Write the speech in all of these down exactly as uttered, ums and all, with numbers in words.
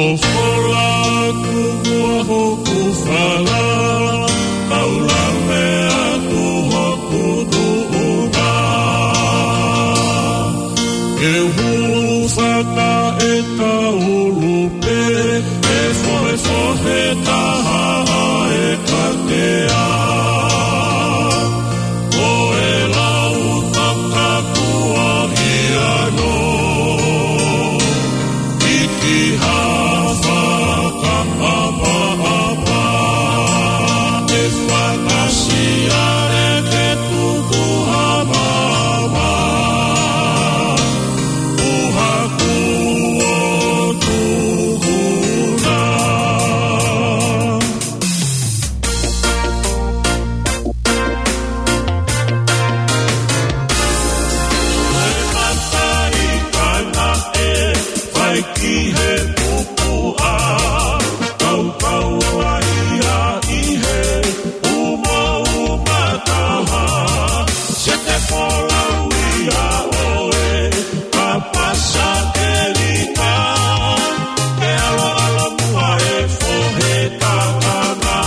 ʻOku fola atu hoku fala, kau lave atu hoku tuʻunga. Ke hulu faka e taulu pē, ʻe fohefohe taha ʻa e katea. Ko e lau takakuahi ano, ʻi ki ha fakaʻapaʻapa, ʻe fakasiale ke tuku ha mama, ʻuha kuo tuku na. Ko e mataʻikana ʻe fai ki he pupuʻa, kaukau ai ia ʻi he umauma taha, se te folau ia ʻoe, ka pasa ke lika, ke ʻaloʻalo muʻa e fohe kakanga.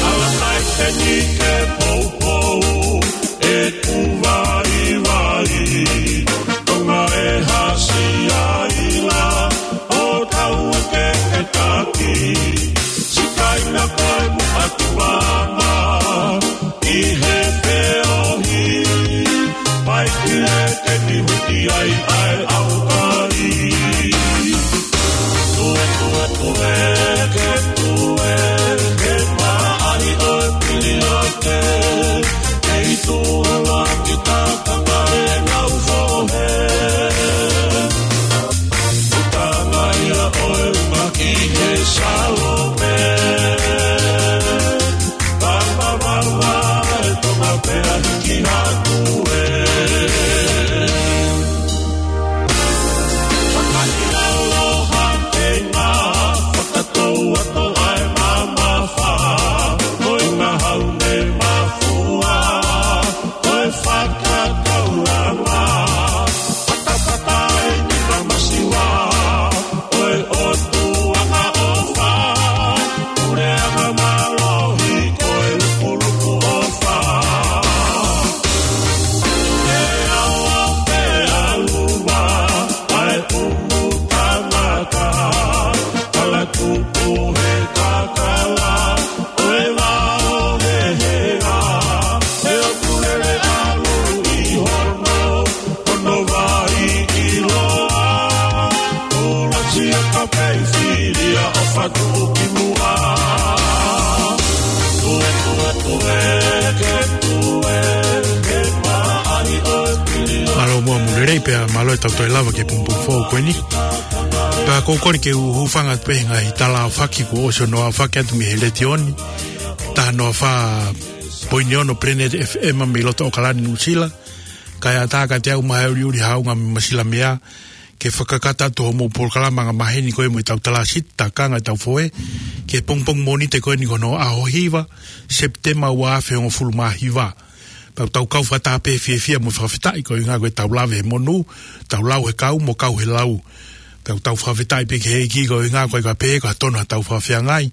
Ala mai peni ke poupou ʻeku vaivai, Tonga e hasi ai la, ʻo tau ke ke taki, sikaina ko e muʻa tuʻanga ʻi he feohi, mai ki he ke ni huti ai ʻa e ʻaukai. Tue, tue, tue, ke tue, ke maʻali ʻo e pili o te, kei tuʻu la ki takanga e ngau fohe. Utanga ia ʻo e uma ki he Salome. Papa, papa, e Tonga pea hiki hatu e. Fakaʻiloa ʻa e ngā, fakatou atu ʻa e mamafa, ko e ngahau ne mafua, ko e fakakaulanga. Fatafata eni ka masiva, ko e ʻOtua ka ʻofa, puleʻanga mālohi ko e lukuluku ʻofa. Ke awa pe aluva, ʻa e pumu tangata, kala tupu he kakala, ko e vao he hea, he ʻoku lele ʻalu ʻi hono, hono vai ʻiloa. Ula sia ka pei filia ʻo fatu ki muʻa. Tue, tue, tue, ke tue, ke maʻali ʻo e pili o. Mālō muʻa Mulelei pea mālō e tau toe lava ki he pongipongi foʻou ko eni. Pea ʻoku ou kole ke u hūfanga atu pē he ngaahi tala aofaki kuo ʻosi hono aofaki atu mei he letiō ni. Taha noa fā poini ono Planet F M mei loto ʻAokalani Nuʻusila. Kae ʻatā kiate au Maheuli Uli Haunga mei Masilamea, ke fakakakato atu hoʻomou polokalama angamaheni ko ē mo e tau tala sita, takanga e tau foe, ki he pongipongi Mōnite ko eni ko hono ʻaho hiva, Sepitema ua afe hongofulu mā hiva. Pea ʻoku tau kau fakataha pē fiefia mo fakafetaʻi koeʻuhinga ko e tau lave he monū, tau lau he kau mo kau he lau. Pea ʻoku tau fakafetaʻi pē ki he ʻEiki koeʻuhinga ko e ka pehē ko ha tonu ha tau fakafeangai,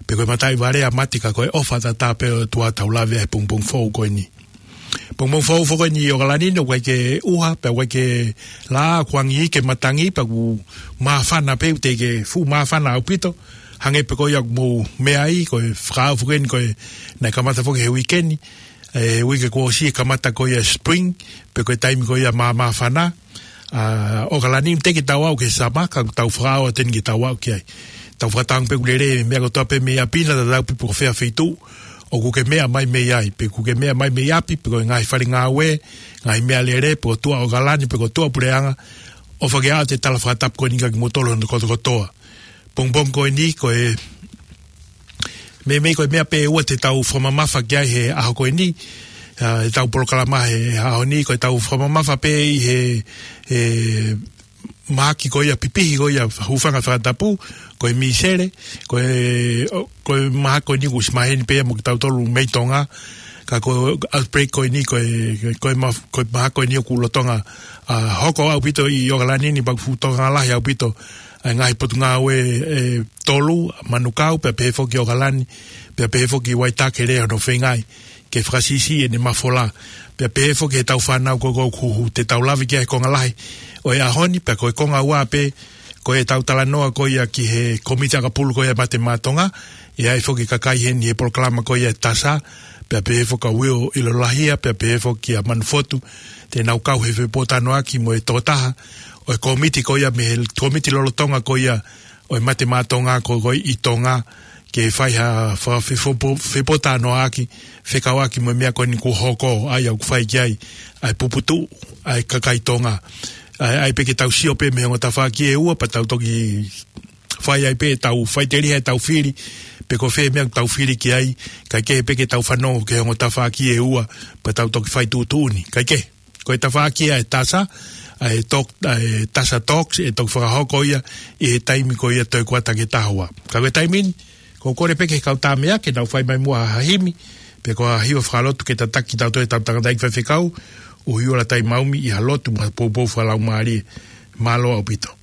pe ko e mataʻi vale ʻa mate ka ko e ʻofa tatau pē ʻa e ʻOtua tau lave he pongipongi foʻou ko eni. Pongipongi foʻou foki eni ʻi ʻAokalani ni, ʻoku ʻikai ke ʻuha, pea ʻoku ʻikai ke laʻā, kuo angi ʻi he matangi, pea ʻoku māfana pē, ʻoku teʻeki ke fuʻu māfana ʻaupito, hangē pē ko ia ʻoku mou meʻa ai, ko e fakaʻau foki eni ko e naʻe kamata foki he uike ni, e uike kuo ʻosi e kamata ko ia spring, pe ko e taimi ko ia māmāfana, ʻa ʻAokalani ni teʻeki ke tau aʻu ki he summer, ka tau fakaʻau atu eni ke tau aʻu ki ai. Tau fakatangi pē ʻoku lelei e meʻa kotoa pē mei ʻapi, naʻa tatau pē pe ko fē feituʻu ʻoku ke meʻa mai mei ai, pe ʻoku ke meʻa mai mei ʻapi, pe ko e ngaahi fale ngāue, ngaahi meʻalele, pe ko tuʻa ʻAokalani, pe ko tuʻa puleʻanga, ʻofa ke ʻoatu e tala fakatapu ko eni kiate kimoutolu hono kotokotoa. Pongipongi ko eni, ko e meimei ko e meʻa pē ʻe ua te tau fakamamafa ki ai he ʻaho ko eni, ʻa, e tau polokalama he ʻaho ni, ko e tau fakamamafa pē ʻi he, he mahaki ko ia pipihi ko ia hūfanga fakatapu, ko e Mīsele, ko e, ʻo, ko e mahaki ko eni kuo ʻosi maheni pē ia mo kitautolu mei Tonga, Ka ko e outbreak ko eni, ko e, ko e ma-, ko e mahaki ko eni ʻoku lolotonga, ʻa, hoko ʻaupito ʻi ʻOkalani ni, pea ʻoku fuʻu tokanga lahi ʻaupito ʻa e ngaahi potungāue ʻe tolu, Manukau, pea pehē foki ʻOkalani, pea pehē foki Waitake, lea hono feingaʻi ke fakasiʻisiʻi ʻene mafola. Pea pehē foki heʻetau fānau ko ē ʻoku huhu, te tau lave ki ai he konga lahi ʻo e ʻaho ni, pea ko e konga ua pē, ko ʻetau talanoa ko ia ki he kōmiti ʻakapulu ko ia Mate Maʻa Tonga, ʻe ʻi ai foki e kakai heni he polokalama ko ia ʻa e TASA, pea pehē foki ʻa Will ʻIlolahia, pea pehē foki ʻa Manufotu, te nau kau he fepōtalanoaʻaki mo e tokotaha ʻo e kōmiti ko ia mei he kōmiti lolotonga ko ia ʻo e Mate Maʻa Tonga ko ē ʻi Tonga, ke fai ha fa-, fe-, fepō-, fepōtalanoaʻaki, fekauʻaki mo e meʻa ko eni kuo hoko, ʻa ia ʻoku fai ki ai ʻa e puputuʻu ʻa e kakai Tonga. ʻA ia, ʻai pē ke tau sio pē mei he ongo tafaʻaki ʻe ua, pea tau toki fai ai pē ʻetau faʻiteliha ʻetau fili, pe ko fē meʻa ʻoku tau fili ki ai, kae kehe pē ke tau fanongo ki he ongo tafaʻaki ʻe ua, pea tau toki fai tuʻutuʻuni. Kae kehe, ko e tafaʻaki ʻa e TASA, ʻa e talk, ʻa e TASA Talks, ʻe toki fakahoko ia ʻi he taimi ko ia toe kuata ki he taha ua. Ka ko e taimi ni, ʻoku ou kole pē ki he kau tāmeʻa ke nau fai mai muʻa ha himi, pe ko ha hiva fakalotu ke tataki kitautolu ʻe heʻetau tangataʻeiki faifekau, ʻuhi ola tai maumi ʻi ha lotu mo ha poupou fakalaumālie. Mālō ʻaupito.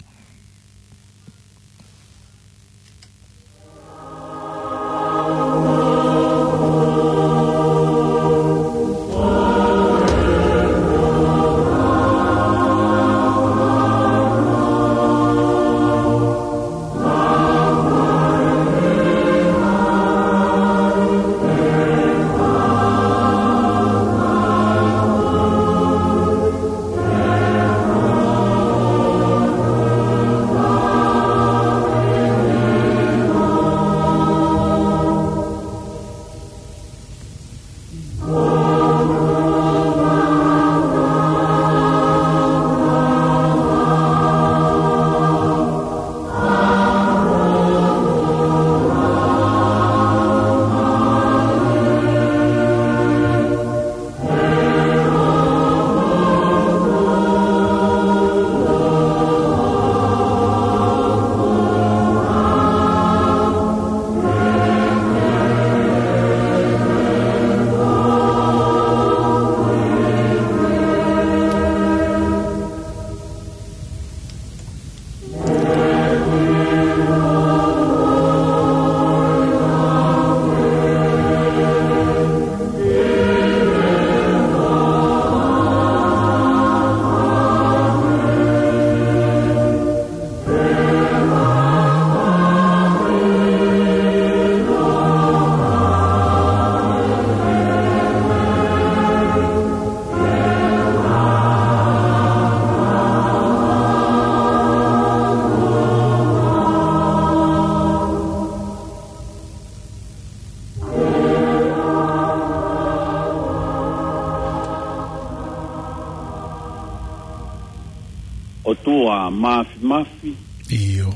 ʻOtua Māfimafi. ʻIo.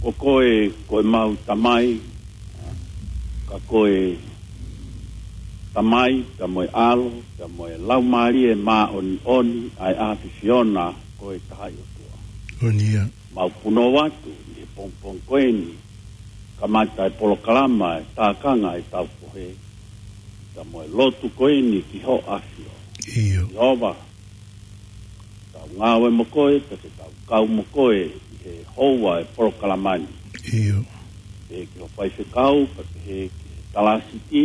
Ko koe, ko ʻemau Tamai, ka ko e Tamai, pea mo e ʻAlo, pea mo e Laumālie Māʻoniʻoni, ʻa e ʻAfiona, ko e Tahaʻi ʻOtua. ʻOku ia. Mau punou atu ʻi he pongipongi ko eni, kamata e polokalama ʻa e tākanga ʻetau pohe, pea mo e lotu ko eni ki ho ʻAfio. ʻIo. Sihova, tau ngāue mo koe, pea ke tau kau mo koe ʻi he houa e polokalama ni. ʻIo. Pehē ki ho faifekau, pea pehē ki he talāsiti,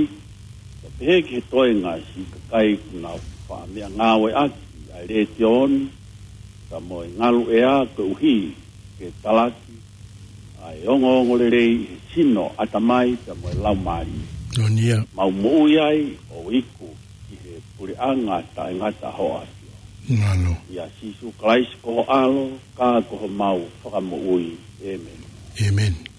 pea pehē ki he toenga siʻi kakai kuo nau faʻa meʻangāueʻaki ʻa e letiō ni, pea mo e ngaluʻea koeʻuhi ke talaki ʻa e ongoongolelei ʻi he sino, ʻatamai, pea mo e laumālie. ʻOku ia. Mau moʻui ai ʻo iku ki he puleʻanga taʻengata ho ʻAfio. Mālō. ʻIa Sīsū Kalaisi ko ho ʻAlo, ka ko homau Fakamoʻui. ʻĒmeni. ʻĒmeni.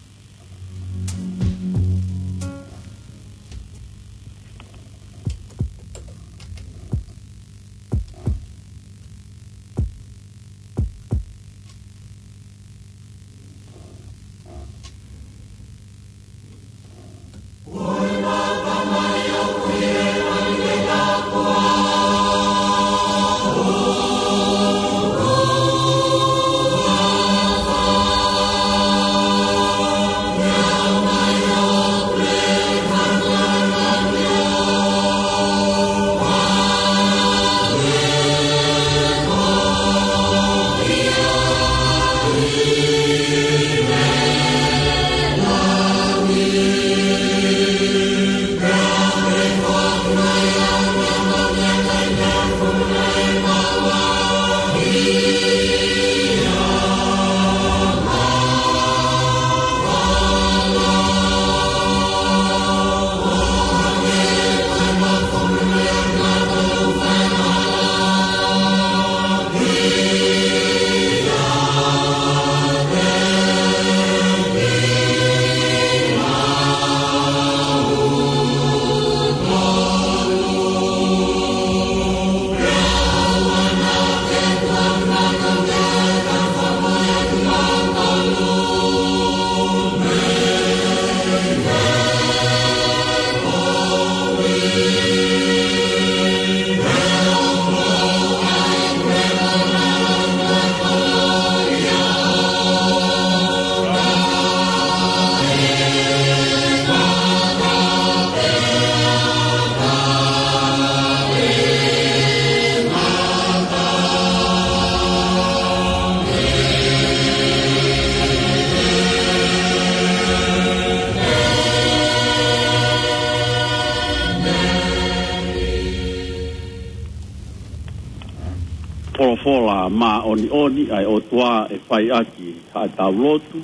Folofola māʻoniʻoni ʻa e ʻOtua ʻe fai ʻaki haʻatau lotu,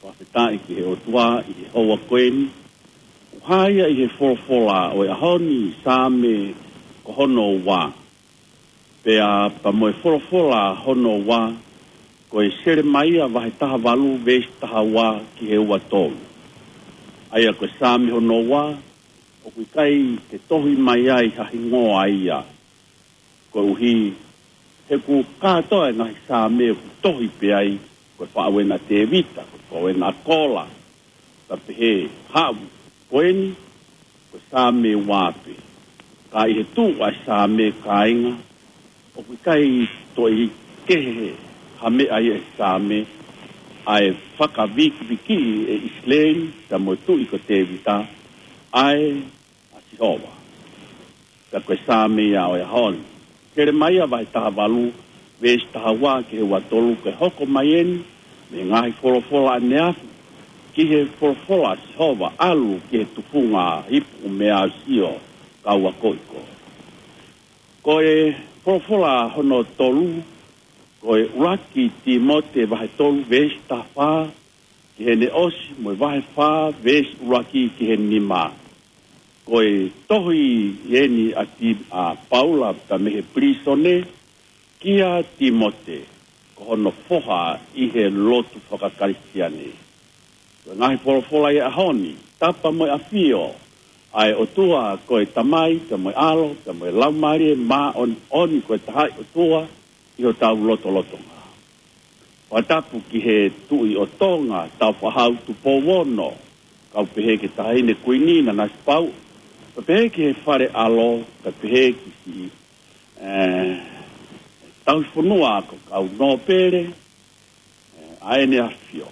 fakafetaʻi ki he ʻOtua ʻi he houa ko eni. ʻOku hā ia ʻi he folofola ʻo e ʻaho ni, Saame ko hono ua. Pea pea mo e folofola hono ua, ko e Selemaia vahe taha valu veesi taha ua ki he ua tolu. ʻA ia ko e Saame hono ua, ʻoku ʻikai ke tohi mai ai ha hingoa ia. Koeʻuhi, he ʻoku kātoa e ngaahi Saame ʻoku tohi pē ai, ko e faʻu ena ʻa Tēvita, ko e faʻu ena ʻa Kola, pea pehē haʻu ko eni, ko e Saame ua pē. Ka ʻi he tuʻu ʻa e Saame, kāinga, ʻoku ʻikai toe kehe ha meʻa ia he Saame, ʻa e fakavikivikiʻi ʻe ʻIsileli, pea mo e tuʻi ko Tēvita, ʻa e ʻa Sihova. Pea ko e Saame ia ʻo e ʻaho ni. Selemaia vahe taha valu, veesi taha ua ki he ua tolu, ke hoko mai eni mei he ngaahi folofola ʻaneafi, ki he folofola ʻa Sihova, ʻalu ki he tufunga ipu meʻa ʻo Sio, kau akoʻi koe. Ko e folofola hono tolu, ko e ʻuluaki Tīmote vahe tolu veesi taha fā, ki heʻene ʻosi, mo e vahe fā veesi ʻuluaki ki he nima. Ko e tohi eni ʻa Ti-, ʻa Paula pea mei he pilīsone, kia Tīmote, ko hono foha ʻi he lotu fakakalisitiane. Ko e ngaahi folofola ʻi he ʻaho ni, tapa mo e ʻafio ʻa e ʻOtua, ko e Tamai, pea mo e ʻAlo, pea mo e Laumālie Māʻoniʻoni, ko e Tahaʻi ʻOtua ʻi hotau lotolotonga. Fakatapu ki he Tuʻi ʻo Tonga, Tāufaʻāhau Tupou Ono, kau pehē ki he Taʻahine Kuini Nanasipauʻu, pea pehē ki he Fale ʻAlo, pea pehē ki siʻi, ē, tauhi fonua ko e kau nōpele, ē, ʻa ʻEne ʻAfio.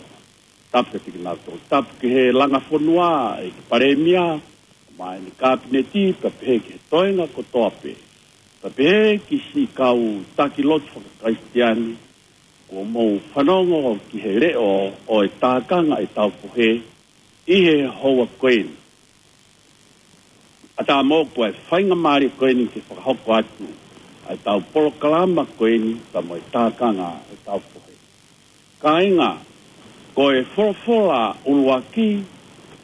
Tapu ki kinautolu, tapu ki he langa fonua, ʻEiki Palēmia, mo ʻene Kapineti, pea pehē ki he toenga kotoa pē. Pea pehē ki siʻi kau taki lotu fakakalisitiane, kuo mou fanongo ki he leʻo ʻo e tākanga ʻetau fohe ʻi he houa ko eni. ʻAtā mo e faingamālie ko eni ke fakahoko atu ʻa ʻetau polokalama ko eni, pea mo e tākanga ʻetau fohe. Kāinga, ko e folofola ʻuluaki,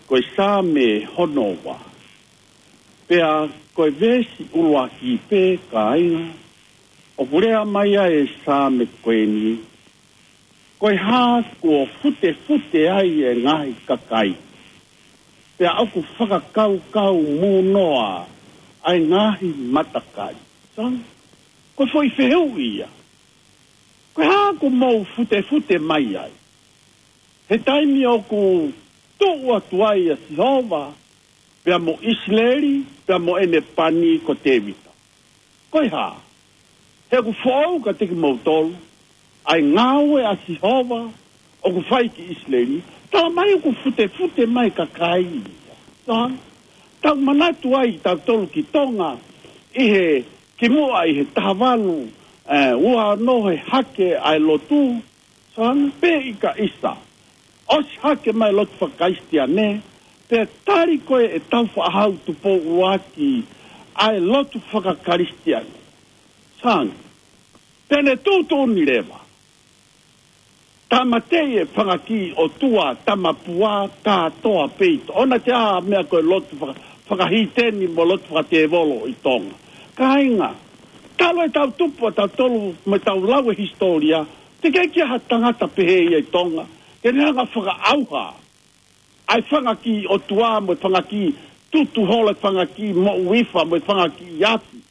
ko e Saame hono ua. Pea ko e veesi ʻuluaki pē, kāinga, ʻoku lea mai ai e Saame ko eni, ko e hā kuo futefute ai e ngaahi kakai, pea ʻoku fakakaukau mūnoa ʻa e ngaahi matakai. Saame, ko e foʻi fehuʻi ia. Ko e hā kuo mou futefute mai ai? He taimi ʻoku tuʻu atu ai ʻa Sihova, pea mo ʻIsileli, pea mo ʻene pani ko Tēvita. Ko e hā? He ʻoku foʻou kiate kimoutolu ʻa e ngāue ʻa Sihova ʻoku fai ki ʻIsileli, tala mai ʻoku futefute mai kakai. Saame, tau manatu ai tautolu ki Tonga, ʻi he kimuʻa ʻi he taha valu, ē, ua ono he hake ʻa e lotu, Saame, pe ʻikai ʻisa. ʻOsi hake mai lotu fakakalisitiane, pea tali ko ē ʻe Tāufaʻāhau Tupou ʻUluaki ʻa e lotu fakakalisitiane. Saame, pea ne tuʻutuʻuni leva. Tāmateʻi e fanga kiʻi ʻotua tamapua kātoa pē ʻi Tonga. ʻOna te ʻā meʻa ko e lotu faka-, fakahīteni mo lotu fakatēvolo ʻi Tonga. Kāinga, talu ʻetau tupu ʻa tautolu mo ʻetau lau e hisitōlia, teʻeki ai ke ʻi ai ha tangata pehē ia ʻi Tonga ke ne hanga fakaʻauha ʻa e fanga kiʻi ʻotua mo e fanga kiʻi tutu holo, e fanga kiʻi moʻui fa mo e fanga kiʻi afi.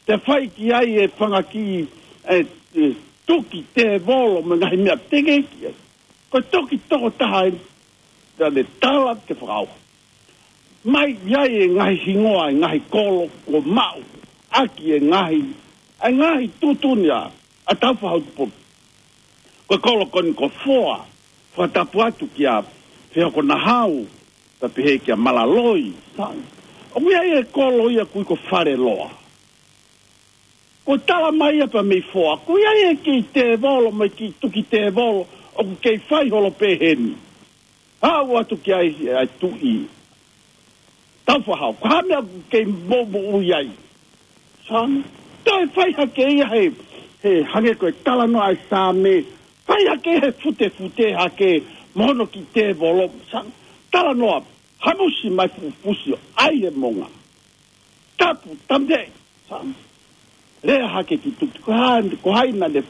Te fai ki ai e fanga kiʻi, e, e, tuki tēvolo mo e ngaahi meʻa, teʻeki ai. Ko e toki tokotaha eni, te ne tala ke fakaʻauha. Mai ʻi ai e ngaahi hingoa, e ngaahi kolo kuo maʻu ʻaki e ngaahi, e ngaahi tuʻutuʻuni ʻa, ʻa Tāufaʻāhau Tupou. Ko e kolo ko eni ko Foa, fakatapu atu kia Fehokonahau, pea pehē kia Malaloi, Saame. ʻOku ʻi ai e kolo ia ʻoku ui ko Faleloa. Ko e tala mai ia pea mei Foa, ʻoku ʻi ai e kiʻi tēvolo mo e kiʻi tuki tēvolo ʻoku kei fai holo pē heni. Haʻu atu ki ai, ai tuʻi Tāufaʻāhau, ko e hā e meʻa ʻoku kei moʻumoʻui ai? Saame, toe fai hake ia he He hangē ko e talanoa ʻa e Saame, fai hake he futefute hake mo hono kiʻi tēvolo, sa, talanoa, hamusi mai fufusi ʻo ʻai he monga. Tapu, tamte, sa, lea hake ki tuʻa, ko hai, ko hai naʻa ne,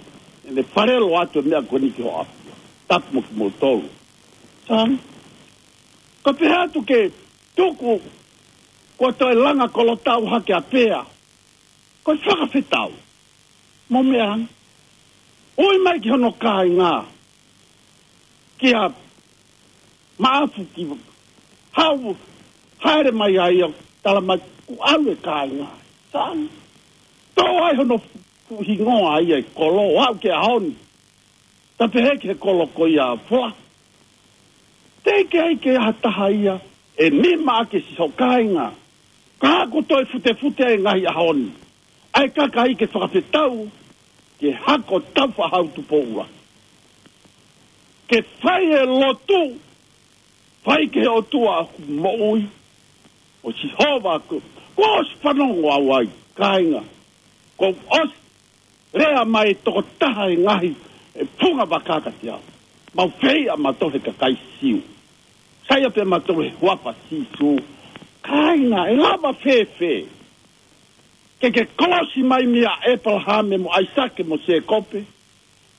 ne faleloa atu e meʻa ko eni ki ho ʻapi. Tapu mo kimoutolu. Sa, ka pehē atu ke tuku, ko e toe langa kolotau hake ʻa Pea. Ko e fakafetau. Mo meʻa. ʻUi mai ki hono kāinga. Kia Maʻafu ki hau, haere mai ai ʻo tala mai kuo ʻalu e kāinga. Sa, tō ai hono fuʻu hingoa ia e kolo, ʻo aʻu ki he ʻaho ni. Ta pehē ki he kolo ko ia Fola. Teʻeki ai ke ʻi ai ha taha ia ʻe nima ʻaki siʻi kāinga. Ka ko e toe futefute e ngaahi ʻaho ni. ʻA e kakai ke fakafetau, ke hako tau fahau Tupou ʻUluaki. Ke fai e lotu, fai ki he ʻOtua ʻoku moʻui, ʻo Sihova ko, kuo ʻosi fanongo au ai, kāinga. Kuo ʻosi lea mai e tokotaha e ngaahi, e funga vaka kiate au. Mau feiʻa mautolu he kakai Siu. Saiʻia pē mautolu he huafa Sīsū. Kāinga, ʻe lava fēfē ke ke kolosi mai mei a ʻEpalahame mo ʻAisake mo Sēkope.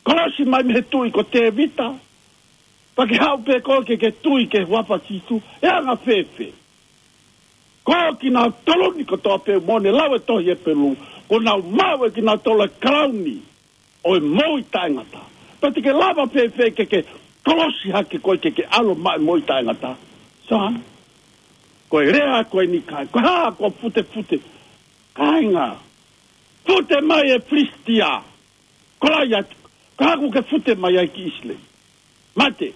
Kolosi mai mei he tuʻi ko Tēvita. Pea ke haʻu pē koe ke ke tui ki he huafa Sīsū. ʻE anga fēfē? Ko kinautolu ni kotoa pē ʻoku ne lau e tohi Hepelū, kuo nau maʻu ʻe kinautolu e kalauni ʻo e moʻui taʻengata. Pea te ke lava fēfē ke ke kolosi hake koe ke ke ʻalu ʻo maʻu e moʻui taʻengata? Sa, ko e lea ko eni kāinga, ko e hā ko e futefute? Kāinga, fute mai e Filisitia, Kolaiate, ka ʻoku ke fute mai ai ki ʻIsileli. Mate.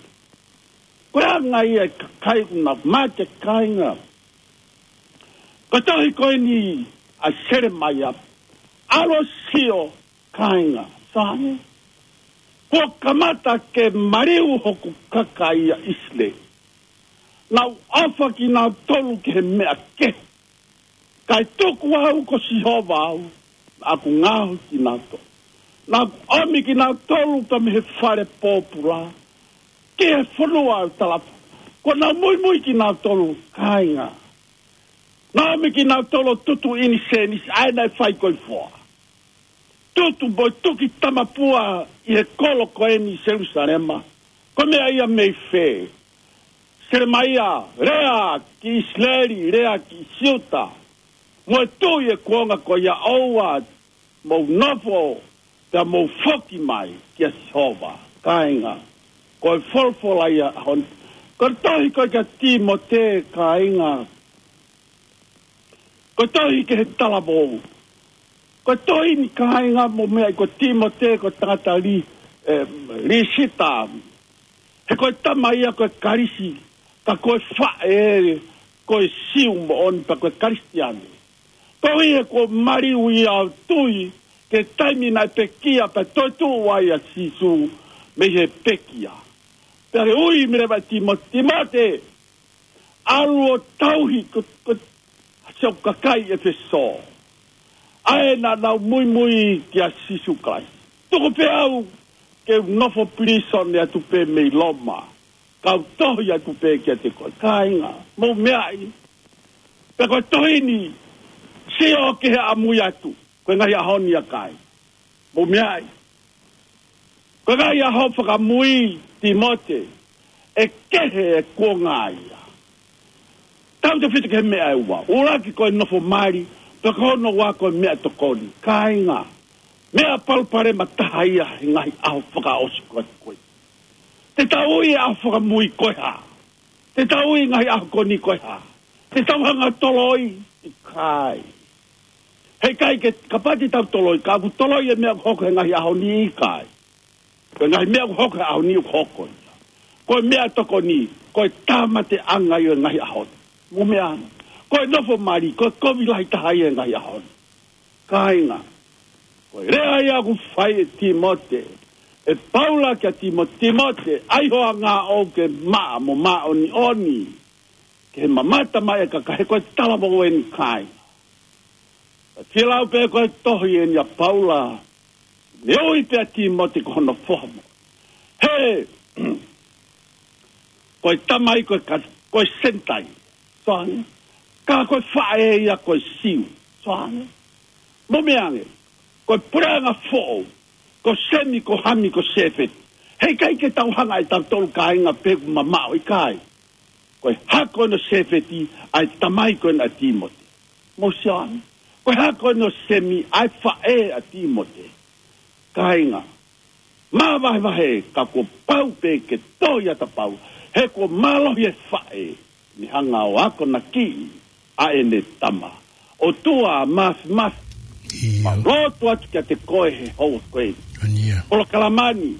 Ko e anga ia e kakai ʻoku nau mate, kāinga. Ko e tohi ko eni ʻa Selemaia, ʻalu ʻo sio, kāinga. Sa, kuo kamata ke maliu hoku kakai ʻa ʻIsileli. Nau ʻofa kinautolu ki he meʻa kehe. Kae tuku au ko Sihova au, ʻoku ngaohi kinautolu. Naʻa ku ʻomi kinautolu ka mei he fale pōpula ki he fonua ʻo e talafonua. Kuo nau muimui kinautolu, kāinga. Naʻa ku ʻomi kinautolu ʻo tutu ʻinisēnisi, ʻa ē naʻe fai ko e foa. Tutu mo tuki tamapua ʻi he kolo ko eni Selūsalema. Ko e meʻa ia mei fē? Selemaia, lea ki ʻIsileli, lea ki Siuta. Mo e tuʻi e kuonga ko ia, ʻoua mou nofo, pea mou foki mai kia Sihova, kāinga. Ko e folofola ia ʻo e ʻaho ni. Ko e tohi ko ē kia Tīmote, kāinga. Ko e tohi ki he talavou. Ko e tohi ni, kāinga, mo meʻa, ko Tīmote ko e tangata li, ē, Lisita. He ko e tama ia ko e Kalisi, ka ko e faʻē ko e Siu moʻoni pea ko e Kalisitiane. Koeʻuhi he kuo maliu ia ʻo tui ki he taimi naʻe pekia pea toetuʻu ai ʻa Sīsū mei he pekia. Pea ke ui mai leva ʻe Tīmote, Tīmote, ʻalu ʻo tauhi ko, ko siʻo kakai ʻEfesō, ʻa ē naʻa nau muimui kia Sīsū Kalaisi. Tuku pē au ke u nofo pilīsone atu pē mei Loma, kau tohi atu pē kiate koe, kāinga, mou meaʻi. Pea ko e tohi ni, sio ki he ʻamui atu, ko e ngaahi ʻaho ni ʻa kāinga. Mou meaʻi. Ko e ngaahi ʻaho fakamui, Tīmote, ʻe kehe e kuonga ia. Tautefito ki he meʻa ʻe ua. ʻUluaki ko e nofo mali, pea ko hono ua ko e meʻatokoni. Kāinga, meʻa palopalema taha ia he ngaahi ʻaho fakaʻosi ko ē. Te tau ui e ʻaho fakamui ko e hā? Te tau ui e ngaahi ʻaho ko eni ko e hā? Te tau hanga ʻo toloi? ʻIkai. He ʻikai ke, kapau te tau toloi, ka ʻoku toloi e meʻa ʻoku hoko he ngaahi ʻaho ni, ʻikai. Ko e ngaahi meʻa ʻoku hoko he ʻaho ni ʻoku hoko ia. Ko e meʻatokoni, ko e tāmateʻanga ia ʻo e ngaahi ʻaho ni. Mou meaʻi. Ko e nofo mali, ko e kovi lahi taha ia he ngaahi ʻaho ni. Kāinga, ko e lea ia ʻoku fai ʻe Tīmote, ʻe Paula kia Tīmo-, Tīmote, ʻai ho anga ʻoʻou ke maʻa mo māʻoniʻoni, ke mamata mai e kakai, he ko e talavou eni, kāinga. Pea fielau pē ko e tohi eni ʻa Paula, Neongo pē ʻa Tīmote ko hono foha mo. He, ko e tamai ko e ka-, ko e Senitaile. Sio ange. Ka ko e faʻē ia ko e Siu. Sio ange. Mou meʻa ange. Ko e puleʻanga foʻou. Ko Semi, ko Hami, ko Sēfeti. Heʻikai ke tau hanga ʻe tautolu kāinga pē ʻoku mamaʻo, ʻikai. Ko e hako eni ʻo Sēfeti, ʻa e tamai ko eni ʻa Tīmote. Mou sio ange. Ko e hako eni ʻo Semi, ʻa e faʻē ʻa Tīmote. Kāinga. Māvahevahe ka kuo pau pē ke tohi ʻa e tapau. He kuo mālohi e faʻē. Ne hanga ʻo akonakiʻi ʻa ʻene tama. ʻOtua Māfimafi. ʻIo. Mau lotu atu kiate koe he houa ko eni. Ko eni ia. Polokalama ni.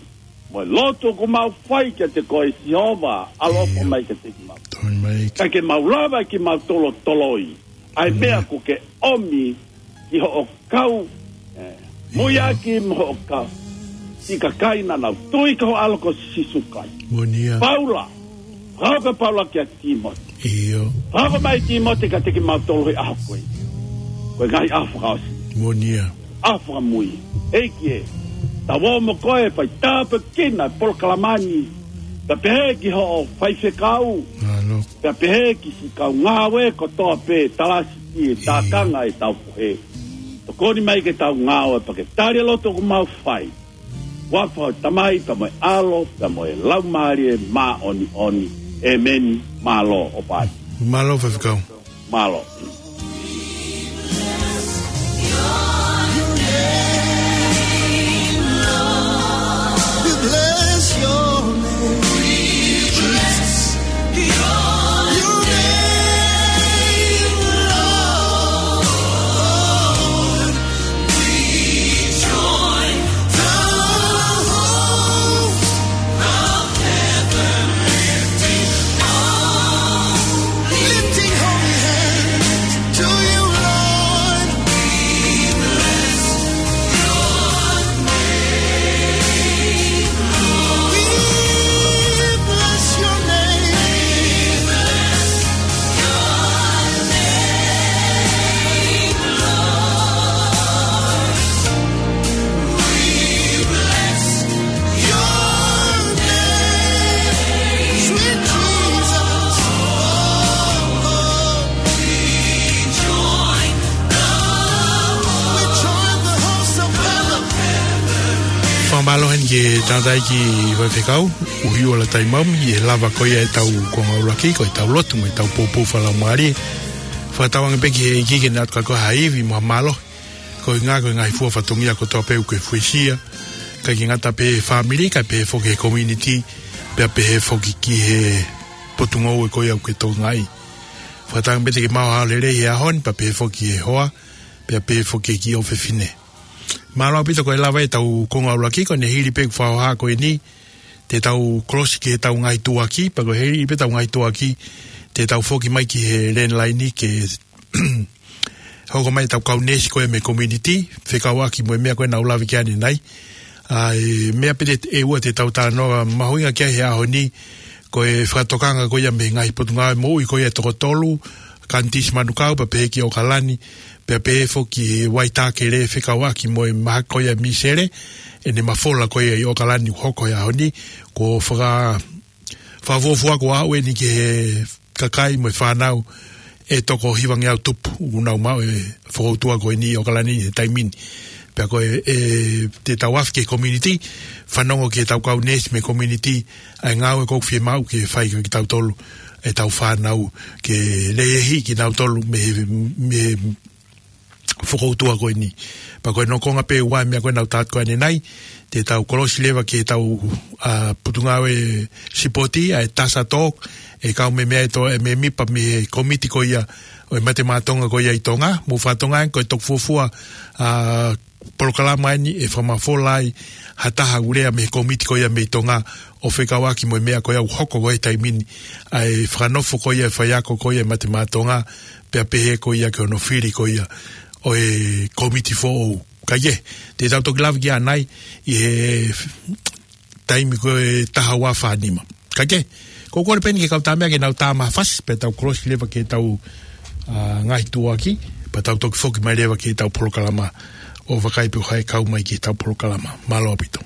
Mo e lotu ʻoku mau fai kiate koe Sihova. ʻAloʻofa mai kiate kimautolu. Tau mai. Kae ke mau lava ʻe kimautolu ʻo toloi. ʻA e meʻa kuo ke ʻomi ki hoʻo kau, eh, muiaki mo hoʻo kau. Siʻi kakai naʻa nau tui ki ho ʻAlo ko Sīsū Kalaisi. Moʻoni ia. Paula. Fakahoko ʻe Paula kia Tīmote. ʻIo. Fakahoko mai Tīmote kiate kimautolu he ʻaho ko ē. Ko e ngaahi ʻaho fakaʻosi. Moʻoni ia. ʻAho fakamui. ʻEiki ē. Tau ō mo koe pea tāpuekina e polokalama ni. Pea pehē ki hoʻo faifekau. Mālō. Pea pehē ki siʻi kau ngāue kotoa pē, talasi ki he tākanga ʻetau puhe. Tokoni mai ke tau ngāue pea ke tali e lotu ʻoku mau fai. Huafa ʻo e Tamai, pea mo e ʻAlo, pea mo e Laumālie Māʻoniʻoni. ʻĒmeni. Mālō ʻo pāti. Mālō faifekau. Mālō. We bless your name. We bless your name, Lord. We join the host of heaven, lifting up, lifting holy hands to you, Lord. We bless your name. We bless your name. We bless your name, Lord. We bless your name, sweet Jesus. Oh, oh. We join the, we join the host of heaven. Fakamālō heni ki he tangataʻeiki faifekau, ʻUhiʻula Taimaomi, ʻi he lava ko ia ʻetau konga ʻuluaki, ko ʻetau lotu mo ʻetau poupou fakalaumālie. Fakatauange pē ki he ʻEiki ke ne ʻatu kia koe ha ivi mo ha mālohi. Ko e ngaahi, ko e ngaahi fua fatongia kotoa pē ʻoku ke fuesia. ʻIkai ke ngata pē he fāmili, kae pehē foki he community, pea pehē foki ki he potungāue ko ia ʻoku ke tokangaʻi. Fakatauange pē te ke maʻu ha ʻaho lelei he ʻaho ni, pea pehē foki he hoa, pea pehē foki ki ʻofefine. Mālō ʻaupito ko e lava ʻetau konga ʻuluaki, ko ʻene hili pē ʻeku fakahoha ko eni, te tau kolosi ki heʻetau ngaahi tuʻuaki, pea ko e hili pē ʻetau ngaahi tuʻuaki, te tau foki mai ki he landline ke hoko mai ʻetau kau neesi ko ē mei he community, fekauʻaki mo e meʻa ko ē naʻa ku lave ki ai ʻanenai. ʻA e meʻa pē ʻe ua te tau talanoa mahuʻinga ki ai he ʻaho ni, ko e fakatokanga ko ia mei he ngaahi potungāue moʻui ko ia ʻe toko tolu, Kanitisi Manukau, pea pehē ki ʻOkalani, pea pehē foki Waitākele fekauʻaki mo e mahaki ko ia ʻa Misele, ʻene mafola ko ia ʻi ʻOkalani ʻoku hoko he ʻaho ni, ko e faka-, fakafuofua ko ia ʻeni ki he kakai mo e fānau ʻe toko hivangeau tupu, ʻoku nau maʻu e fokoutua ko eni ʻi ʻOkalani he taimi ni. Pea ko e, ʻe, te tau afe ki he community, fanongo ki heʻetau kau neesi mei he community, ʻa e ngāue ʻoku fiemaʻu ke fai kia kitautolu, ʻetau fānau, ke lehehi kinautolu mei he, mei he fokoutua ko eni. Pea ko e nokonga pē ua e meʻa ko ē naʻa ku tala atu ko ē ʻanenai, te tau kolosi leva ki heʻetau, ʻa, potungāue sipoti, ʻa e TASA Talk, ʻe kau mei meʻa ʻe to-, ʻe mēmipa mei he komiti ko ia, ʻo e Mate Maʻa Tonga ko ia ʻi Tonga, mou fakatokangaʻi ko e toki fuofua, ʻa, polokalama ʻeni ʻe fakamafola ai ha taha ʻoku lea mei he komiti ko ia mei Tonga ʻo fekauʻaki mo e meʻa ko ia ʻoku hoko ko ē he taimi ni, ʻa e fakanofo ko ia e faiako ko ia ʻa e Mate Maʻa Tonga, pea pehē ko ia ki hono fili ko ia ʻo e komiti foʻou. Kae kehe, te tau toki lave ki ai ʻanenai ʻi he taimi ko e taha ua fā nima. Kae kehe, ʻoku ou kole pē ʻeni ki he kau tāmeʻa ke nau tā mai ha fasi, pea tau kolosi leva ki heʻetau, ʻa, ngaahi tuʻuaki, pea tau toki foki mai leva ki heʻetau polokalama ʻo vakai pe ko hai ʻe kau mai ki heʻetau polokalama. Mālō ʻaupito.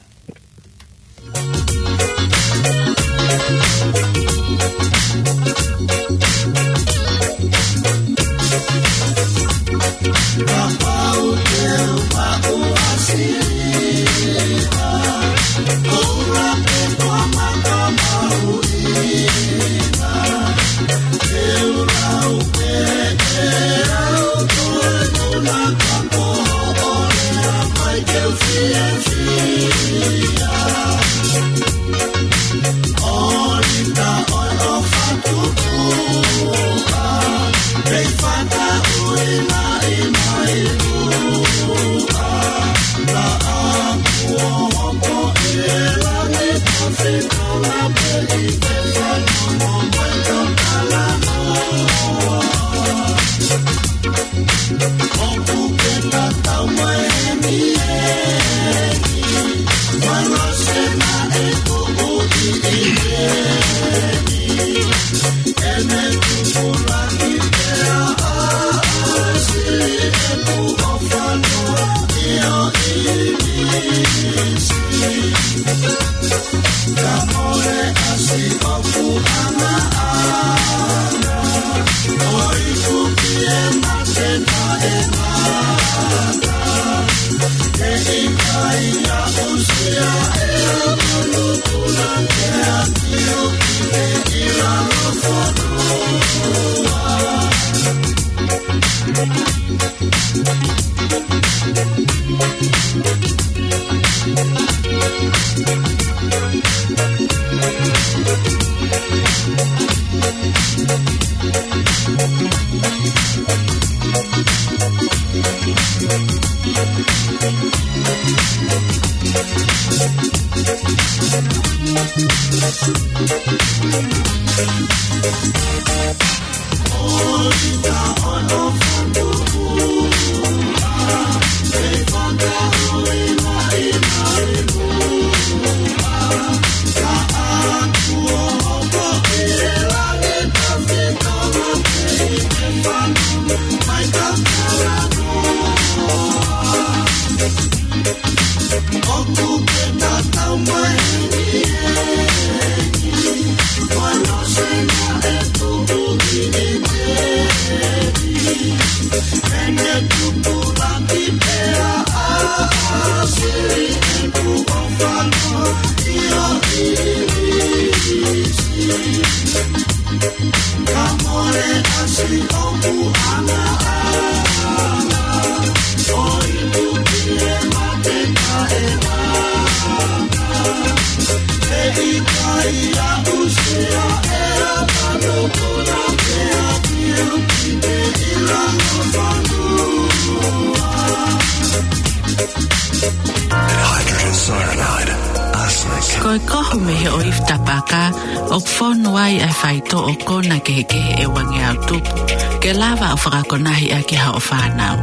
Hydrogen cyanide, arsenic. Ko e kohu mei he ʻoifi tapaka, ʻoku fonu ai ʻa e faitoʻo kona kehekehe ʻe uangeau tupu, ke lava ʻo fakakonahi ʻaki hoʻo fānau.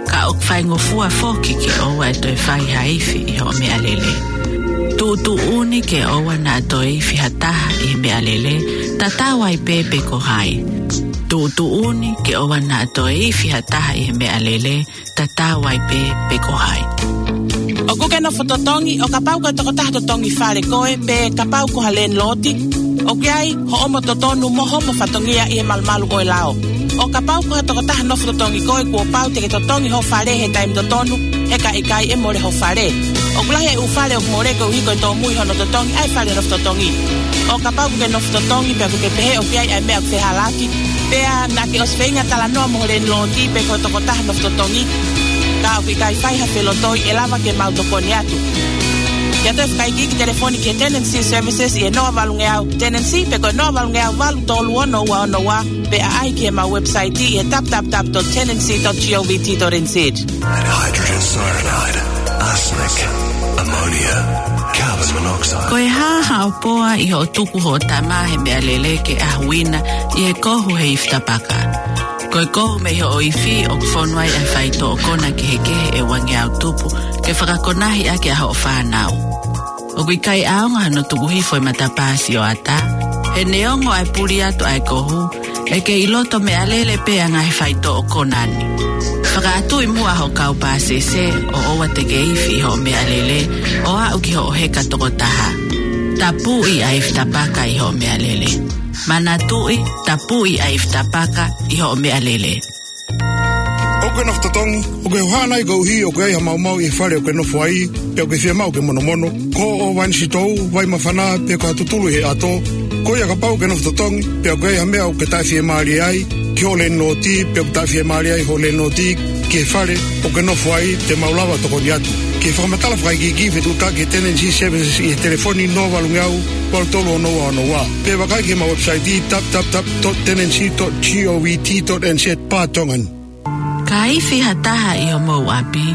Ka ʻoku faingofua foki ke ʻoua ʻe toe fai ha ifi ʻi hoʻo meʻalele. Tuʻutuʻuni ke ʻoua naʻa toe ifi ha taha ʻi he meʻalele, tatau ai pē pe ko hai. Tuʻutuʻuni ke ʻoua naʻa toe ifi ha taha ʻi he meʻalele, tatau ai pē pe ko hai. ʻOkú ke nofo totongi, ʻo kapau ko e tokotaha totongi fale koe, pe kapau ko ha landlord, ʻoku ʻi ai hoʻomo totonu mo hoʻomo fatongia ʻi he malumalu ʻo e lao. ʻO kapau ko ha tokotaha nofo totongi koe, kuo pau te ke totongi hoʻo fale he taimi totonu, he ka ʻikai ʻe mole hoʻo fale. ʻOku lahi e ʻū fale ʻoku mole koeʻuhi ko e tōmui hono totongi ʻa e fale nofo totongi. ʻO kapau ʻokú ke nofo totongi pea ʻokú ke pehē ʻoku ʻi ai ʻa e meʻa ʻoku fehalaaki, pea naʻá ke ʻosi feinga talanoa mo ho landlord pe ko e tokotaha nofo totongi, ka ʻoku ʻikai fai ha felotoi, ʻe lava ke mau tokoni atu. Ke ʻoatu e fakaikiiki telefoni ki he Tenancy Services ʻi he noa valungeau tenancy pe ko e noa valungeau valu tolu ono ua ono ua, pe ʻaʻahi ki heʻemau website ʻi he w w w dot tenancy dot govt dot n z. Hydrogen cyanide, arsenic, ammonia, carbon monoxide. Ko e hā haʻo poa ʻi hoʻo tuku hoʻo tama he meʻalele ke ʻahuina ʻi he kohu he ifi tapaka? Ko e kohu mei hoʻo ifi ʻoku fonu ai ʻa e faitoʻo kona kehekehe ʻe uangeau tupu, ke fakakonahi ʻaki ʻa hoʻo fānau. ʻOku ʻikai ʻaonga hano tuku hifo e matapā sioʻata, he neongo ʻa e puli atu ʻa e kohu, ʻE kei ʻi loto meʻalele pē ʻa e ngaahi faitoʻo konā ni. Fakaʻatuʻi muʻa hoʻo kau pāsese ʻo ʻoua te ke ifi ʻi hoʻo meʻalele ʻo aʻu ki hoʻo heka tokotaha. Tapuʻi ʻa e ifi tapaka ʻi hoʻo meʻalele. Manatuʻi, tapuʻi ʻa e ifi tapaka ʻi hoʻo meʻalele. ʻOku ke nofo totongi, ʻoku ke hohaʻa nai koeʻuhi ʻoku ʻi ai ha maumau ʻi he fale ʻoku ke nofo ai, pe ʻoku ke fiemaʻu ke monomono, ko hoʻo vai ni sitou, vai māfana, pe ko ha tutulu ʻi he ʻato. Ko ia kapau ʻoku ke nofo totongi, pe ʻoku ʻi ai ha meʻa ʻoku ke taʻefiemālie ai ki hoʻo lēniloti, pe ʻoku taʻefiemālie ai hoʻo lēniloti ki he fale ʻoku ke nofo ai, te mau lava ʻo tokoni atu. Ke fakamatala fakaikiiki, fetuʻutaki he Tenancy Services ʻi he telefoni noa valu ngeau, valu tolu ono ua ono ua. Pe vakai ki heʻemau website, www dot tenancy dot govt dot nz barra Tongan. Ka ifi ha taha ʻi homou ʻapi,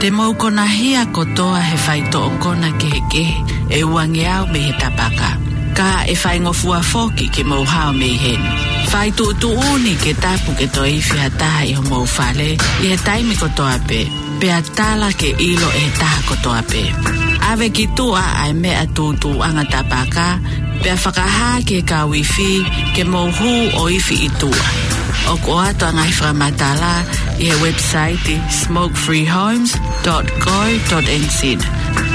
te mou konahia kotoa he faitoʻo kona kehekehe ʻe ua ngeau mei he tapaka. Ka ʻe faingofua foki ke mou hao mei heni. Fai tuʻutuʻuni ke tapu ke toe ifi ha taha ʻi homou fale ʻi he taimi kotoa pē, pea tala ke ʻilo ʻe he taha kotoa pē. ʻAve ki tuʻa ʻa e meʻa tūtuuʻanga tapaka, pea fakahā ki he kau ifi ke mou hū ʻo ifi ʻi tuʻa. ʻOku ʻoatu ʻa e ngaahi fakamatala ʻi he website smoke free homes dot co dot nz.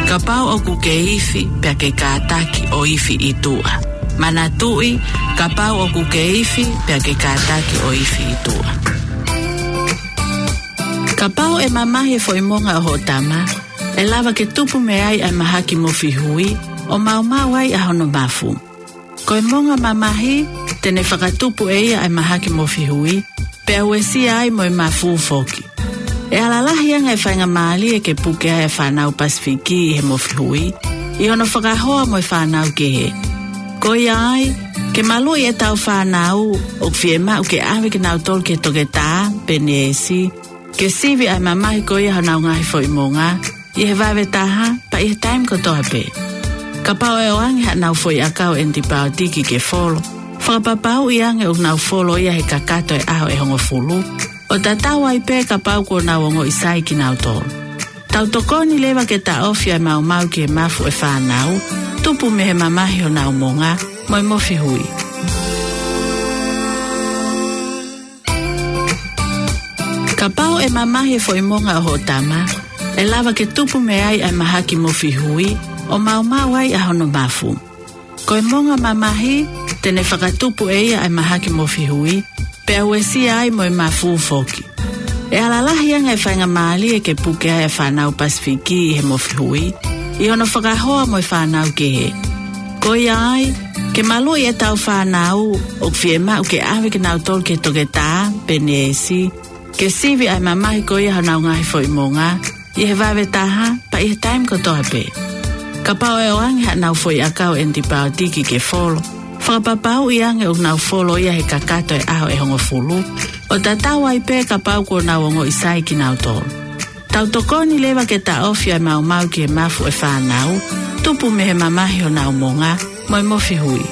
Kapau ʻoku ke ifi, pea ke kātaki ʻo ifi ʻi tuʻa. Manatuʻi, kapau ʻoku ke ifi, pea ke kātaki ʻo ifi ʻi tuʻa. Kapau ʻe mamahi e foʻi monga ʻo hoʻo tama, ʻe lava ke tupu mei ai ʻa e mahaki mofi hui, ʻo maumau ai ʻa hono mafu. Ko e monga mamahi, te ne fakatupu ʻe ia ʻa e mahaki mofi hui, pea uesia ai mo e mafu foki. ʻE alalahi ange e faingamālie ke puke ai ʻa e fānau Pasifiki ʻi he mofi hui, ʻi hono fakahoa mo e fānau kehe. Ko ia ai, ke maluʻi ʻetau fānau, ʻoku fiemaʻu ke ʻave kinautolu ki he toketā, pe neesi, ke sivi ʻa e mamahi ko ia honau ngaahi foʻi monga, ʻi he vave taha, pea ʻi he taimi kotoa pē. Kapau ʻe ʻoange haʻanau foʻi ʻakau ʻenipaotiki ke folo, fakapapauʻi ange ʻoku nau folo ia he kakato e ʻaho ʻe hongofulu, ʻo tatau ai pē kapau kuo nau ongoʻi sai kinautolu. Tau tokoni leva ke taʻofi ʻa e maumau ki he mafu ʻo e fānau, tupu mei he mamahi honau monga, mo e mofi hui. Kapau ʻe mamahi e foʻi monga ʻo hoʻo tama, ʻe lava ke tupu mei ai ʻa e mahaki mofi hui, ʻo maumau ai ʻa hono mafu. Ko e monga mamahi, te ne fakatupu ʻe ia ʻa e mahaki mofi hui, pea uesia ai mo e mafu foki. ʻE alalahi ange e faingamālie ke puke ai ʻa e fānau Pasifiki ʻi he mofi hui, ʻi hono fakahoa mo e fānau kehe. Ko ia ai, ke maluʻi ʻetau fānau, ʻoku fiemaʻu ke ʻave kinautolu ki he toketā, pe neesi, ke sivi ʻa e mamahi ko ia honau ngaahi foʻi monga, ʻi he vave taha, pea ʻi he taimi kotoa pē. Kapau ʻe ʻoange haʻanau foʻi ʻakau ʻenipaotiki ke folo, fakapapauʻi ange ʻoku nau folo ia he kakato e ʻaho ʻe hongofulu, ʻo tatau ai pē kapau kuo nau ongoʻi sai kinautolu. Tau tokoni leva ke taʻofi ʻa e maumau ki he mafu ʻo e fānau, tupu mei he mamahi honau monga, mo e mofi hui.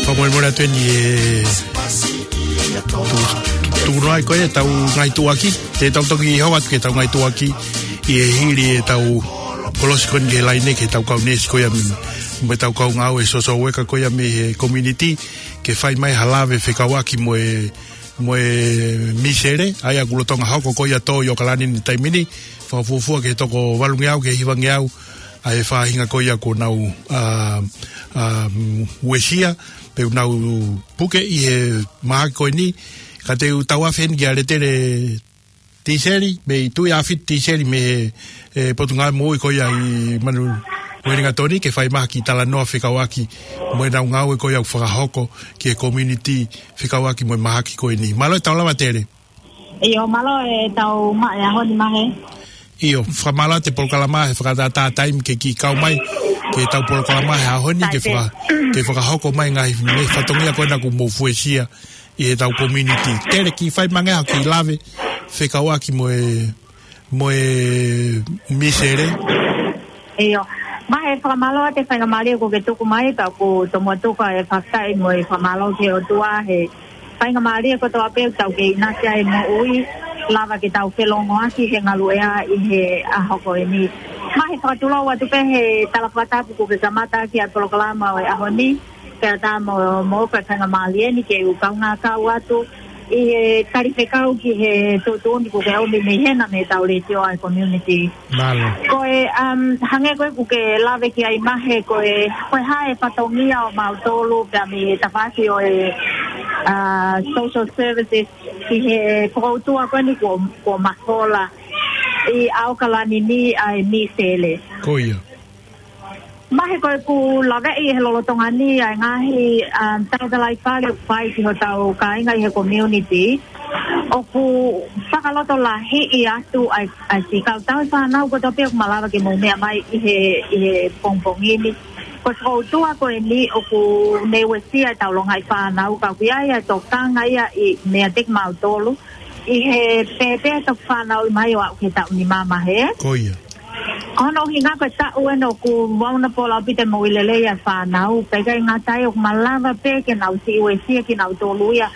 Fakamolemole atu eni e tu-, tuku noa ai ko e tau ngaahi tuʻuaki, te tau toki hoko atu ki he tau ngaahi tuʻuaki, ʻi he hili e tau kolosi ko eni ki he laine ki he tau kau neesi ko ia mei, mo e tau kau ngāue social worker ko ia mei he community, ke fai mai ha lave fekauʻaki mo e, mo e misele, ʻa ia ʻoku lolotonga hoko ko ia tō ʻi ʻOkalani he taimi ni, fakafuofua ki he toko valu ngeau ki he hiva ngeau, ʻa e faʻahinga ko ia kuo nau, ā, ā, uesia, pe ʻoku nau puke ʻi he mahaki ko eni, ka te u tauafe heni kia Letele Tiseli, mei Tuʻiʻāfiti Tiseli mei he, e, Potungāue Moʻui ko ia ʻi Manu, Uelingatoni, ke fai mai ha kiʻi talanoa fekauʻaki mo ʻenau ngāue ko ia ʻoku fakahoko ki he community fekauʻaki mo e mahaki ko eni. Mālō e tau lava Tele. ʻIo, mālō e tau maʻu e ʻaho ni Mahe. ʻIo, fakamālō atu e polokalama he fakatātā taimi ke kiʻi kau mai, ki he tau polokalama he ʻaho ni ke faka-, ke fakahoko mai ngaahi meʻa fatongia ko ena kuo mou fuesia ʻi he tau community. Tele, kiʻi fai mai ange ha kiʻi lave fekauʻaki mo e, mo e misele. ʻIo. Mahe, fakamālō atu e faingamālie kuo ke tuku mai, pea ʻoku tomuʻa tuku e fakafetaʻi mo e fakamālō ki he ʻOtua he faingamālie kotoa pē ʻoku tau kei ʻinasi ai he moʻui, lava ke tau felōngoaki he ngaluʻea ʻi he ʻaho ko eni. Mahe, fakatulou atu pē he tala fakatapu kuo ke kamata ʻaki ʻa e polokalama ʻo e ʻaho ni, pea tā mo, mo ka kanga mālie ni ke u kaungā kau atu ʻi he tali fekau ki he tuʻutuʻuni kuo ke ʻomi mei hena mei he tau letiō ʻa e community. Mālō. Ko e, um, hangē ko ē kuo ke lave ki ai Mahe, ko e, ko e hā e fatongia ʻo mautolu pea mei he tafaʻaki ʻo e, uh, social services ki he fokoutua ko eni kuo, kuo mafola ʻi ʻAokalani ni ʻa e Misele. Ko ia. Mahe, ko ʻeku laveʻi he lolotonga ni ʻa e ngaahi, um, talatalaifale ʻoku fai ki hotau kāinga ʻi he community, ʻoku fakalotolahiʻi atu ʻa e, ʻa e siʻi kau tauhi fānau kotoa pē ʻoku malava ke mou meʻa mai ʻi he, ʻi he pongipongi ni. Ko e fokoutua ko eni ʻoku ne uesia ʻetau longaʻi fānau, ka ʻoku ʻi ai ʻa e tokanga ia ʻi, meiate kimautolu ʻi he pēpē toki fanauʻi mai ʻo aʻu ki he taʻu nima, Mahe. Ko ia. Ko hono ʻuhinga ko e taʻu eni ʻoku vulnerable ʻaupito e moʻui lelei ʻa e fānau, pea ʻikai ngata ai ʻoku malava pē ke nau siʻi uesia kinautolu ia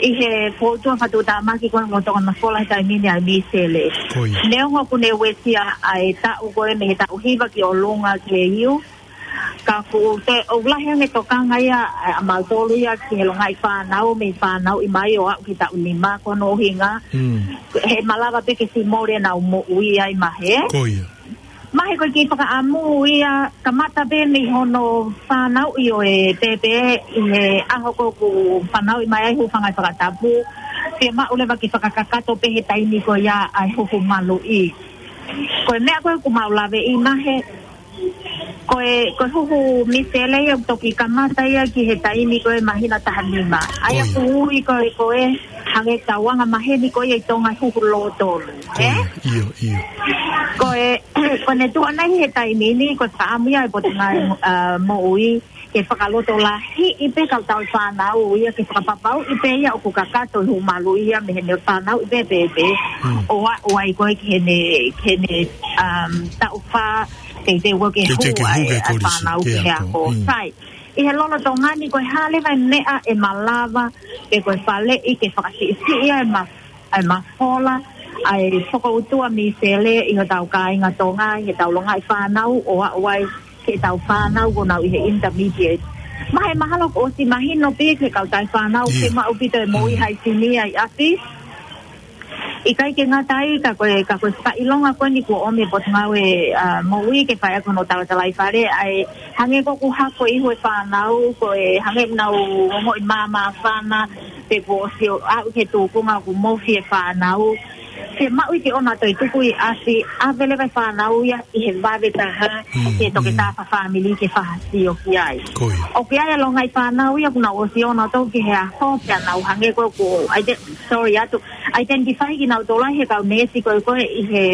ʻi he fokoutua fakatuʻutāmaki ko ē ʻoku tokanga mafola he taimi ni ʻa e Misele. Ko ia. Neongo ʻoku ne uesia ʻa e taʻu ko ē mei he taʻu hiva ki ʻolunga ki he iu, ka ʻoku toe ʻoku lahi ange e tokanga ia ʻa mautolu ia ki he longaʻi fānau, mei fanauʻi mai ʻo aʻu ki he taʻu nima, ko hono ʻuhinga Mm. he malava pē ke siʻi mole ʻenau moʻui ai, Mahe. Ko ia. Mahe, ko e kiʻi fakaʻamu ia, kamata pē mei hono fanauʻi ʻo e pēpē ʻi he ʻaho ko ē ʻoku fanauʻi mai ai, hūfanga he fakatapu, fiemaʻu leva ke fakakakato pē he taimi ko ia ʻa e huhu maluʻi. Ko e meʻa ko ē ʻoku mau laveʻi, Mahe, ko e, ko e huhu Misele ia ʻoku toki kamata ia ki he taimi ko ē māhina taha nima. ʻA ia Ko ia. ʻoku ui ko ē, ko e hangē tauanga maheni ko ia ʻi Tonga, huhu lōtolu. Ko ia, ʻIo, ʻio. Ko e, ko ʻene tuʻu ʻana ʻi he taimi ni, ko e fakaʻamu ia ʻa e Potungāue, uh, Moʻui ke fakalotolahiʻi pē kau tauhi fānau ia, ke fakapapauʻi pē ia ʻoku kakato e huhu maluʻi ia mei heʻene fanauʻi pē pēpē. Mm. ʻO aʻu ai ko ē ki heʻene, ki heʻene, um, taʻu fā, teuteu ko ē ke Teuteu ke hū hū ai ki he ʻa e kolisi, fānau ki he ako. Mm. Sai. ʻI he lolotonga ni ko e hā leva e meʻa ʻe malava, pe ko e faleʻi ke fakasiʻisiʻi ai e ma-, ʻa e mafola ʻa e fokoutua Misele ʻi hotau kāinga Tonga, ʻi heʻetau longaʻi fānau ʻo aʻu ai ki heʻetau fānau ʻoku nau ʻi he intermediate. Mahe, mahalo kuo ʻosi mahino pē ki he kau tauhi fānau ʻIo. ke maʻu ʻaupito e moʻui Mm. haʻisini ʻi ʻapi. ʻIkai ke ngata ai, ka ko e, ka ko e fakaʻilonga ko eni kuo ʻomi ʻe he Potungāue, uh, Moʻui ke fai ʻaki hono talatalaifale, ʻa e hangē ko ʻeku hako ʻi he fānau, ko e hangē ʻoku nau ongoʻi māmāfana, pe kuo ʻosi ʻo aʻu ki he tūkunga ʻoku mofi e fānau. Fiemaʻu ke ʻoua toe tuku ʻi ʻapi, ʻave leva e fānau ia ʻi he vave taha, Mm, ki he toketā mm. fakafāmili ke fakasio ki ai. Ko ia. ʻOku ʻi ai e longaʻi fānau ia ʻoku nau ʻosi ʻonautolu ki he ʻaho, pea nau hangē ko ē ʻoku, ʻai te, sorry atu, identify kinautolu ai he kau neesi ko ē ko ē ʻi he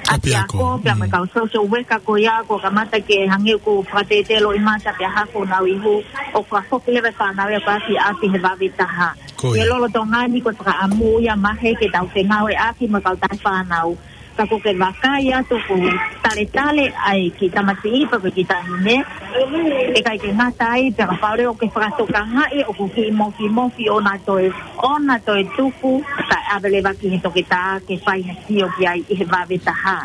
ʻapiako, ʻapiako, pea mo e mm. kau social worker ko ia, kuo kamata ke hangē ʻoku fakatētē loʻimata pea hako ʻenau ihu, ʻo fakafoki leva e fānau ia ʻo aʻu ki ʻapi he vave taha. Ko ia. ʻI he lolotonga ni ko e fakaʻamu ia Mahe ke tau fengāueʻaki mo e kau tauhi fānau. Ka ʻoku ke vakai atu ʻoku taletale ai ki he tamasiʻi pe ko e kiʻi taʻahine. ʻIkai ke ngata ai, pea kapau leva ʻoku ke fakatokangaʻi ʻoku kiʻi mofimofi, ʻoua toe, ʻoua toe tuku, kae ʻave leva ki he toketā ke fai ha sio ki ai ʻi he vave taha.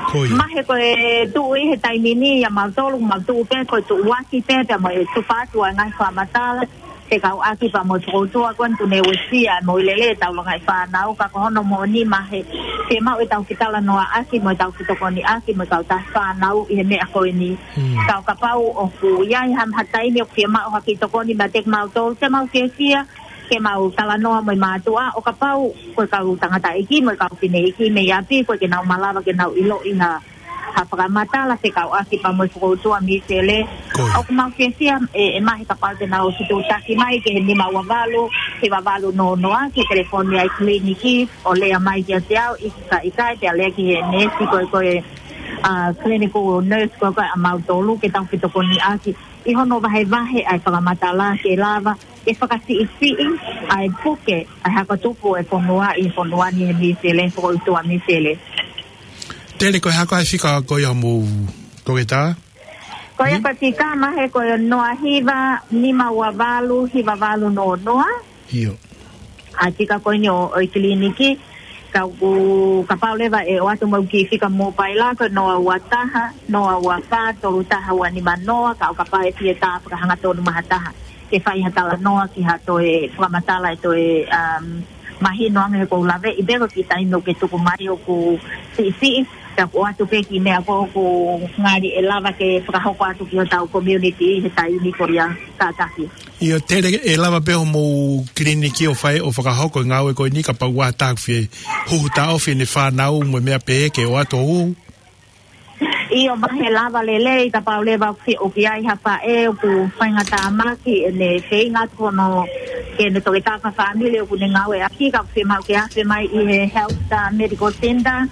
Ko ia. Mahe, ko e tuʻu ʻi he taimi ni ʻa mautolu, mau tuʻu pē, ko e tuʻuaki pē, pea mo e tufa atu ʻa e ngaahi fakamatala fekauʻaki pea mo e fokoutua ko eni ʻoku ne uesia e moʻui lelei ʻetau longaʻi fānau, ka ko hono moʻoni Mahe, fiemaʻu ʻetau kiʻi talanoaʻaki mo ʻetau kiʻi tokoniʻaki mo e kau tauhi fānau ʻi he meʻa ko eni. Mm. Ka ʻo kapau ʻoku ʻi ai ha, ha taimi ʻoku fiemaʻu ha kiʻi tokoni meiate kimautolu, te mau fiefia ke mau talanoa mo e mātuʻa, ʻo kapau ko e kau tangataʻeiki mo e kau fineʻeiki mei ʻapi, ko ē ke nau malava ke nau ʻiloʻi ha, ha fakamatala fekauʻaki pea mo e fokoutua Misele. Ko ia. ʻOku mau fiefia ʻe, ʻe Mahe kapau te nau ʻosi tuʻutaki mai ki he nima ua valu, hiva valu noa noa, ki he telefoni ʻa e kiliniki, ʻo lea mai kiate au, ʻikai, ʻikai, pea lea ki he neesi ko ē ko ē, ʻa, clinical nurse ko ē ko ē ʻa mautolu, ke tau fetokoniʻaki ʻi hono vahevahe ʻa e fakamatala ke lava ke fakasiʻisiʻi ʻa e puke, ʻa e hako tupu e fonua ʻi he fonua ni he Misele, fokoutua Misele. Tele, ko e hā koā e fika ko ia homou toketā? Ko ia Hmm? ko e fika Mahe ko e noa hiva, nima ua valu, hiva valu noa noa. ʻIo. ʻA e fika ko eni ʻo, ʻo e kiliniki. Ka ʻoku, kapau leva ʻe ʻoatu mai e kiʻi fika mōpaila ko e noa ua taha, noa ua fā, tolu taha ua nima noa, ka ʻo kapau ʻe fie tā fakahangatonu mai ha taha ke fai ha talanoa ki ha toe fakamatala ʻe toe, um, mahino ange he ʻoku ou laveʻi pē ko e kiʻi taimi ʻoku ke tuku mai ʻoku siʻisiʻi, ka ʻoku ʻoatu pē kiʻi meʻa ko ē ʻoku ngali ʻe lava ke fakahoko atu ki hotau community he taimi ko ia kātaki. ʻIo Tele, ʻe lava pē hoʻomou kiliniki ʻo fai ʻo fakahoko e ngāue ko eni kapau ʻe ʻi ai ha taha ʻoku fie huhu taʻofi ʻene fānau mo e meʻa pehē ke ʻoatu ʻo huhu? ʻIo, mahalo ʻe lava lelei kapau leva ʻoku fie, ʻoku ʻi ai ha faʻē ʻoku faingatāmaki ʻene feinga atu hono, ke ne toki tā fakafāmili ʻoku ne ngāueʻaki, ka ʻoku fiemaʻu ke afe mai ʻi he Health, uh, Medical Center,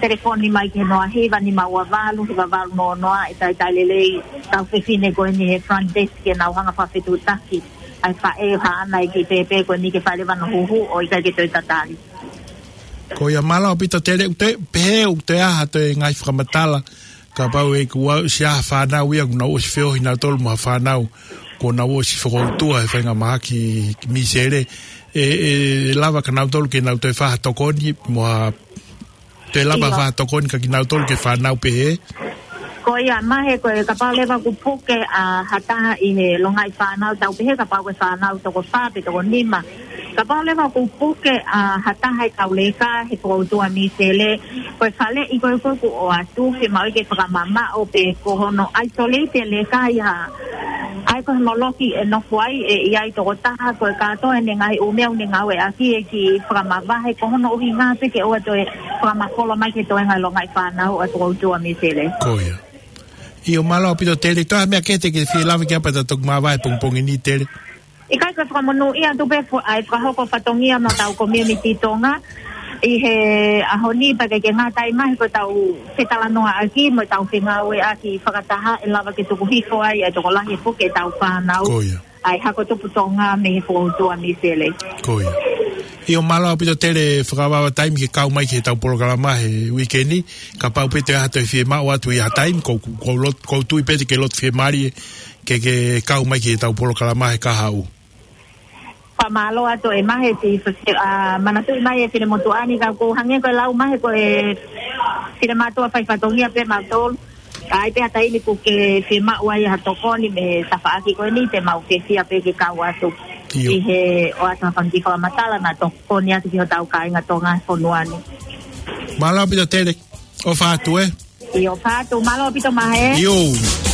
telefoni mai ki he noa hiva nima ua valu, hiva valu noa noa, ʻe talitali lelei e kau fefine ko eni he front desk ke nau hanga ʻo fakafetuʻutaki ai e faʻē ʻoku haʻana e kiʻi pēpē ko eni ke fai leva hono huhu ʻo ʻikai ke toe tatali. Ko ia, mālō ʻaupito Tele. ʻOku toe, pehē ʻoku toe ʻi ai ha toe ngaahi fakamatala kapau ʻe ʻi ai ha fānau ia kuo nau ʻosi feohi nautolu mo ha fānau kuo nau ʻosi fokoutua he faingamāhaki misele, ʻe, ʻe lava kia nautolu ke nau toe fai ha tokoni mo ha, toe lava ʻIo. fai ha tokoni kia kinautolu ki he fānau pehē? Ko ia, mahalo ko e kapau leva ʻoku puke ʻa ha taha ʻi he longaʻi fānau, tau pehē kapau ko e fānau toko fā pe toko nima. Kapau leva ʻoku puke ʻa ha taha ʻi he kau leka he fokoutua misele, ko e faleʻi ko ē ʻoku ʻoatu, fiemaʻu ke fakamamaʻo pe ko hono isolate e leka ia. ʻA ia ko hono loki ʻe nofo ai, ʻe ʻi ai tokotaha ko e kātoa ʻene ngaahi ʻū meʻa ʻoku ne ngāueʻaki ʻe kiʻi fakamavahe, ko hono ʻuhinga pē ke ʻoua toe fakamafolo mai ki he toenga e longaʻi fānau ʻa e fokoutua misele. Ko ia. ʻIo, mālō ʻaupito Tele. Toe ha meʻa kehe te ke fie lave ki ai pea ta toki māvae he pongipongi ni Tele? ʻIkai, ko e fakamonūʻia atu pē fo-, ʻa e fakahoko fatongia mo hotau community Tonga ʻi he ʻaho ni, pea ʻikai ke ngata ai, mahalo ko ʻetau fetalanoaʻaki mo ʻetau fengāueʻaki fakataha ʻe lava ke tuku hifo ai ʻa e tokolahi e puke ʻetau fānau. Ko ia. ʻA e hako tupu Tonga mei he fokoutua misele. Ko ia. ʻIo, mālō ʻaupito Tele, fakavavevave taimi ke kau mai ki heʻetau polokalama he uike ni, kapau pē ʻe toe ʻi ai ha toe fiemaʻu atu ʻi ha taimi, ʻoku, ʻoku ou lot-, ʻoku ou tui pē te ke loto fiemālie ke, ke kau mai ki heʻetau polokalama he kahaʻu. Fakamālō atu e mahe ti fase-, ʻa, manatuʻi mai e finemotuʻa ni ka ʻoku hangē ko e lau mai ko e finemātuʻa fai fatongia pē mautolu. Ka ʻi ai pē ha taimi ʻoku ke fiemaʻu ai ha tokoni mei he tafaʻaki ko eni te mau fiefia pē ke kau atu ʻIo. ʻi he ʻoatu ha fanga kiʻi fakamatala mo tokoni atu ki hotau kāinga Tonga he fonua ni. Mālō ʻaupito Tele, ʻofa atu ē. ʻIo, ʻofa atu, mālō ʻaupito mahe. ʻIo.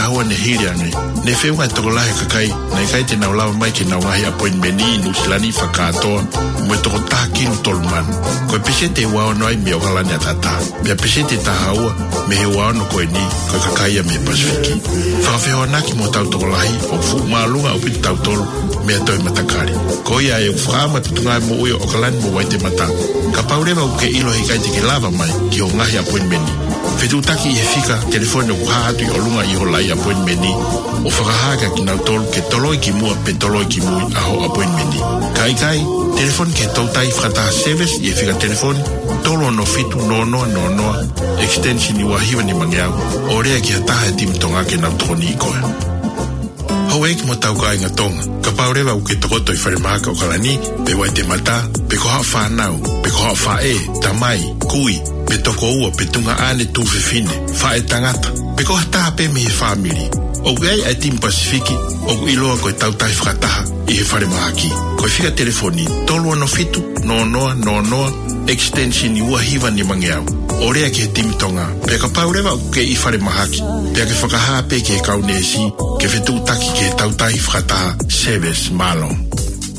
tahua ne hili ange, ne feʻunga e tokolahi e kakai naʻe ʻikai te nau lava mai ki heʻenau ngaahi appointment ʻi Nuʻusila ni fakakātoa mo e toko taha kilu tolu mano. Ko e peseti ʻe ua ono ai mei ʻOkalani ʻataʻatā, pea peseti ʻe taha ua mei he ua ono ko eni ko e kakai ia mei he Pasifiki. Fakafehoanaki mo hotau tokolahi, ʻoku fuʻu māʻolunga ʻaupito tautolu mei ha toe matakali. Ko ia ʻoku fakaʻamu ʻa e Potungāue Moʻui ʻo ʻOkalani mo Waitemata, kapau leva ʻoku ke ʻilo he ʻikai te ke lava mai ki hoʻo ngaahi appointment, fetuʻutaki ʻi he fika telefoni ʻoku hā atu ʻi ʻolunga ʻi hoʻo laʻi appointment, ʻo fakahā kia kinautolu ke toloi ki muʻa pe toloi ki mui ʻa hoʻo appointment. Ka ʻikai, telefoni ki he toutai fakataha service ʻi he fika telefoni tolu ono fitu noa noa noa noa, extension ua hiva nimangeau, ʻo lea ki ha taha he timi Tonga ke nau tokoniʻi koe. Houʻeiki mo hotau kāinga Tonga, kapau leva ʻoku ke tokoto ʻi falemahaki ʻOkalani pe Waitemata, pe ko haʻo fānau, pe ko haʻo faʻē, tamai, kui, pe tokoua, pe tuongaʻane, tuofefine, faʻētangata, pe ko ha taha pē mei he fāmili, ʻoku ʻi ai ʻa e timi Pasifiki ʻoku ʻiloa ko e toutai fakataha ʻi he falemahaki. Ko e fika telefoni tolu ono fitu noa noa noa noa, extension ua hiva nimangeau, ʻo lea ki he timi Tonga. Pea kapau leva ʻoku ke ʻi falemahaki, pea ke fakahā pē ki he kau neesi ke fetuʻutaki ki he toutai fakataha service. Mālō.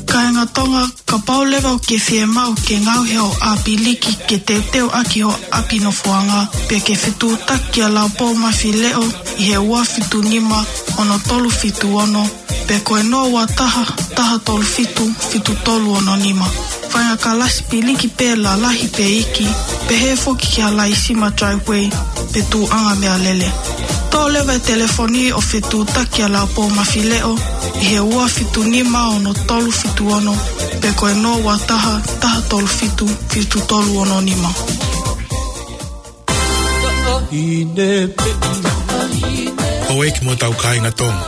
Kāinga Tonga, kapau leva ʻoku ke fiemaʻu ke ngaohi hoʻo ʻāpiliki ke teuteu ʻaki hoʻo ʻapi nofoʻanga, pea ke fetuʻutaki kia Laupōmafileʻo ʻi he ua fitu nima ono tolu fitu ono, pe ko e noa ua taha, taha tolu fitu, fitu tolu ono nima. Faʻahinga kalasi piliki pē lalahi pe iiki, pehē foki ki ha laisima driveway pe tuʻuʻanga meʻalele. Toʻo leva e telefoni ʻo fetuʻutaki kia Laupōmafileʻo ʻi he ua fitu nima ono tolu fitu ono, pe ko e noa ua taha, taha tolu fitu, fitu tolu ono nima. Houʻeiki mo hotau kāinga Tonga,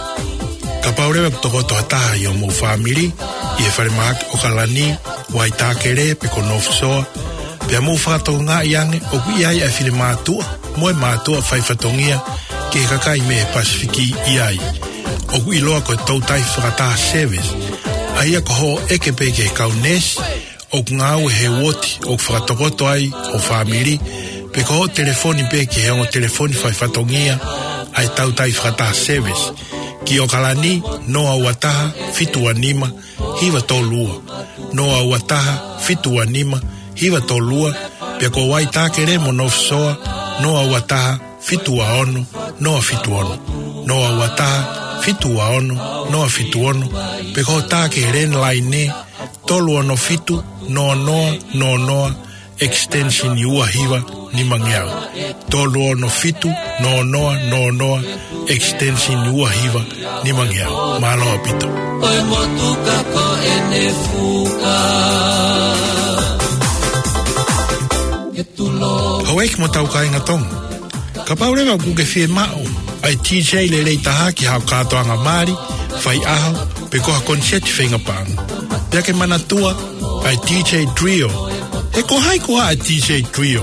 kapau leva ʻoku tokoto ha taha ʻi hoʻomou fāmili ʻi he falemahaki ʻOkalani, Waitākele pe ko North Shore, pea mou fakatokangaʻi ange ʻoku ʻi ai ʻa e finemātuʻa mo e mātuʻa faifatongia ki he kakai mei he Pasifiki ʻi ai, ʻoku ʻiloa ko e toutai fakataha service, ʻa ia ko hoʻo ʻeke pē ki he kau neesi ʻoku ngāue he uooti ʻoku fakatokoto ai hoʻo fāmili, pe ko hoʻo telefoni pē ki he ongo telefoni faifatongia ʻa e toutai fakataha service, ki ʻOkalani noa ua taha, fitu ua nima, hiva tolu ua, noa ua taha, fitu ua nima, hiva tolu ua, pea ko Waitākele mo North Shore noa ua taha, fitu ua ono, noa fitu ono, noa ua taha, fitu ua ono, noa fitu ono, pe ko hoʻo tā ki he landline tolu ono fitu noa noa noa noa, extension ua hiva nimangeau. Tolu ono fitu noa noa noa noa, extension ua hiva nimangeau. Mālō ʻaupito. ʻOi motuka ko ʻene fuka. Houʻeiki mo hotau kāinga Tonga, kapau leva ʻoku ke fiemaʻu ʻa e DJ lelei taha ki haʻo kātoanga mali, faiʻaho, pe ko ha koniseti feinga paʻanga, pea ke manatua ʻa e DJ Trio. He ko hai koā ʻa e DJ Trio?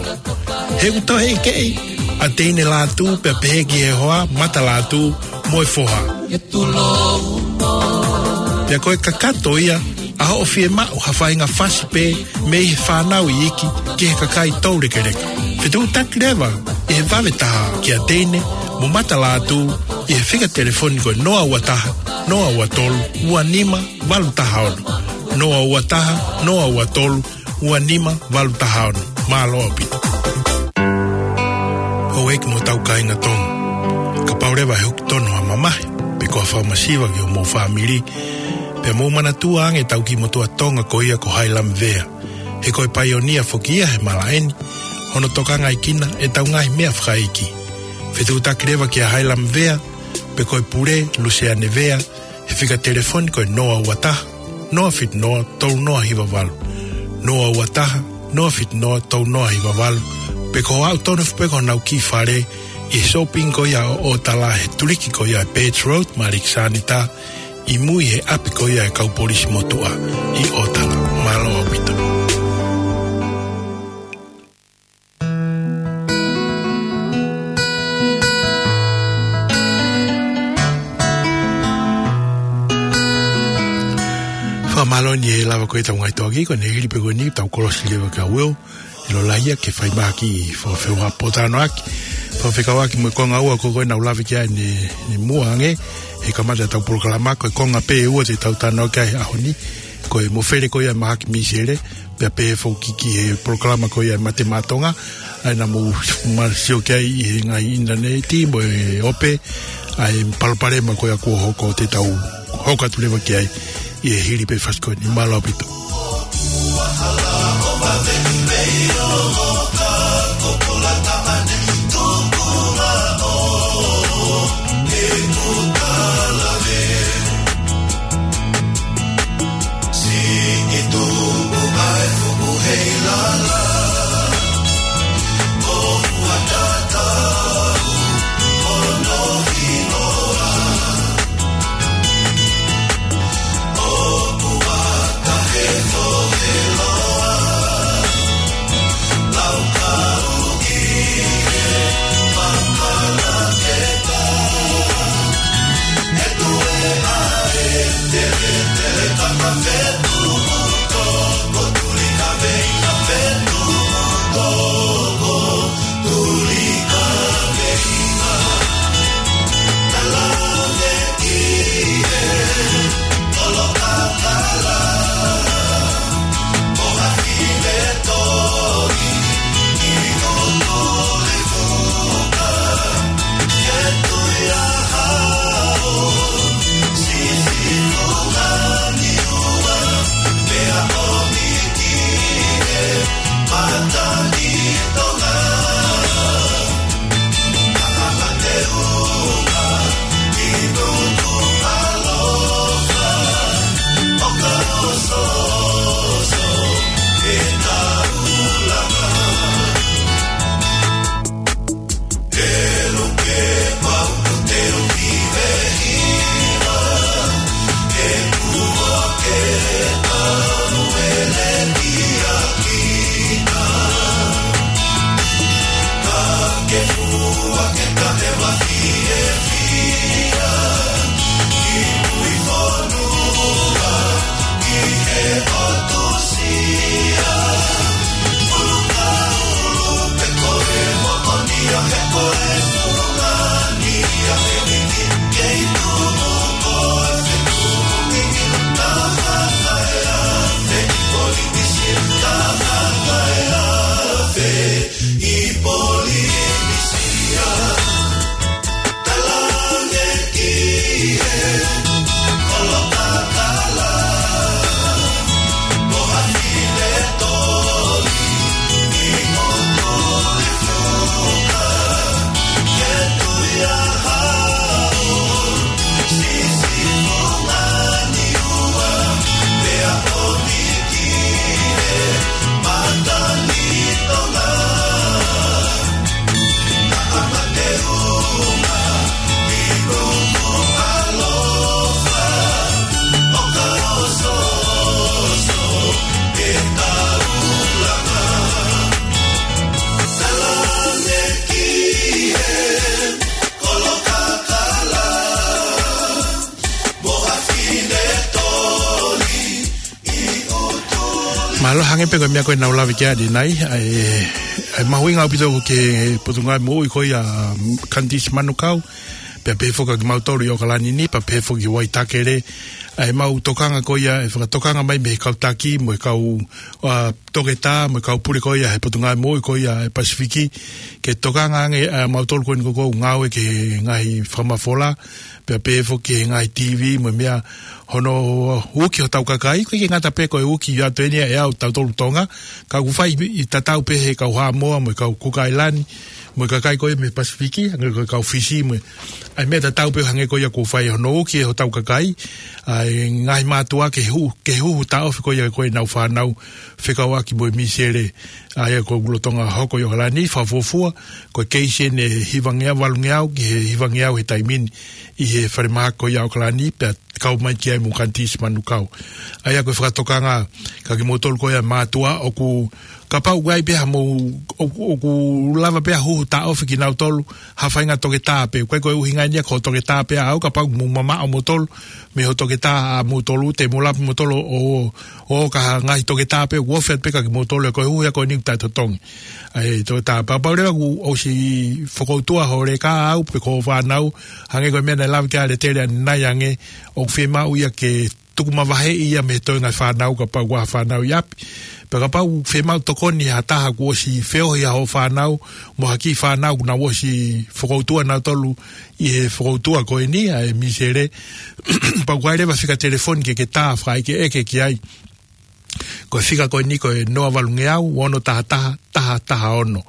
He ʻoku toe ʻekeʻi ʻa Teine Lātū pea pehē ki he hoa, Mata Lātū mo e foha. Pea ko e kakato ia ʻa hoʻo fiemaʻu ha faʻahinga fasi pē mei he fānau iiki ki he kakai toulekeleka. Fetuʻutaki leva ʻi he vave taha kia Teine mo Mata Lātū ʻi he fika telefoni ko e noa ua taha, noa ua tolu, ua nima, valu taha ono. Noa ua taha, noa ua tolu, ua nima, valu taha ono. Mālō ʻaupito. Houʻeiki mo hotau kāinga Tonga, kapau leva ʻe huki tonu ha mamahi pe ko ha fakamasiva ki hoʻomou fāmili, pea mou manatua ange ʻetau kiʻi motuʻa Tonga ko ia ko Hailami Vea. He ko e paionia foki ia he malaʻe ni, hono tokangaʻi kinautolu ʻetau ngaahi meʻa fakaikiiki. Fetuʻutaki leva kia Hailami Vea pe ko e pule, Luseane Vea, he fika telefoni ko e noa ua taha, noa fitu noa, tolu noa hiva valu. Noa ua taha, noa fitu noa, tolu noa hiva valu. Pe ko hoʻo aʻu tonu foki pē ki honau kiʻi fale ʻi he sōpingi ko ia ʻo ʻOtala, he tuliki ko ia ʻe Birch Road, Maliki Sanita, ʻi mui he ʻapi ko ia ʻa e kau polisi motuʻa ʻi ʻOtala. Mālō ʻaupito. Fakamālō ʻi he lava ko ē ʻetau ngaahi toki, ko ʻene hili pē ko eni ʻetau kolosi leva kia Will, ʻilo lahi ia ke fai mahaki ʻi he fakafeua potanoaki. Pea fekauʻaki mo e konga ua ko ē naʻa ku lave ki ai ʻanenai muʻa ange, he kamata ʻetau polokalama, ko e konga pē ʻe ua te tau talanoa ki ai he ʻaho ni, ko e mofele ko ia ʻa e mahaki mīsele, pea pehē foki ki he polokalama ko ia ʻa e Mate Maʻa Tonga, ʻa ia naʻa mou ma sio ki ai ʻi he ngaahi ʻinitaneti mo e ope, ʻa e palopalema ko ia kuo hoko te tau hoko atu leva ki ai ʻi he hili pē fasi ko eni. Mālō ʻaupito. Mālō, hangē pē ko e meʻa ko ē naʻa ku lave ki ai ʻanenai, ʻa e, ʻa e mahuʻinga ʻaupito ki he Potungāue Moʻui ko ia, mm, Kandisi Manukau, pea pehē foki kiate kimautolu ʻi ʻOkalani ni, pea pehē foki ki Waitakere, ʻa e mau tokanga ko ia, ʻe fakatokanga mai mei he kau taki, mo e kau, ʻa, toketā, mo e kau pule ko ia he Potungāue Moʻui ko ia ʻa e Pasifiki, ke tokanga ange ʻa mautolu ko eni ʻoku ngāue ki he ngaahi fakamafola, pea pehē foki ki he ngaahi TV, mo e meʻa, hono uki hotau kakai, ʻoku ʻikai ke ngata pē ko e uki ʻa e ʻaho ni ʻa e ʻaho tautolu Tonga, ka ʻoku fai ʻi tatau pē he kau Haʻamoa, mo e kau Kuka ʻAilani, mo e kakai ko ia mei he Pasifiki, hangē ko e kau Fisi, mo e, ʻa e meʻa tatau pē hangē ko ia ʻoku fai hono uki ʻe hotau kakai ʻa e ngaahi mātuʻa ke huhu, ke huhu taʻofi ko ia ko ʻenau fānau fekauʻaki mo e mīsele, ʻa ia ʻoku lolotonga hoko ʻi ʻOkalani, fakafuofua ko e keisi ʻeni ʻe hivangeau, valungeau ki he hivangeau he taimi ni ʻi he falemahaki ko ia ʻOkalani, pea kau mai ki ai mo Kandisi Manukau. ʻA ia ko e fakatokanga kiate kimoutolu ko ia mātuʻa ʻoku kapau ʻoku ʻi ai pē ha mou, ʻo, ʻoku lava pē ʻo huhu taʻofi kinautolu ha faʻahinga toketā pē. Ko e, ko e ʻuhinga ia ko e toketā pē ʻaʻau, kapau ʻoku mou mamaʻo moutolu mei hoʻo toketā ʻamoutolu, te mou lava moutolu ʻo, ʻo, ʻo ka ha ngaahi toketā pē ʻoku ofi atu pē kia moutolu, ko e huhu ia ko eni ʻoku taʻetotongi. ʻA e toketā, kapau leva kuo ʻosi fokoutua hoʻo leka ʻaʻau pe ko hoʻo fānau, hangē ko e meʻa naʻe lave ki ai ʻa Letele ʻanenai ange, ʻoku fiemaʻu ia ke tuku mavaheʻi ia mei he toenga e fānau kapau ʻoku ʻi ai ha fānau ʻi ʻapi. Pea kapau ʻoku fiemaʻu tokoni ha taha kuo ʻosi feohi ʻa hoʻo fānau, mo ha kiʻi fānau kuo nau ʻosi fokoutua nautolu ʻi he fokoutua ko eni ʻa e misele, pea ʻoku ʻi ai leva e fika telefoni ke ke tā fakaʻekeʻeke ki ai. Ko e fika ko eni ko e noa valungeau, ono taha taha, taha taha ono.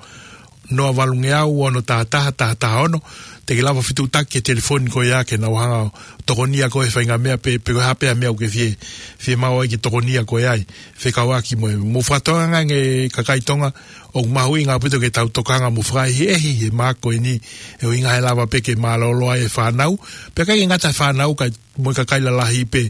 Noa valungeau, ono taha taha, taha taha ono. Te ke lava fetuʻutaki ki he telefoni ko ia ke nau hanga ʻo tokonia koe he faʻahinga meʻa pe, pe ko e hā pē ha meʻa ʻoku ke fie, fiemaʻu ai ke tokonia koe ai. Fekauʻaki mo e, mou fakatokangaʻi ange kakai Tonga, ʻoku mahuʻinga ʻaupito ke tau tokanga mo fakaʻehiʻehi he mahaki ko eni, he ʻuhinga he lava pē ke mālōlō ai e fānau. Pea ʻikai ke ngata he fānau, kae mo e kakai lalahi pē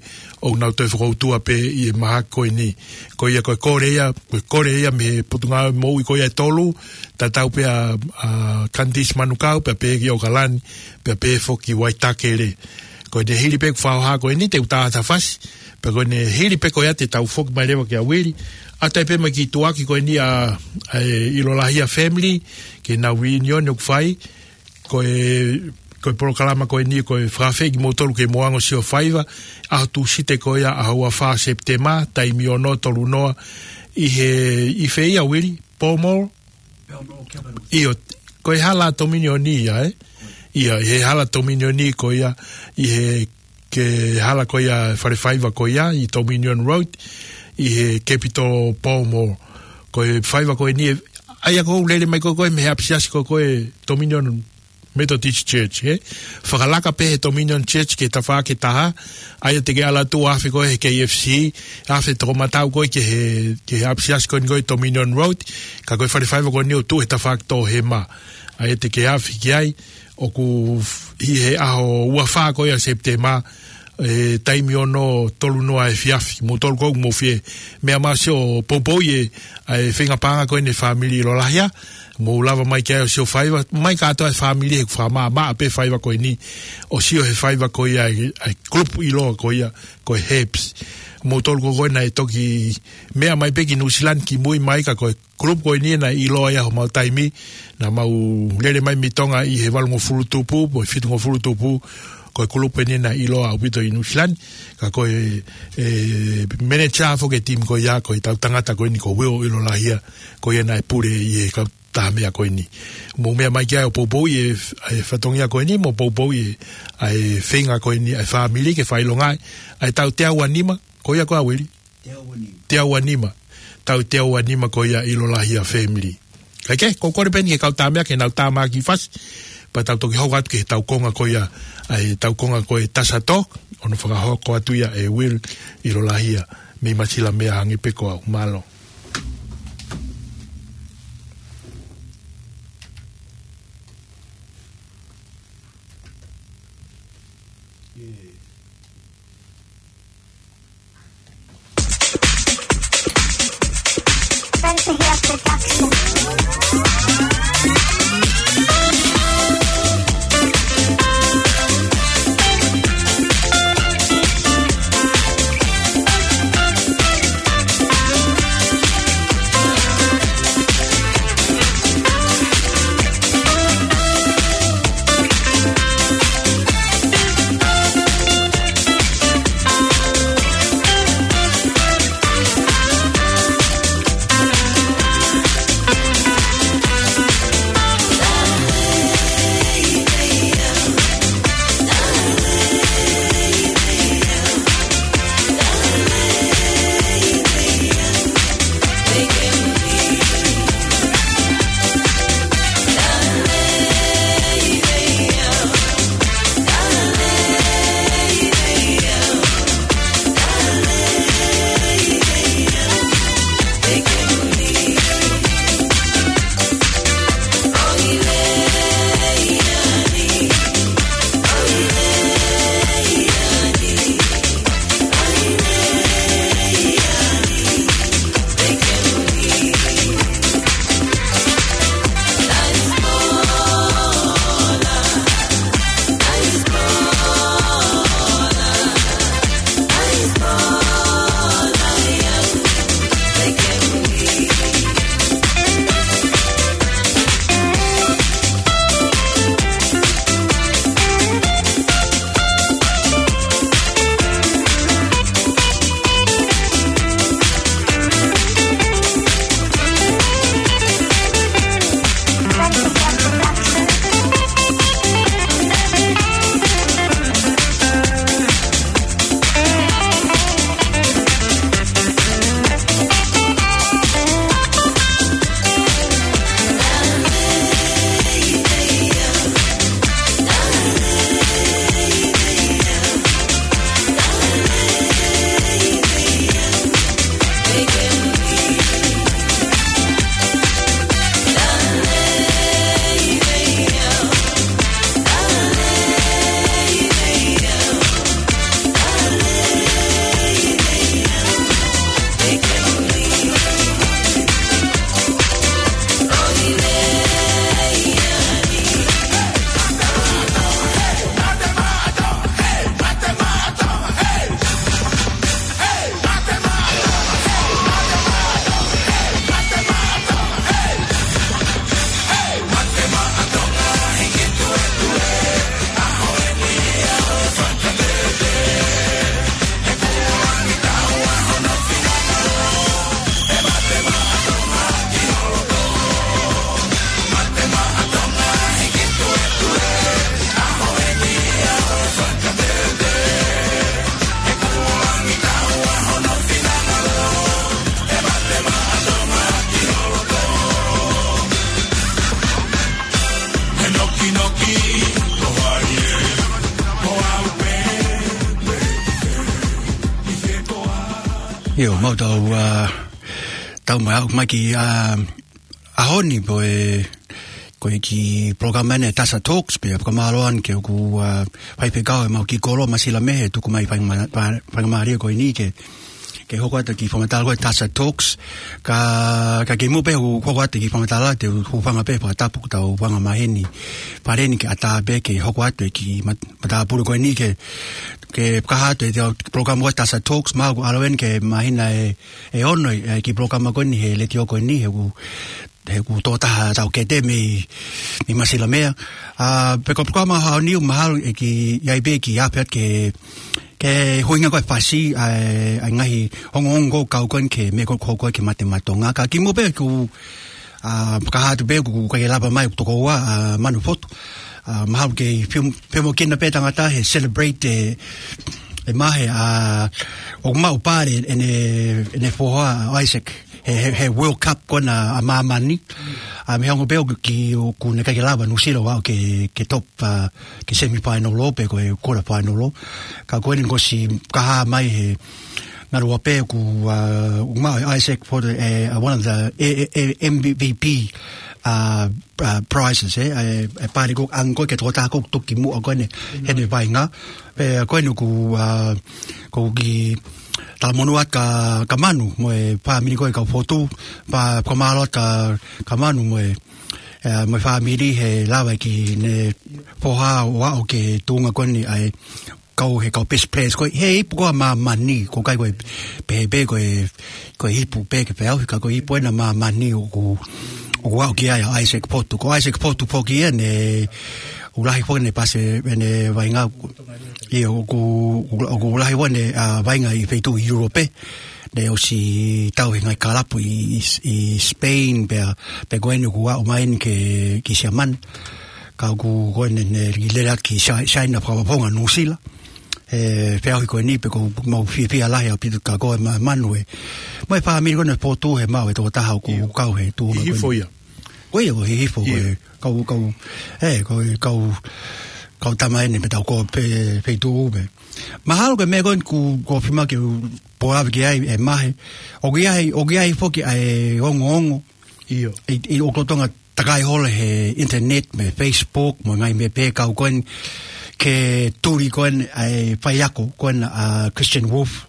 ʻoku nau toe fokoutua pē ʻi he mahaki ko eni. Ko ia ko e kole ia, ko e kole ia mei he Potungāue Moʻui ko ia ʻe tolu, tatau pē ʻa, ʻa Candice Manukau, pea pehē ki ʻAokalani, pea pehē foki Waitakere. Ko ʻene hili pē ʻeku fakahoha ko eni te u tā atu ha fasi, pea ko ʻene hili pē ko ia te tau foki mai leva kia Uili. ʻA ia pē mai ki he tuʻuaki ko eni ʻa, ʻa e ʻIlolahia family, ki heʻenau reunion ʻoku fai, ko e, ko e polokalama ko eni, ko e fakafeʻiloaki kimoutolu ke mou hanga ʻo sio faiva, ʻaho Tūsite ko ia, ʻaho ua fā Sepitema, taimi ono, tolu noa, ʻi he, ʻi fē ia Uili, Pall Mall? Pall Mall, Capital. ʻIo, ko e hala Tominioni ia, ē? ʻIo, ʻi he hala Tominioni ko ia, ʻi he ke hala ko ia, fale faiva ko ia, ʻi Dominion Road, ʻi he Capital Pall Mall. Ko e faiva ko eni, ʻa ia ko ʻoku lele mai ko ē mei he ʻapisiasi ko ē Dominion Methodist Church, ē? Fakalaka pē he Dominion Church ki he tafaʻaki ʻe taha, ʻa ia te ke ʻalu atu ʻo afe ko ē he K F C, afe tokomatau ko ē ki he, ki he ʻapisiasi ko eni ko ē Dominion Road, ka ko e fale faiva ko eni ʻoku tuʻu he tafaʻaki Toʻohema. ʻA ia te ke afe ki ai, ʻoku f-, ʻi he ʻaho ua fā ko ia Sepitema, ʻe taimi ono tolu noa efiafi, moutolu ko ē ʻoku mou fie meʻa mai ʻo sio poupouʻi e, ʻa e feinga paʻanga ko eni e fāmili ʻIlolahia, mou lava mai ki ai ʻo sio faiva, mai kātoa e fāmili he ʻoku fakamaʻamaʻa pē faiva ko eni, ʻo sio he faiva ko ia ʻa e, ʻa e kulupu ʻiloa ko ia, ko e Herbs. Moutolu ko ē naʻe toki meʻa mai pē ki Nuʻusila ni kimui mai ka ko e kulupu ko eni naʻe ʻiloa ia homau taimi, naʻa mau lele mai mei Tonga ʻi he valungofulu tupu, mo e fitungofulu tupu, ko e kulupu eni naʻe ʻiloa ʻaupito ʻi Nuʻusila ni, ka ko e, e, manager foki e timi ko ia, ko ʻetau tangata ko eni ko Will ʻIlolahia, ko ia naʻe pule ʻi he kautaha meʻa ko eni. Mou meʻa mai ki ai ʻo poupouʻi e, e fatongia ko eni, mou poupouʻi e, ʻa e feinga ko eni, ʻa e fāmili ke fakaʻilongaʻi, ʻa e tau teau ua nima, ko ia ko ā Uili? Teau ua nima. Teau ua nima. Tau teau ua nima ko ia ʻIlolahia family. Kae kehe, ko e kole pē eni ki he kau tāmea ke nau tāmaki fasi. Pea tau toki hoko atu ki he tau konga ko ia, ʻa e tau konga ko e Tasa Talk, ʻo ne fakahoko atu ia ʻe Will ʻIlolahia, mei Masilamea hangē pē ko au, mālō. ʻIo, mau tau, ā, tau mai au mai ki, ā, ʻaho ni pē, ko e kiʻi polokalama ʻeni Tasa Talks, pea fakamālō ʻeni ke ʻoku, ā, faifekau ʻemau kiʻi koloa Masila Mehe, tuku mai faingama-, fa-, faingamālie ko eni ke, ke hoko atu e kiʻi fakamatala ko e Tasa Talks, ka, ka kimuʻa pē ʻeku hoko atu e kiʻi fakamatala, te u hūfanga pē he fakatapu ʻoku tau hūfanga mai heni, fale ni ke ʻatā pē ke hoko atu e kiʻi mat-, matāpule ko eni ke, ke fakahā atu e polokalama ko e Tasa Talks, mahalo ʻoku ʻalu ʻeni ke māhina ʻe, ʻe ono e, e kiʻi polokalama ko eni he letiō ko eni, he ʻoku, he ʻoku tokotaha taʻokete mei, mei Masila Mehe. Ā, pea ko e polokalama ʻaho ni ʻoku mahalo ʻe kiʻi, ʻi ai pē kiʻi afe atu ke, ke ʻuhinga ko e fasi, ʻa e, ʻa e ngaahi ongoongo kau ko eni ki he meʻa ko ē ʻoku hoko ki he mate maʻa Tonga. Ka kimuʻa pē ʻoku, ā, fakahā atu pē ʻoku ʻikai ke lava mai ʻeku tokoua, ā, Manu Fotu. Ā, mahalo ke fiem-, fiemākina pē tangata he celebrate e, e Mahe, ā, ʻoku maʻu pale ʻene, ʻene foha ʻo Isaac he, he, he World Cup ko ena ʻa māmani. Ā, mei he ongo pē ʻoku ki-, ʻoku ne ʻikai ke lava Nuʻusila ʻo aʻu ki he, ki he top, ā, ki he semifinal ʻo pe ko e quarter final ʻo. Ka ko eni kuo ʻosi fakahā mai he ngaluope ʻoku, ā, ʻoku maʻu ʻe Isaac Fotu e, ā, one of the, e, e, e M V P, ā, ā, prizes, ē, ē, e pale ko ē ʻoku ʻange ko ē ki he tokotaha ko ē ʻoku toki muʻa ko eni heʻene vaʻinga. Pea ko eni ʻoku, ā, ʻoku kiʻi talamonū atu kia, kia Manu mo e fāmili ko ē ʻa Fotu, pea fakamālō atu kia, kia Manu mo e, ē, mo e fāmili he lava ʻene foha ʻo aʻu ki he tuʻunga ko eni ʻa e kau, he kau best players ko ē he ipu ko ē ʻa māmani, ʻoku ʻikai ko e pehē pē ko e, ko e ipu pē ki he peau, he ka ko e ipu ena ʻa māmani ʻoku, ʻoku aʻu ki ai ʻa Isaac Fotu. Ko Isaac Fotu foki ia naʻe, ʻoku lahi foki ʻene pasi, ʻene vaʻinga, ʻio ʻoku, ʻoku, ʻoku lahi foki ʻene, ā, vaʻinga ʻi he feituʻu ʻi ʻIulope. Naʻe ʻosi tau he ngaahi kalapu ʻi, ʻi, ʻi Spain, pea, pea ko eni ʻoku aʻu mai eni ki, ki Siamane. Ka ʻoku ko eni naʻe lele atu ki Sai-, Saina fakafofonga Nuʻusila. He feʻauhi ko eni pea ʻoku mau fiefia lahi ʻaupito kia koe mo Manu ē. Mo e fāmili ko eni ʻa Fotu he maʻu e tokotaha ʻoku, ʻio, kau he tuʻunga ko eni. Hihifo ia. Ko ia ʻoku hihifo ko ē. ʻIo. Kau, kau, ē, ko e kau, kau tama eni pea tau ko ē pē, pē tuʻu pē. Mahalo ko e meʻa ko eni ʻoku, ʻoku fiemaʻu ke u pōʻuli ki ai e Mahe. ʻOku ʻi ai, ʻoku ʻi ai foki ʻa e ongoongo. ʻIo. ʻI, ʻi ʻoku totonu ke takai holo he internet mo e Facebook mo e ngaahi meʻa pehē kau ko eni ki he tuli ko eni ʻa e faiako ko ena ʻa Christian Wolf.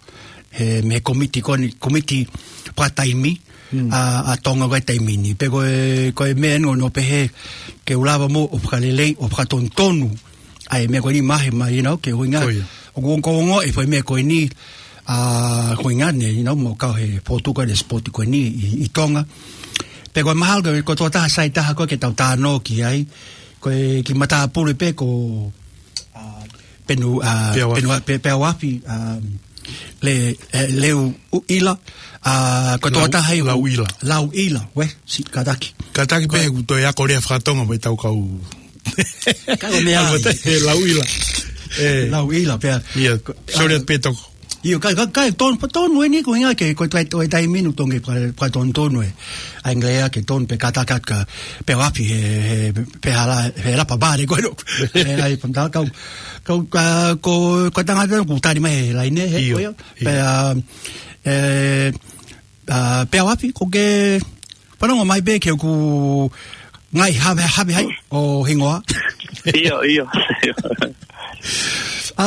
He mei he kōmiti ko eni, kōmiti fakataimi, mm, ʻa, ʻa Tonga ko ē he taimi ni. Pea ko e, ko e meʻa eni ʻoku ou pehē ke u lava mo ʻo fakaleleiʻi, ʻo fakatonutonu ʻa e meʻa ko eni Mahe mai, you know, ke ʻuhinga. Ko ia. ʻOku ou ongoongoʻi e foʻi meʻa ko eni, ā, ko e ʻuhinga eni, you know, mo kau he Fotu ko eni, sport ko eni ʻi, ʻi Tonga. Pea ko e mahalo ko e, ko e tokotaha sai taha ko ē ke tau talanoa ki ai, ko e kiʻi matāpule pē ko, ā, Penu, ā, Peau Afi. Penu, Pe-, Peau Afi, ā, Le-, ē, Leuʻila, ā, ko e Lau-, tokotaha ia ʻoku Lauʻila. Lauʻila, ē, si-, kātaki. Kātaki pē ko e, ʻoku toe ako lea faka-Tonga mo ʻetau kau. Ka ko e meʻa. Ako te, ē, Lauʻila. Ē. Lauʻila, pea. ʻIo, ko, sorry, ā, pē toko. ʻIo, ka, ka, ka, tonu, tonu eni ko e ʻuhinga ke, ko e taimi, ko e taimi ni ʻoku totonu ke faka-, fakatonutonu e ʻa e ngaahi lea ke tonu pē kātaki atu kia Peau Afi he, he, he hala, he lapa pale ko ē. He ʻai pantā kau, kau, ka, ko, ko e tangata ʻoku tali mai he laine, he, ʻio, ko ia. ʻIo. Pea, ā, ē, ā, Peau Afi, ko e ke fanongo mai pē ki heʻeku ngaahi havehave hai ʻo e hingoa. ʻIo, ʻio, ʻio. Ā,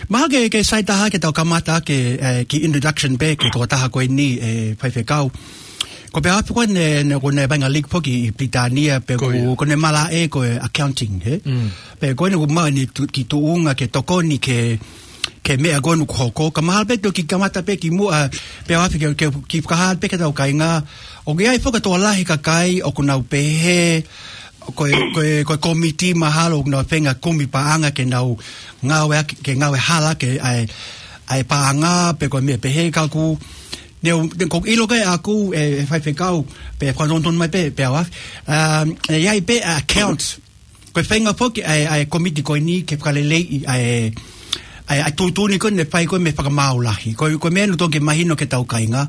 mahalo ke, ke sai taha ke tau kamata ke, ē, kiʻi introduction pē ki he tokotaha ko eni, ē, faifekau. Ko Peau Afi ko eni, naʻe, ko ʻene vaʻinga league foki ʻi Pilitānia, pea ko, ko ia, ko ʻene malaʻe ko e accounting, hē? Mm. Pea ko eni ʻoku maʻu ʻene tu-, kiʻi tuʻunga ke tokoni ki he, ki he meʻa ko eni ʻoku hoko. Ka mahalo pē te u kiʻi kamata pē kimuʻa, Peau Afi ke, ke kiʻi fakahā pē ki heʻetau kāinga. ʻOku ʻi ai foki e tokolahi e kakai ʻoku nau pehē, ko e, ko e, ko e kōmiti mahalo ʻoku nau feinga kumi paʻanga ke nau ngāueʻaki, ke ngāue hala ki he ʻa e, ʻa e paʻanga pe ko e meʻa pehē ka ʻoku, ne u, ne ʻoku ʻilo ko ē ʻaʻaku ē, ē faifekau, pea fakatonutonu mai pē, Peau Afi. Um, ē, ʻi ai pē account. Ko e feinga foki ʻa e, ʻa e kōmiti ko eni ke fakaleleiʻi ʻa e, ʻa e, ʻa e tuʻutuʻuni ko ē naʻe fai ko ē mei he Fakamaau Lahi. Ko, ko e meʻa eni ʻoku totonu ke mahino ki heʻetau kāinga.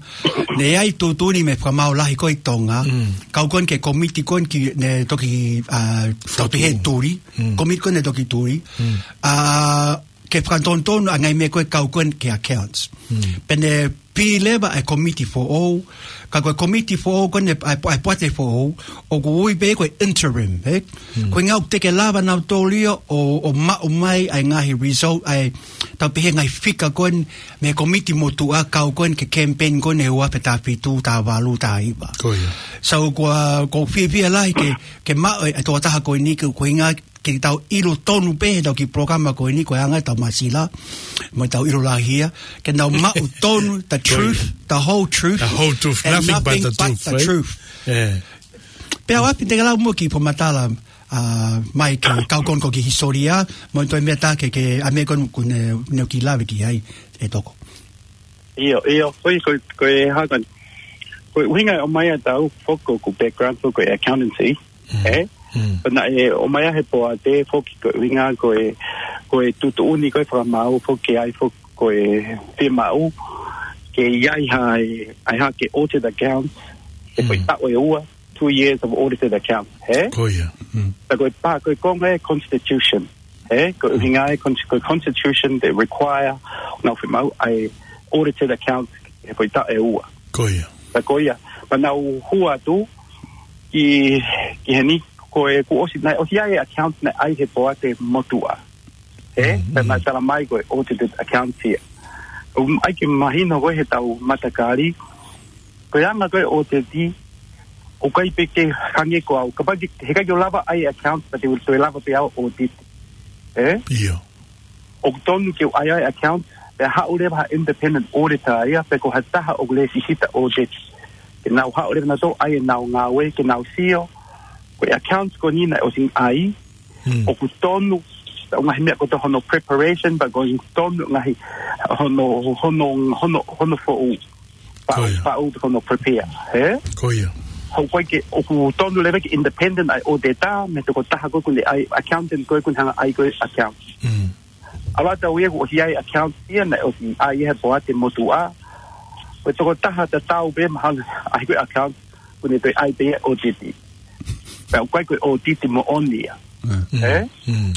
Naʻe ʻi ai e tuʻutuʻuni mei he Fakamaau Lahi ko ē ʻi Tonga. Mm. Kau ko eni ki he kōmiti ko eni naʻe toki, ā, fakatonutonu. Toki he tuli. Mm. Kōmiti ko ē naʻe toki tuli. Mm. Ā, ke fakatonutonu ʻa e ngaahi meʻa ko ē kau ko eni ki he accounts. Mm. Pea ne pī leva ʻa e komiti foʻou, ka ko e komiti foʻou ko eni ʻa e, ʻa e poate foʻou, ʻoku ui pē ko e interim, ē? Ko e ʻuhinga ʻoku teʻeki lava nautolu ia ʻo, ʻo maʻu mai ʻa e ngaahi result, ʻa e tau pehē ngaahi fika ko eni mei he komiti motuʻa kau ko eni ki he campaign ko eni he ua afe taha fitu, taha valu, taha hiva. Ko ia. So, ko a, ʻoku ou fiefia lahi ke, ke maʻu e, e tokotaha ko eni ke, ko e ʻuhinga ke tau ʻilo tonu pē he tau kiʻi polokalama ko eni ko e anga ʻetau māsila, mo ʻetau ʻilo lahi ia, ke nau maʻu tonu the truth, the whole truth, the whole truth, and nothing but the truth, right? Pea ʻoku ʻi ai pē te ke lau mo e kiʻi fakamatala, ʻa, mai ki he kau ko eni ko e kiʻi hisitōlia, mo e toe meʻa tā ke, ke, ʻa e meʻa ko eni ʻoku ne, ne u kiʻi lave ki ai, ʻe Toko. ʻIo, ʻio, ko e, ko e, ko e hā ko eni. Ko e ʻuhinga ʻo e ʻomai ʻa tautolu foki ko e background foki ko e accountancy, ē? Pea naʻe ʻomai ʻa e poate foki ko e ʻuhinga ko e, ko e tuʻutuʻuni ko e fakamaau foki ke ʻai foki ko e fiemaʻu ke ʻi ai ha, ʻai ha ke audited account, ʻe foʻi taʻu ʻe ua, two years of audited account, ē? Ko ia. Pea ko e pā, ko e konga e constitution, ē? Ko e ʻuhinga e con-, ko e constitution they require, nau fiemaʻu ʻa e audited account, ʻe foʻi taʻu ʻe ua. Ko ia. Pea ko ia, pea nau hū atu ki, ki heni ko e kuo ʻosi, naʻe ʻosi ʻi ai e account naʻe ʻai he poate motuʻa. Ē? Pea naʻe tala mai ko e audited account ia. ʻOku ʻai ke mahino ko e he tau matakali, ko e anga ko e audit, ʻoku ʻikai pē ke hangē ko au. Kapau ke, heʻikai ke u lava ʻai account, pea te u toe lava pē au audit. Ē? ʻIo. ʻOku tonu ke u ʻai ʻa e account, pea haʻu leva ha independent auditor ia, pe ko ha taha ʻoku lēsisita audit. Ke nau haʻu leva nautolu ʻai ʻenau ngāue, ke nau sio, ko e accounts ko eni naʻe ʻosi ʻai, ʻoku tonu, ʻa e ngaahi meʻa kotoa hono preparation, pea ʻoku tonu ngaahi hono, hono, hono, hono foʻou. Paʻu, paʻu hono prepare, ē? Ko ia. ʻOku ʻikai ke, ʻoku tonu leva ke independent ʻa e auditor, mei he tokotaha ko ē ʻoku ne ʻai, accountant ko ē ʻoku ne hanga ʻai ko e account. ʻAlu atu ia kuo ʻosi ʻi ai account ia naʻe ʻosi ʻai he poate motuʻa. Ko e tokotaha tatau pē mahalo ʻai ko e account, ʻoku ne toe ʻai pē ia audit. Pea ʻoku ʻikai ko e audit moʻoni ia. Ē?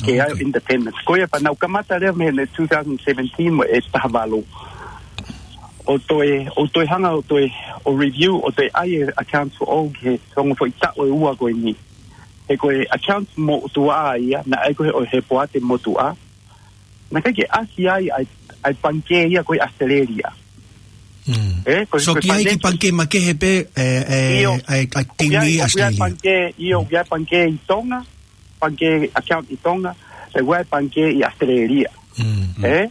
Ke ʻai independent. Ko ia pea nau kamata leva mei he two thousand seventeen mo e taha valu. ʻO toe, ʻo toe hanga, ʻo toe, ʻo review, ʻo toe ʻai e accounts foʻou ki he ongo foʻi taʻu ʻe ua ko eni. He ko e accounts motuʻa ia, naʻe ʻai ko ē he poate motuʻa. Naʻe ʻikai ke ʻasi ai ʻa e, ʻa e pangikē ia ko ē ʻAositelēlia. Ē, ko e, so ko e ki ai ki financial pangikē makehe pē, ē, ē, ʻio, ʻa e, ʻa e timi ʻoku ʻi ai, ʻoku ʻi ai ʻAositelēlia. Pangikē, ʻio, ʻoku ʻi ai pangikē ʻi Tonga, pangikē account ʻi Tonga, ʻoku ʻi ai pangikē ʻi ʻAositelēlia. Ē?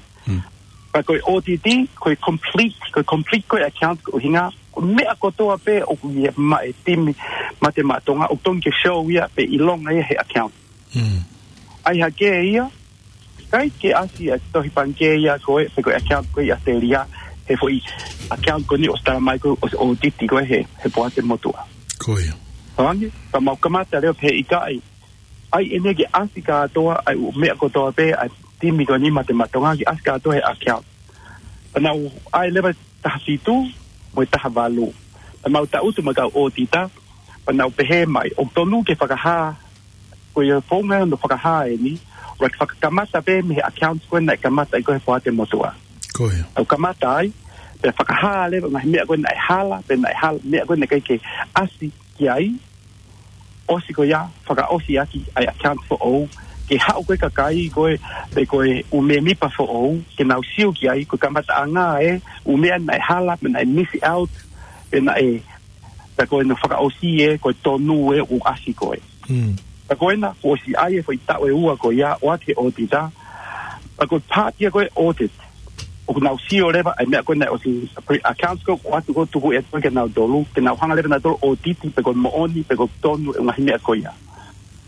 Pea ko e audit, ko e complete, ko e complete ko e account ko e ʻuhinga, ko e meʻa kotoa pē ʻoku ʻi ai maʻa e timi Mate Maʻa Tonga, ʻoku tonu ke show ia pe ʻilonga ia he account. ʻAi hake ia, ʻikai ke ʻasi ʻa e tohi pangikē ia ko ē, pe ko e account ko ē ʻi ʻAositelēlia, he foʻi account ko eni ʻoku tala mai ko ē ʻoku audit ko ē he, he poate motuʻa. Ko ia. Hangē, pea mau kamata leva pē ʻikai. ʻAi eni ke ʻasi kātoa, ʻa e ʻū meʻa kotoa pē, ʻa e timi ko eni Mate Maʻa Tonga ke ʻasi kātoa he account. Pea nau ʻai leva taha fitu, mo e taha valu. Pea mau tangutu mo e kau auditor, pea nau pehē mai, ʻoku tonu ke fakahā, ko e founga hono fakahā eni, ʻoku fakakamata pē mei he accounts ko ē naʻe kamata ai ko ē he poate motuʻa. Ko ia. ʻOku kamata ai, pea fakahā leva ngaahi meʻa ko ē naʻe hala, pe naʻe hala, meʻa ko ē naʻe ʻikai ke ʻasi ki ai, ʻosi ko ia, fakaʻosi ʻaki ʻa e account foʻou, ke haʻu ko ē kakai ko ē, pe ko e ʻū mēmipa foʻou, ke nau sio ki ai, ko e kamataʻanga ē, ʻū meʻa naʻe hala, pe naʻe miss out, pe naʻe, pea ko ena fakaʻosi ē, ko e tonu ē, ʻoku ʻasi ko ē. Pea ko ena, kuo ʻosi ʻai e foʻi taʻu ʻe ua ko ia, ʻoatu ki he auditor, pea ko e part ia ko ē audit, ʻoku nau sio leva, ʻa e meʻa ko ē naʻe ʻosi, pre-, accounts ko ē, ʻoatu ko ē tuku ʻe tuku ke nau tolu, ke nau hanga leva nautolu audit, pe ko e moʻoni, pe ko e tonu, ʻa e ngaahi meʻa ko ia.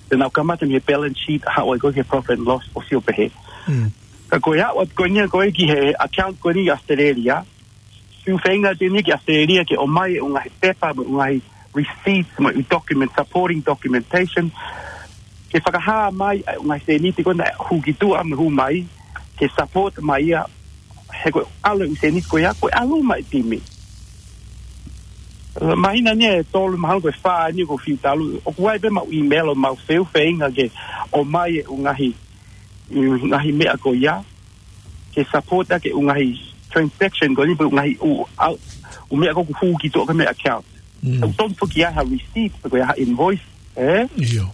Te nau kamata mei he balance sheet, haʻu ai ko ē ki he profit and loss, ʻo sio pehē. Ka ko e aʻu atu ko eni ko ē ki he account ko eni ʻAositelēlia, fiu feinga atu eni ki ʻAositelēlia ke ʻomai e ʻū ngaahi pepa, mo e ʻū ngaahi receipts, mo e ʻū document, supporting documentation, ke fakahā mai ʻa e ʻū ngaahi sēniti ko ē naʻe hū ki tuʻa mo e hū mai, ke support mai ia, he ko e ʻalu e ʻū sēniti ko ia, ko e ʻalu mai timi. Māhina ni ʻe tolu, mahalo ko e fā ni ʻoku fiu talu, ʻoku ʻi ai pē maʻu email ʻo mau fiu feinga ke ʻomai e ʻū ngaahi, ʻū ngaahi meʻa ko ia, ke support ʻaki e ʻū ngaahi transaction ko eni pe ngaahi ʻū, ʻū, ʻū meʻa ko ē ʻoku hū ki tuʻa ki he meʻa account. Mm. ʻOku tonu foki ʻi ai ha receipt, pe ko e hā ha invoice, ē? ʻIo.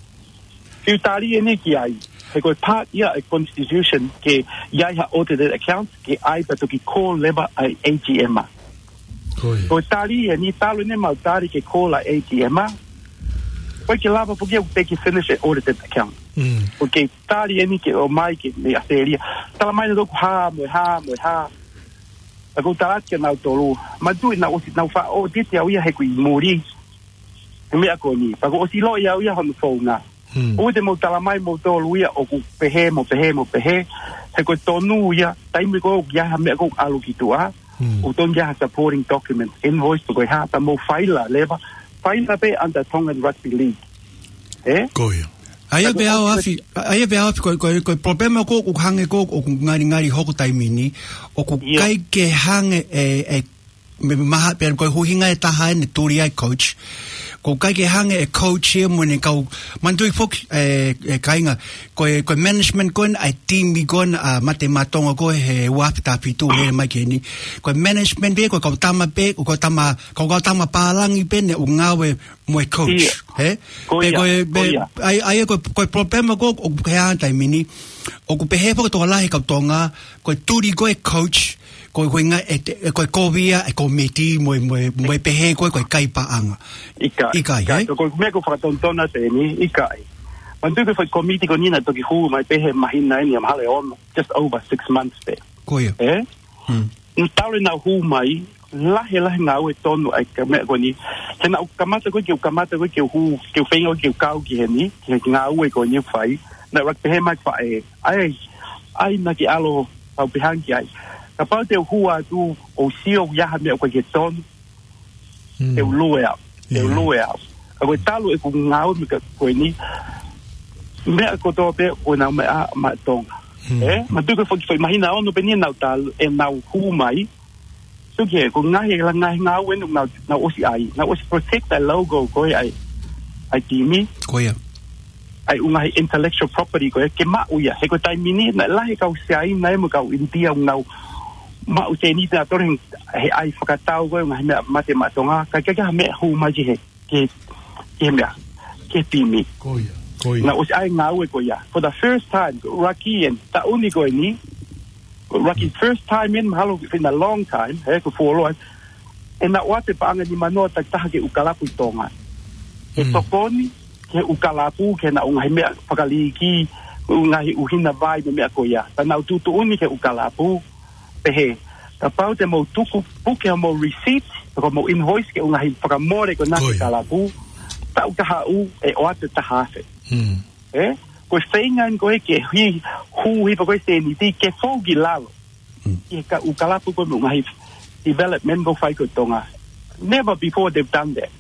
Fiu tali eni ki ai. He ko e part ia e constitution ke ʻi ai ha audited accounts, ke ʻai pea toki call leva ʻa e A G M ā. Ko ia. Ko e tali eni, talu eni ʻemau tali ke call ʻa e A G M ā. ʻOku ʻikai ke lava foki ia ʻo te ke finish e audited account. Mm. ʻOku tali eni ke ʻomai ki he ʻAositelēlia. Tala mai naʻa ʻoku hā, mo e hā, mo e hā. Pea ʻoku ou tala atu kia nautolu. Manatuʻi naʻa ku ʻosi, naʻa ku faʻa audit au ia he ʻoku ʻi muli. He meʻa ko eni. Pea kuo ʻosi ʻilo ia au ia hono founga. Hmm. ʻOua te mou tala mai moutolu ia ʻoku pehē, mo pehē, mo pehē. He ko e tonu ia, taimi ko ē ʻoku ʻi ai ha meʻa ʻoku ʻalu ki tuʻa. Hmm. ʻOku tonu ia ha supporting document, invoice pe ko e hā, pea mou faila leva. Faila pē under Tongan Rugby League. Ē? Ko ia. ʻA ia pē ʻaofi, ʻa ia pē ʻaofi, ko e, ko e, ko e problema ko ē ʻoku hangē ko ē ʻoku ngalingali hoko he taimi ni, ʻoku ʻIo. ʻikai ke hangē e, e, meʻa maha, pea ko e ʻuhinga ʻe taha eni ʻoku tuli ai e coach. ʻOku ʻikai ke hangē e coach ia mo ʻene kau, manatuʻi foki, e, e kāinga, ko e, ko e management ko ena ʻa e timi ko ena ʻa Mate Maʻa Tonga ko ē he ua afe taha fitu lele mai ki heni. Ko e management pē, ko e kau tama pē, ko e kau tama, kau, kau tama pālangi pē eni ʻoku ngāue mo e coach, ʻIo. hē? Ko Pe ia, ko e, ko pe, ia. ʻa ia, ʻa ia ko e, ko e problema ko ē ʻoku hē he taimi ni, ʻoku pehē foki ʻe he tokolahi kau Tonga, ko e tuli ko ē e coach, ko e ʻuhinga ʻe te, ko e kovi ia e komiti mo e, mo e, mo e pehē ko ē ko e kai paʻanga. ʻIkai, ʻIkai, ʻikai, hē? Ko e meʻa ʻoku fakatonutonu atu eni, ʻikai. Manatuʻi ko e foʻi komiti ko eni naʻe toki hū mai pē he māhina eni, mahalo ʻe ono, just over six months pē. Ko ia. Ē? Hmm. Naʻa tau lele naʻa hū mai, lahi, lahi ngāue tonu ai ka meʻa ko eni. He naʻa ku kamata ko ē ke u kamata ko ē ke u hū, ke u feinga ko ē ke u kau ki heni, ki he ngāue ko eni ʻoku fai. Naʻe ʻuluaki pehē mai ʻe he faʻē, ʻai, ʻai naʻa ke ʻalu ʻo pehē ange ki ai. Kapau te u hū atu ʻo sio ʻoku ʻi ai ha meʻa ʻoku ʻikai ke tonu, Mm. te u lue au, te u Yeah. lue au. Ka ko e talu ʻeku ngāue mei he ko eni, meʻa kotoa pē ko ʻenau meʻa maʻa Tonga. Mm. Ē? Manatuʻi ko e foʻi, foʻi māhina ono pē eni naʻa tau, ʻenau hū mai. Sio ki he, ko e ngaahi, la ngaahi ngāue eni naʻa, naʻa ku ʻosi ʻai. Naʻa ku ʻosi protect ʻa e logo ko ē ʻa e, ʻa e timi. Ko ia. ʻA e ʻū ngaahi intellectual property ko ē, ke maʻu ia. He ko e taimi ni, naʻe lahi e kau Siaina ia mo e kau ʻInitia ʻoku nau maʻu sēniti ʻa e tole he, he ʻai fakatau ko ē, ngaahi meʻa Mate Maʻa Tonga, ka ʻikai ke ʻi ai ha meʻa hū mai ki he, ki he, ki he meʻa, ki he timi. Ko ia, ko ia. Naʻa ku ʻosi ʻai e ngāue ko ia. For the first time, ko e ʻuluaki eni, taʻu ni ko eni, ko e ʻuluaki Mm. first time eni, mahalo in a long time, he, ko e fuoloa eni, ʻenau ʻoatu e paʻanga nimanoa takitaha ki he ʻū kalapu ʻi Tonga. He Mm. tokoni, ki he ʻū kalapu, ki heʻenau ngaahi meʻa fakaliiki, ʻū ngaahi ʻuhina vai mo e meʻa ko ia. Pea nau tuʻutuʻuni ki he ʻū kalapu, pehē, kapau te mou tuku puke homou receipt, pe ko homou invoice ki he ʻū ngaahi fakamole ko ena ki he Ko ia. kalapu, taʻu ka haʻu ʻe ʻoatu e taha afe. Mm. Ē? Ko e feinga eni ko ē ke hū, hū hifo ko ē sēniti, ke fou ki lalo. Mm. ʻI he ka-, ʻū kalapu ko ē mo e ngaahi development ʻoku fai ko ē ʻi Tonga. Never before they've done that.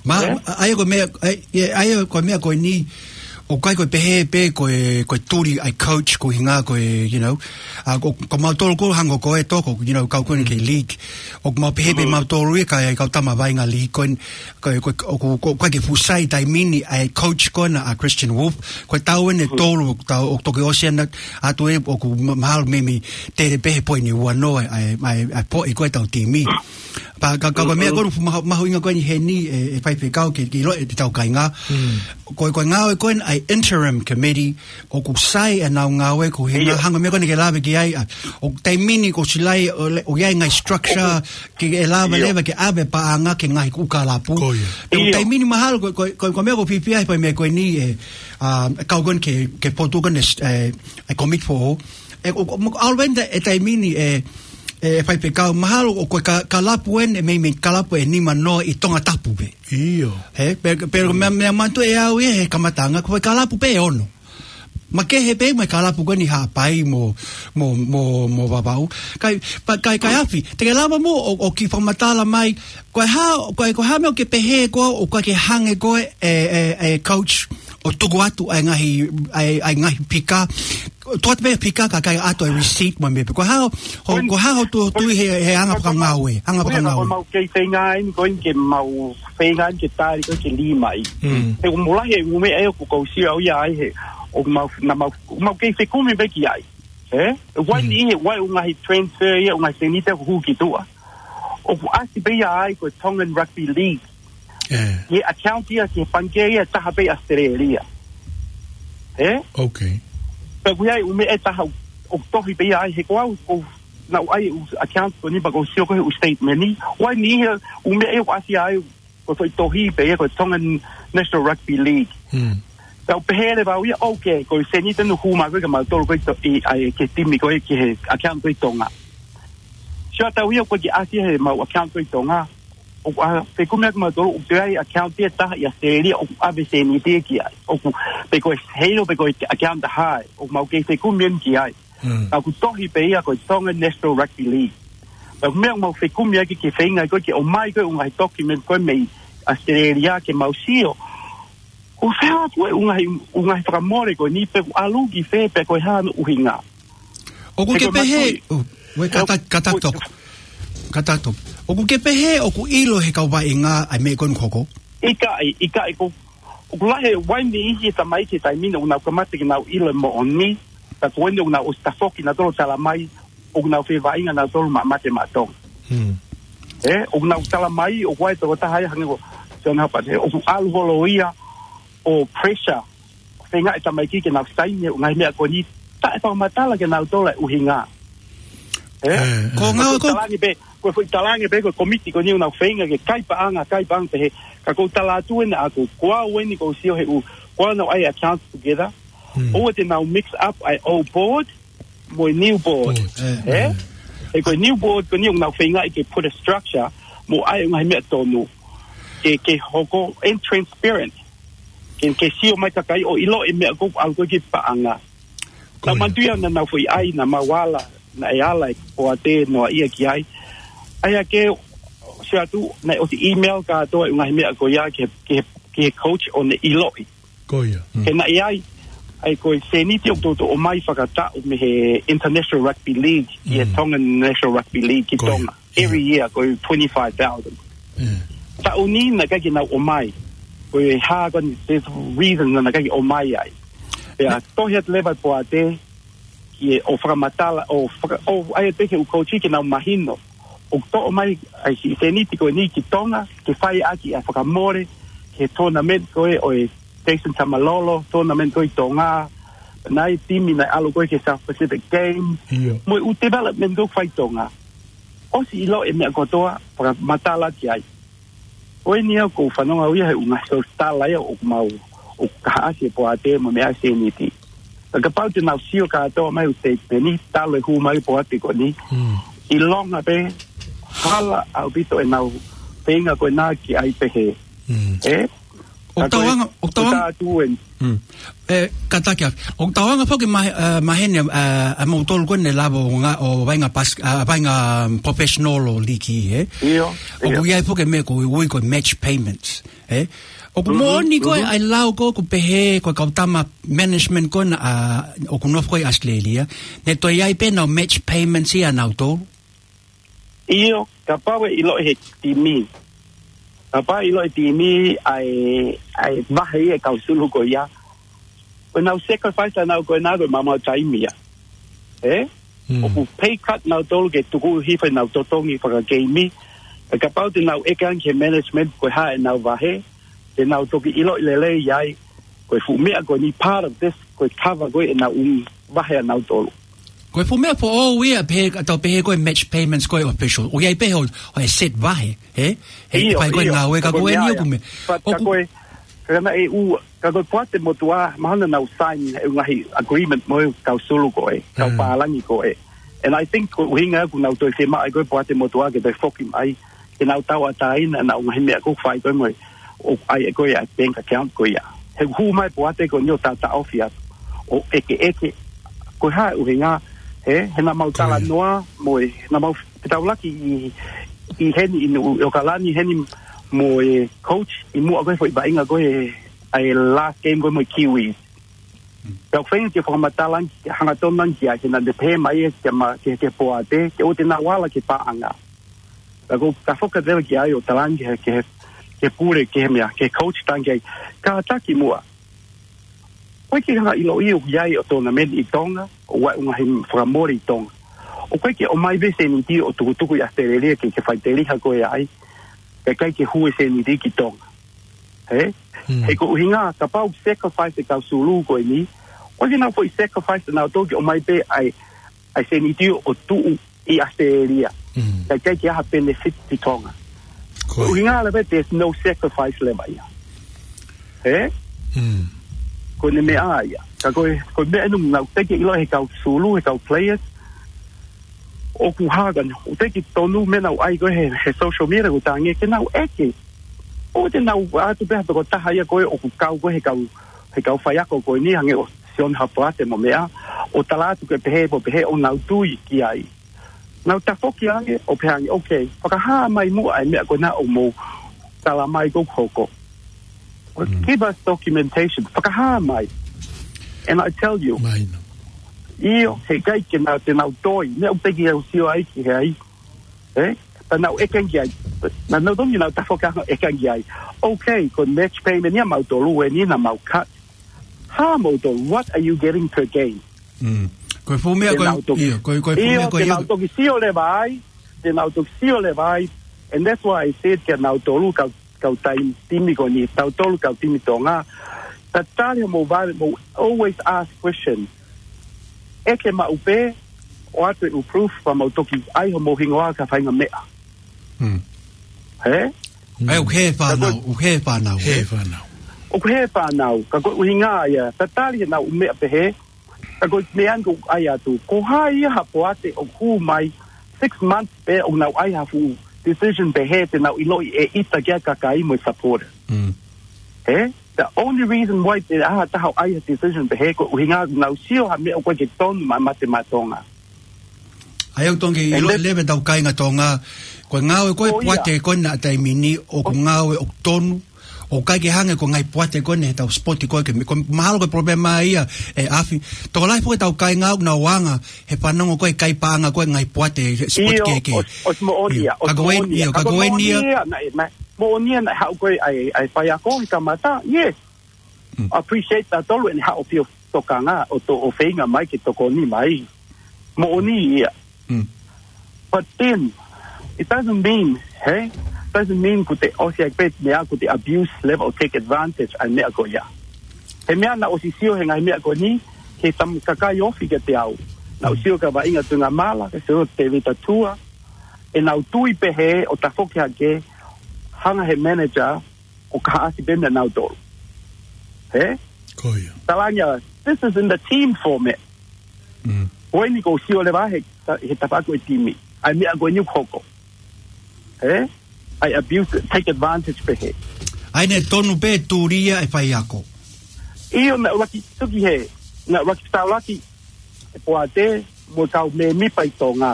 Ma, Ē? ʻa ia ko e meʻa, ʻa ia, ʻa ia ko e meʻa ko eni, ʻoku ʻikai ko e pehē pē ko e, ko e tuli ʻa e coach ko e ʻuhinga ko e, you know, ʻa ko, ko mautolu ko e hangē ko e toko, you know, kau ko eni ki he Mm. league. ʻOku mau pehē pē Mm. mautolu ia ka ʻi ai e kau tama vaʻinga league ko eni, ko, ko, ʻoku, ko, ko e ke fusai taimi ni ʻa e coach ko ena ʻa Christian Wolf, ko e taʻu eni ʻe Mm. tolu ʻoku tau, ʻoku toki ʻosi ena, ʻa ē ʻoku ma-, mahalo meimei tele pē he poini ua noa ʻa e, ʻa e, ʻa e poʻi ko ē ʻetau timi. Pea ka, ka, ka ko e meʻa Mm-mm. ko ē ʻoku mahu-, mahuʻinga ko eni heni ʻe, ʻe faifekau ke, ke ʻiloʻi ʻe hotau kāinga. Mm. Ko e, ko e ngāue ko ena ʻa e interim committee, ʻoku sai ʻenau ngāue ko e ʻuhinga ʻIo. hangē ko e meʻa ko eni ke lave ki ai, ʻa, ʻoku taimi ni kuo ʻosi lahi, ʻo le-, ʻoku ʻi ai e ngaahi structure, ke, ke lava ʻIo. leva ke ʻave e paʻanga ki he ngaahi ʻū kalapu. Ko ia. Pea ʻoku ʻIo. taimi ni mahalo ko, ko, ko, ko e meʻa ʻoku ou fiefia ai he meʻa ko eni ʻe, ʻa, kau ko eni ki he, ki he potu ko eni, ʻe, ʻa e Commit for All. ʻE, ʻo, ʻo, ʻo, ʻalu eni ʻe taimi ni ʻe, ʻe faifekau mahalo ʻoku ko e ka-, kalapu eni, ʻe meimei kalapu ʻe nimanoa ʻi Tongatapu pē. ʻIo. He, pe, pe, meʻa, meʻa manatuʻi ʻe au ia he kamataʻanga, ko e kalapu pē ʻe ono. Makehe pē mo e kalapu ko eni Haʻapai mo, mo, mo, mo Vavaʻu. Kae, pea, kae, kae ʻAofi, te ke lava mo ʻo, ʻo kiʻi fakamatala mai, ko e hā, ko e, ko e hā e meʻa ʻoku ke pehē ko ē, ʻoku ʻikai ke hangē ko ē, ʻe, ʻe, ʻe coach, ʻo tuku atu ʻa e ngaahi, ʻa e, ʻa e ngaahi pika, tuku atu pē pika ka ʻikai ʻoatu e receipt mo e meʻa pē. Ko e hā, ho, Ko e, ko e hā hoʻo tui he, he anga ko e, fakangāue, anga ko e, fakangāue. Ko e mau kei feinga eni ko eni ke mau feinga eni ke tali ko ē ke lī mai. Mm. He ʻoku mou lahi e ʻū meʻa ʻoku kau sio au ia ai he, ʻoku mau, naʻa mau, mau kei fekumi pē ki ai. Ē? Wai ni, wai ʻū ngaahi transfer ia, ʻū ngaahi sēniti ʻoku hū ki tuʻa. ʻOku ʻasi pē ia ai ko e Tongan Rugby League. Ē. He account ia ki he pangikē ia taha pē ʻi Australia. Ē? Okay. Pea ʻoku ʻi ai ʻū meʻa ʻe taha ʻoku tohi pē ia ai, he ko au, ko naʻu ʻai ʻū account ko eni pea ʻoku ou sio ko e ʻū statement ni. Wai ni he ʻū meʻa ia ʻoku ʻasi ai, ko e foʻi tohi pē ia, ko e Tongan National Rugby League. Hmm. Tau pehē leva au ia, okay, ko e sēniti ʻoku hū mai ko ē kia mautolu ko ē ʻi to-, ʻi, ʻai, ki he timi ko ē, ki he account ko ē ʻi Tonga. Sio atu ia ko e ʻasi he mau account ko ē ʻi Tonga. ʻOku ʻa, fekumi ʻaki mautolu, ʻoku ʻi ai account ia ʻe taha ʻi Australia, ʻoku ʻave sēniti ki ai. ʻOku, pe ko e hilo, pe ko e account ʻe taha, ʻoku mau kei fekumi eni ki ai. Mm. Ka ʻoku tohi pē ia ko e Tonga National Rugby League. Pea ko e meʻa ʻoku mau fekumi ʻaki ke feinga ko ē ke ʻomai ko ē ʻū ngaahi document ko ē mei Australia ke mau sio. Ko e fē atu e ʻū ngaahi, ʻū ngaahi fakamole ko eni pe ʻoku ʻalu ki fē pe ko e hā hono ʻuhinga. ʻOku ke pehē, ʻo, ue, kata, kata toko. Kata toko. ʻOku ke pehē ʻoku ʻilo he kau vaʻinga ʻa e meʻa ko eni ʻoku hoko? ʻIkai, ʻikai ko, ʻoku lahi e wai ni ʻi he tamaiki he taimi ni ʻoku nau kamata ke nau ʻilo e moʻoni, ka ko eni ʻoku nau ʻosi tafoki nautolu ʻo tala mai, ʻoku nau fevaʻinga nautolu maʻa mate maʻa Tonga. Hmm. Ē, ʻoku nau tala mai, ʻoku ʻi ai e tokotaha ia hangē ko John Hubbard, ē, ʻoku ʻalu holo ia ʻo pressure, feinga e tamaiki ke nau saini e ʻū ngaahi meʻa ko eni, taʻe fakamatala kia nautolu e ʻuhinga. Ē? Ē, ē. Ko e ngā ko e foʻi talaange pē, ko e foʻi talaange pē, ko e komiti ko eni ʻoku nau feinga ke kai paʻanga, kai paʻanga pehē, ka ʻoku ou tala atu eni ʻaʻaku, ko au eni ʻoku ou sio he ʻū, ko ʻenau ʻai account together, Hmm. ʻoua te nau mix up ʻa e old board, mo e new board. Board. Ē? Ē. Ē, ko e new board ko eni ʻoku nau feinga ke put a structure, mo ʻai e ngaahi meʻa tonu. Ke, ke hoko and transparent. Ke, ke sio mai kakai ʻo ʻilo e meʻa ko ē ʻoku ʻalu ko ē ki paʻanga. Ko ia. Naʻa mau manatuʻi naʻa nau foʻi ʻai, naʻa mau ala, naʻe ala e Poate noa ia ki ai. ʻAi ake, sio atu, naʻe ʻosi email kātoa e ngaahi meʻa ko ia ki he, ki he, ki he coach ʻo ne ʻiloʻi. Ko ia. Mm. He naʻe ʻi ai, ʻa e ko e sēniti ʻoku toutou ʻomai fakataʻu mei he International Rugby League, ʻi he Mm. Tongan National Rugby League ki Ko ia. Tonga. Every year, ko e twenty-five thousand. Mm. Taʻu ni naʻe ʻikai ke nau ʻomai. Ko e hā ko eni, there's a reason naʻe ʻikai ke ʻomai ai. Pea tohi atu leva e Poate, ki he ʻo fakamatala, ʻo faka-, ʻo ʻai atu ki he ʻū coach ke nau mahino. ʻOku toʻo mai ʻa e siʻi sēniti ko eni ki Tonga, ke fai ʻaki ʻa e fakamole, ki he tournament ko ē ʻo e Jason Taumalolo, tournament ko ē ʻi Tonga, naʻe timi naʻe ʻalu ko ē ki he South Pacific Games, ʻIo. mo e ʻū development ko ē ʻoku fai ʻi Tonga. ʻOsi ʻilo e meʻa kotoa, fakamatala ki ai. Ko eni ʻoku ou fanongo au ia he ʻū ngaahi source tala ia ʻoku mau, ʻoku kaihaʻasi e Poate mo e meʻa sēniti. Ka kapau te nau sio kātoa mai ʻū statement ni, talu e hū mai e Poate ko eni. Mm. ʻIlonga pē, hala ʻaupito ʻenau feinga ko ena ke ʻai pehē. Mm. Ē? ʻOku Ka ko e, tauanga, ʻoku tauanga. tā tu en. Mm. Ē, kātaki ā. ʻOku tauanga foki mahe-, ā, maheni, ā, ʻa moutolu ko eni lava ʻo ngā, ʻo vaʻinga pas-, ā, vaʻinga professional ʻo liki, ē? ʻIo, ʻOku ʻio. ʻi ai foki e meʻa ko e ui ko e match payments, ē? ʻOku Mhm, moʻoni ko e mhm. ʻai lau ko ē ʻoku pehē ko e kau tama management ko ena, ā, ʻoku nofo ko ē ʻi Australia, ne toe ʻi ai pē ʻenau match payments ia ʻanautolu? ʻIo, kapau ʻe ʻilo ʻe he timi. Kapau ʻe ʻilo ʻe he timi ʻa e, ʻa e vahe ia e kau sulu ko ia. Ko ʻenau sacrifice ʻanautolu ko ena ko e maumau taimi ia. Ē? Mm. ʻOku pay cut nautolu ke tuku hifo ʻenau totongi fakakeimi. Ka kapau te nau ʻeke ange ki he management ko e hā ʻenau vahe, te nau toki ʻiloʻi lelei ai, ko e fuʻu meʻa ko eni part of this, ko e cover ko ē ʻenau ʻū vahe ʻanautolu. Ko e fuʻu meʻa foʻou ia, pehē, ʻa tau pehē ko e match payments ko e official. ʻOku ʻi ai pē ʻo, ʻo e set vahe, ē? He ʻIo, fai ko e ʻio, ngāue ka ka ko ko e eni ia ʻoku ia. me-, But ka ʻoku ko e, ka naʻe ʻū, ka ko e Poate Motuʻa, mahalo naʻa nau sign e ngaahi agreement mo e kau sulu ko ē, kau Mm. pālangi ko ē. And I think ko e ʻuhinga ʻoku nau toe fiemaʻu ai ko e Poate Motuʻa ke toe foki mai, ke nau tauʻatāina ʻenau ngaahi meʻa ʻoku fai ko ē mo e, ʻoku ʻai ʻe ko ē ʻa e bank account ko ia. He hū mai Poate ko eni ʻo tātāʻofi atu. ʻO ʻekeʻeke, ko e hā e ʻuhinga, he, he naʻa mau Ko ia. talanoa, mo e, he naʻa mau fetaulaki ʻi, ʻi heni ʻi Nuʻu, ʻi ʻAokalani heni mo e coach, ʻi muʻa ko ē foʻi vaʻinga ko ē, ʻa e last game ko ē mo e Kiwi. Pea ʻoku feinga ke fakamatala ange, ke hangatonu ange ki ai, ke naʻa ne pehē mai ē, ke ma-, ke, ke Poate, ke ʻoua te nau ala ki paʻanga. Ka ko, ka foka tele ki ai ʻo talaange ke, ke, ke pule, ke meʻa, ke coach talaange ai. Kātaki muʻa. ʻOku ʻikai ke hanga ʻiloʻi ʻoku ʻi ai ʻa e tournament ʻi Tonga, ʻoku ʻi ai ʻa e ngaahi fakamole ʻi Tonga. ʻOku ʻikai ke ʻomai pē seniti ʻo tukutuku ʻi ʻAositelēlia ke, ke fai teliha ko ē ai, kae ʻikai ke hū e seniti ki Tonga. Ē? Mm. He ko e ʻuhinga, kapau ʻoku sacrifice e kau sulu ko eni, ʻoku ʻikai ke nau foʻi sacrifice ʻa nautolu ke ʻomai pē ʻa e, ʻa e seniti ʻo tuʻu ʻi ʻAositelēlia. Mm. Kae ʻikai ke ʻi ai ha benefit ki Tonga. Ko e ʻuhinga leva, there's no sacrifice leva ia. Ē? Mm. Ko ʻene meʻa ia. Ka ko e, ko e meʻa ʻeni naʻe teʻeki ʻilo he kau sulu, he kau players. ʻOku hā ka, ʻoku teʻeki tonu meʻa naʻe ʻai ko ē he, he social media ʻoku tangi ke nau ʻeke. ʻOku te nau ʻatu pē ha tokotaha ia ko ē ʻoku kau ko ē he kau, he kau faiako ko eni hangē ʻo Sione Hapoate mo meʻa. ʻO tala atu ke pehē, ʻo pehē ʻoku nau tui ki ai. Nau tafoki ange, ʻo pehē ange, okay, fakahā mai muʻa e meʻa ko ena ʻoku mou tala mai ʻoku hoko. Well, mm, give us documentation. Fakahā mai. And I tell you, ʻio, he ʻikai ke nau, te nau toi. Meʻa ʻoku teʻeki ai ke u sio ai ki he ai. Ē? Pea nau ʻeke ange ai. Naʻa nau tonu ke nau tafoki ange ʻeke ange ai. Okay, ko e match payment ia mautolu eni naʻa mau cut. Hā mautolu, what are you getting per game? Mm. Ko e fuʻu meʻa ko ē, ʻio, ko e, ko e fuʻu meʻa ko ē, te nau toki sio leva ai, te nau toki sio leva ai, and that's why I said kia nautolu kau, kau taimi, timi ko eni, tautolu kau timi Tonga, tatali hoʻomou vale, mou always ask question. ʻEke maʻu pē, ʻoatu e proof, pea mou toki ʻai hoʻomou hingoa ki ha faʻahinga meʻa. Mm. Ē? ʻA ia ʻoku hē fānau, ʻoku hē fānau, hē fānau. ʻOku hē fānau, ka ko e ʻuhinga ia, tatali heʻenau meʻa pehē, ka ko e meʻa ʻeni ʻoku ʻai atu. Ko hai ia ha poate ʻoku hū mai six months pē ʻoku nau ʻai ha fuʻu decision pehē te nau ʻiloʻi ʻe ʻita ki ai e kakai mo e supporter. Mm. Ē? The only reason why te ʻai ha taha ʻo ʻai ha decision pehē ko e ʻuhinga nau sio ha meʻa ʻoku ʻikai ke tonu maʻa e mate maʻa Tonga. ʻA ia ʻoku tonu ke ʻilo leva ʻe hotau kāinga Tonga, ko e ngāue ko ē ʻa e poate ko ena he taimi ni, ʻoku ngāue ʻoku tonu, ʻoku ʻikai ke hangē ko e ngaahi poate ko ena he ʻetau sipoti ko ē ke me-, ko e mahalo ko e palopalema ia ʻe ʻAfi. Tokolahi foki ʻetau kāinga ʻoku nau anga he fanongo ko ē e kai paʻanga ko ē e ngaahi poate he sipoti kehekehe. ʻIo, ʻosi, ʻosi moʻoni ia, ʻio, ʻosi ka ko e, moʻoni ia, ʻio, ka ko e moʻoni ia, naʻe, naʻe, moʻoni ia naʻe haʻu ko ē ʻa e, ʻa e faiako he kamata, yes. Mm. Appreciate tautolu ʻene haʻu ʻo fio tokanga ʻo to-, ʻo feinga mai ke tokoni mai. Moʻoni ia. Mm. But then, it doesn't mean, hey, doesn't mean kuo te ʻosi ai pē meʻa kuo te abuse leva ʻo take advantage ʻa e meʻa ko ia. He meʻa naʻa ku ʻosi sio he ngaahi meʻa ko eni, he tama kakai ofi kiate au. Naʻa ku sio kia Vaʻinga Tuʻingamala, kia Tevita Tua, ʻenau tui pehē ʻo tafoki hake, hanga he manager, ʻo kahaʻasi pē meʻa nautolu. He? Ko ia. Talangia, this is in the team format. Mm. Ko eni ʻoku ou sio leva he, he tafaʻaki ʻo e timi. ʻA e meʻa ko eni ʻoku hoko. He? ʻA e abuse, take advantage pehē. ʻA ia naʻe tonu pē tūlia e faiako. ʻIo, naʻa ku ʻuluaki tuki he, naʻa ku ʻuluaki fetaulaki e poate mo e kau mēmipa ʻi Tonga.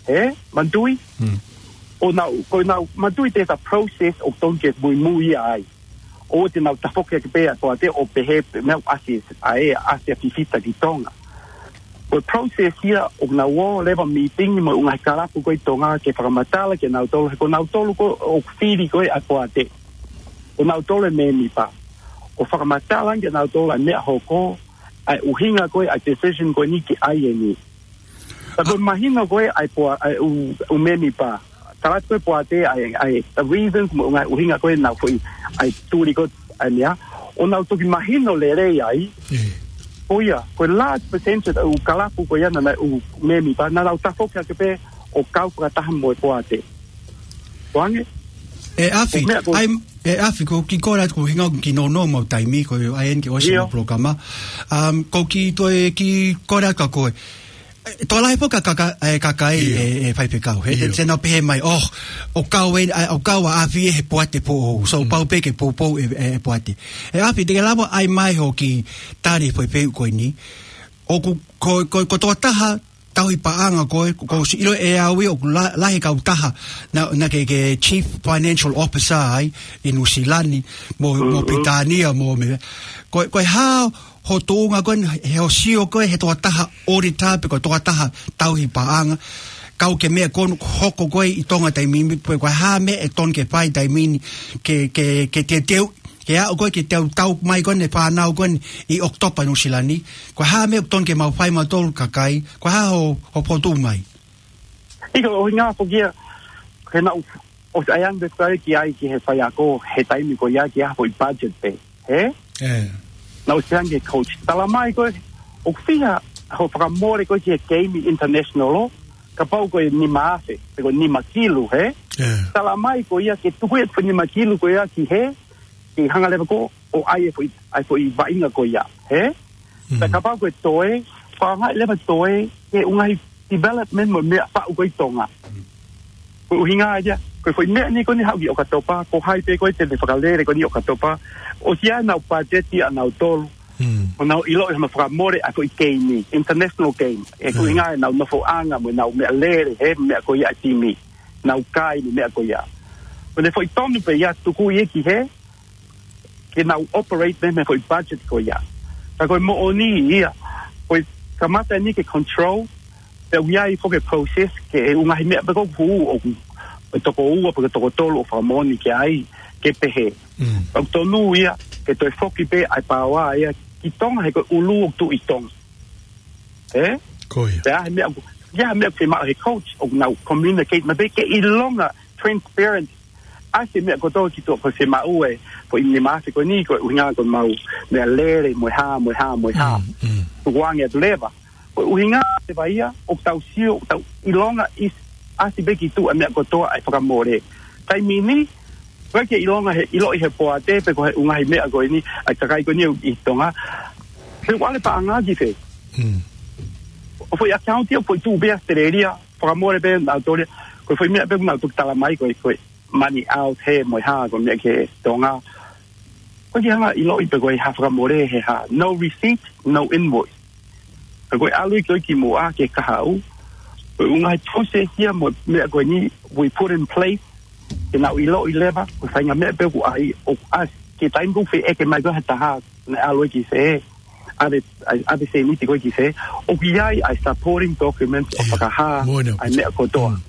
He, manatuʻi? Mm. ʻO nau, ko ʻenau, manatuʻi there's a process ʻoku tonu ke muimui ai. ʻOua te nau tafoki hake pē ʻa e poate ʻo pehē pē meʻa ʻoku ʻasi ʻa e, ʻasi ʻa Fifita ki Tonga. Ko e process ia ʻoku nau ō leva meeting mo e ngaahi kalapu ko ē ʻi Tonga ke fakamatala kia nautolu, he ko nautolu ko ē ʻoku fili ko ē ʻa e poate. Ko nautolu e mēmipa. ʻO fakamatala kia nautolu ʻa e meʻa hoko, ʻa e ʻuhinga ko ē ʻa e decision ko eni ke ʻai eni. Ka ko e mahino ko ē ʻa e poa-, ʻa e ʻū, ʻū mēmipa. Tala atu ko ē poate ʻa e, ʻa e, the reasons mo e ngaahi ʻuhinga ko ē naʻa nau foʻi, ʻa e tuli ko ē ʻa e meʻa. ʻO nau toki mahino lelei ai. ʻE. Ko ia, ko e large percentage ʻa e ʻū kalapu ko ia naʻa nau ʻū mēmipa, naʻa nau tafoki hake pē ʻo kau fakataha mo e poate. Ko ange? ʻE ʻAfi, ko e meʻa ko ē, ʻai, ʻe ʻAfi, ko e kiʻi kole atu ko e ʻuhinga ʻoku kinonoa mau taimi, ko e ʻai eni ke ʻosi ʻio. Mo e polokalama. Um, ko e kiʻi toe kiʻi kole atu kia koe. ʻE, tokolahi foki e kaka-, e kakai, ʻio. ʻE, ʻe faifekau. He, ʻio. Te nau pehē mai, oh, ʻoku kau ē, ʻa, ʻoku kau ʻa ʻAfi he poate foʻou. So, mm. Pau pē ke poupou e, e, e poate. ʻE ʻAfi, te ke lava ʻai mai hoʻo kiʻi tali he foʻi fehuʻi ko eni. ʻOku, ko, ko, ko e tokotaha tauhi paʻanga ko ē, ko, ko e ʻosi ʻilo ʻe au ia ʻoku la-, lahi e kautaha naʻa, naʻa ke, ke Chief Financial Officer ai ʻi Nuʻusila ni, mo, mo Mm-hmm. Pilitānia, mo meʻa. Ko, ko e hā hoʻo tuʻunga ko ē, he ʻoku sio koe he tokotaha auditor pe ko e tokotaha tauhi paʻanga, kau ki he meʻa ko ē ʻoku hoko ko ē ʻi Tonga taimi ni, pe ko e hā e meʻa ʻe tonu ke fai taimi ni, ke, ke, ke teuteu Ke aʻu ko ē ke tau tau mai ko eni e fānau ko eni ʻi ʻOkatopa Nuʻusila ni. Ko e hā e meʻa ʻoku totonu ke mau fai mautolu kakai, ko e hā hoʻo, hoʻo fokotuʻu mai? ʻIo, ʻo hinga foki ia, he naʻu, ʻosi ʻai ange pē ki ai ki he faiako, he taimi ko ia ki ha foʻi budget pē, hē? ʻE. Naʻu ʻosi ʻai ange ki he coach. Tala mai ko ē, ʻoku fiha hoʻo fakamole ko ē ki he game international ʻo, kapau ko e nima afe, pe ko e nima kilu, hē? ʻE. Tala mai ko ia ke tuku e foʻi nima kilu ko ia ki hē, ke hanga leva ko ē ʻo ʻai e foʻi, ʻai e foʻi vaʻinga ko ia, hē? Mm. Pea kapau ko e toe, fakaangaʻi leva toe, ke ʻuhinga he development mo e meʻa faʻu ko ē ʻi Tonga. Ko e ʻuhinga ia, ko e foʻi meʻa ni ko eni haʻu ki ʻOkatopa, ko hai pē ko ē te ne fakalele ko eni ʻOkatopa, ʻosi ʻi ai ʻenau budget ʻanautolu, Mm. ʻo nau ʻiloʻi hono fakamole ʻa e foʻi game, international game. ʻE ko e Mm. ʻuhinga ʻenau nofoʻanga mo ʻenau meʻalele, hē, meʻa ko ia ʻa e timi. Nau kai mo e meʻa ko ia. Ko ʻene foʻi tonu pē ia tuku ia ki hē, ke nau operate mei, mei he foʻi budget ko ia. Ka ko e moʻoni ia, ko e kamata eni ke control, pea ʻoku ʻi ai foki e process ke ʻuhinga he meʻa pē ko ē ʻoku, ʻoku, ʻe toko ua pe ko e toko tolu ʻo fakamoʻoni ki ai, ke pehē. Mm. Pea ʻoku tonu ia, ke toe foki pē ʻa e paoa ia ki Tonga he ko e ʻulu ʻoku tuʻu ʻi Tonga. Ē? Ko ia. Pea he meʻa ʻoku, ia he meʻa ʻoku fiemaʻu he coach, ʻoku nau communicate, maʻu pē ke ʻilonga transparent. ʻAsi e meʻa kotoa ki tuʻa ko e fiemaʻu e, ko e nima afe ko eni, ko e ʻuhinga ko e mau meʻalele, mo e hā, mo e hā, mo e hā. Mm, mm. Tukuange atu leva. Ko e ʻuhinga leva ia, ʻoku tau sio, ʻoku tau ʻilonga ʻi, ʻasi pē ki tuʻa e meʻa kotoa ʻa e fakamole. Taimi ni, ʻoku ʻikai ke ʻilonga he, ʻiloʻi he poate, pe ko e ʻuhinga he meʻa ko eni, ʻa e kakai ko eni ʻi Tonga. He ʻoku ʻalu e paʻanga ki fē. Mm. ʻO foʻi account ia, foʻi tuʻu pē ʻAositelēlia, fakamole pē ʻa e ʻAositelēlia, ko e foʻi meʻa pē ʻoku nau toki tala mai, ko e, ko e money out hē mo e hā, ko e meʻa ki Tonga. ʻOku ʻikai ke hanga ʻiloʻi pe ko e hā fakamole he hā, no receipt, no invoice. Ka ko e ʻalu ia ko ē ki muʻa ke kahaʻu, ko e ʻuhinga he process ia mo e meʻa ko eni, we put in place, ke nau ʻiloʻi leva, ko e faʻahinga meʻa pē ʻoku ʻai, ʻoku ʻasi, ki he taimi ko ē ʻoku feʻeke mai ko ē ha taha, naʻe ʻalu ia ki fē, ʻave, ʻave e sēniti ko ē ki fē, ʻoku ʻi ai ʻa e supporting documents ʻo Ia. fakahā Moʻoni ʻa e ʻaupito. meʻa kotoa. Mm.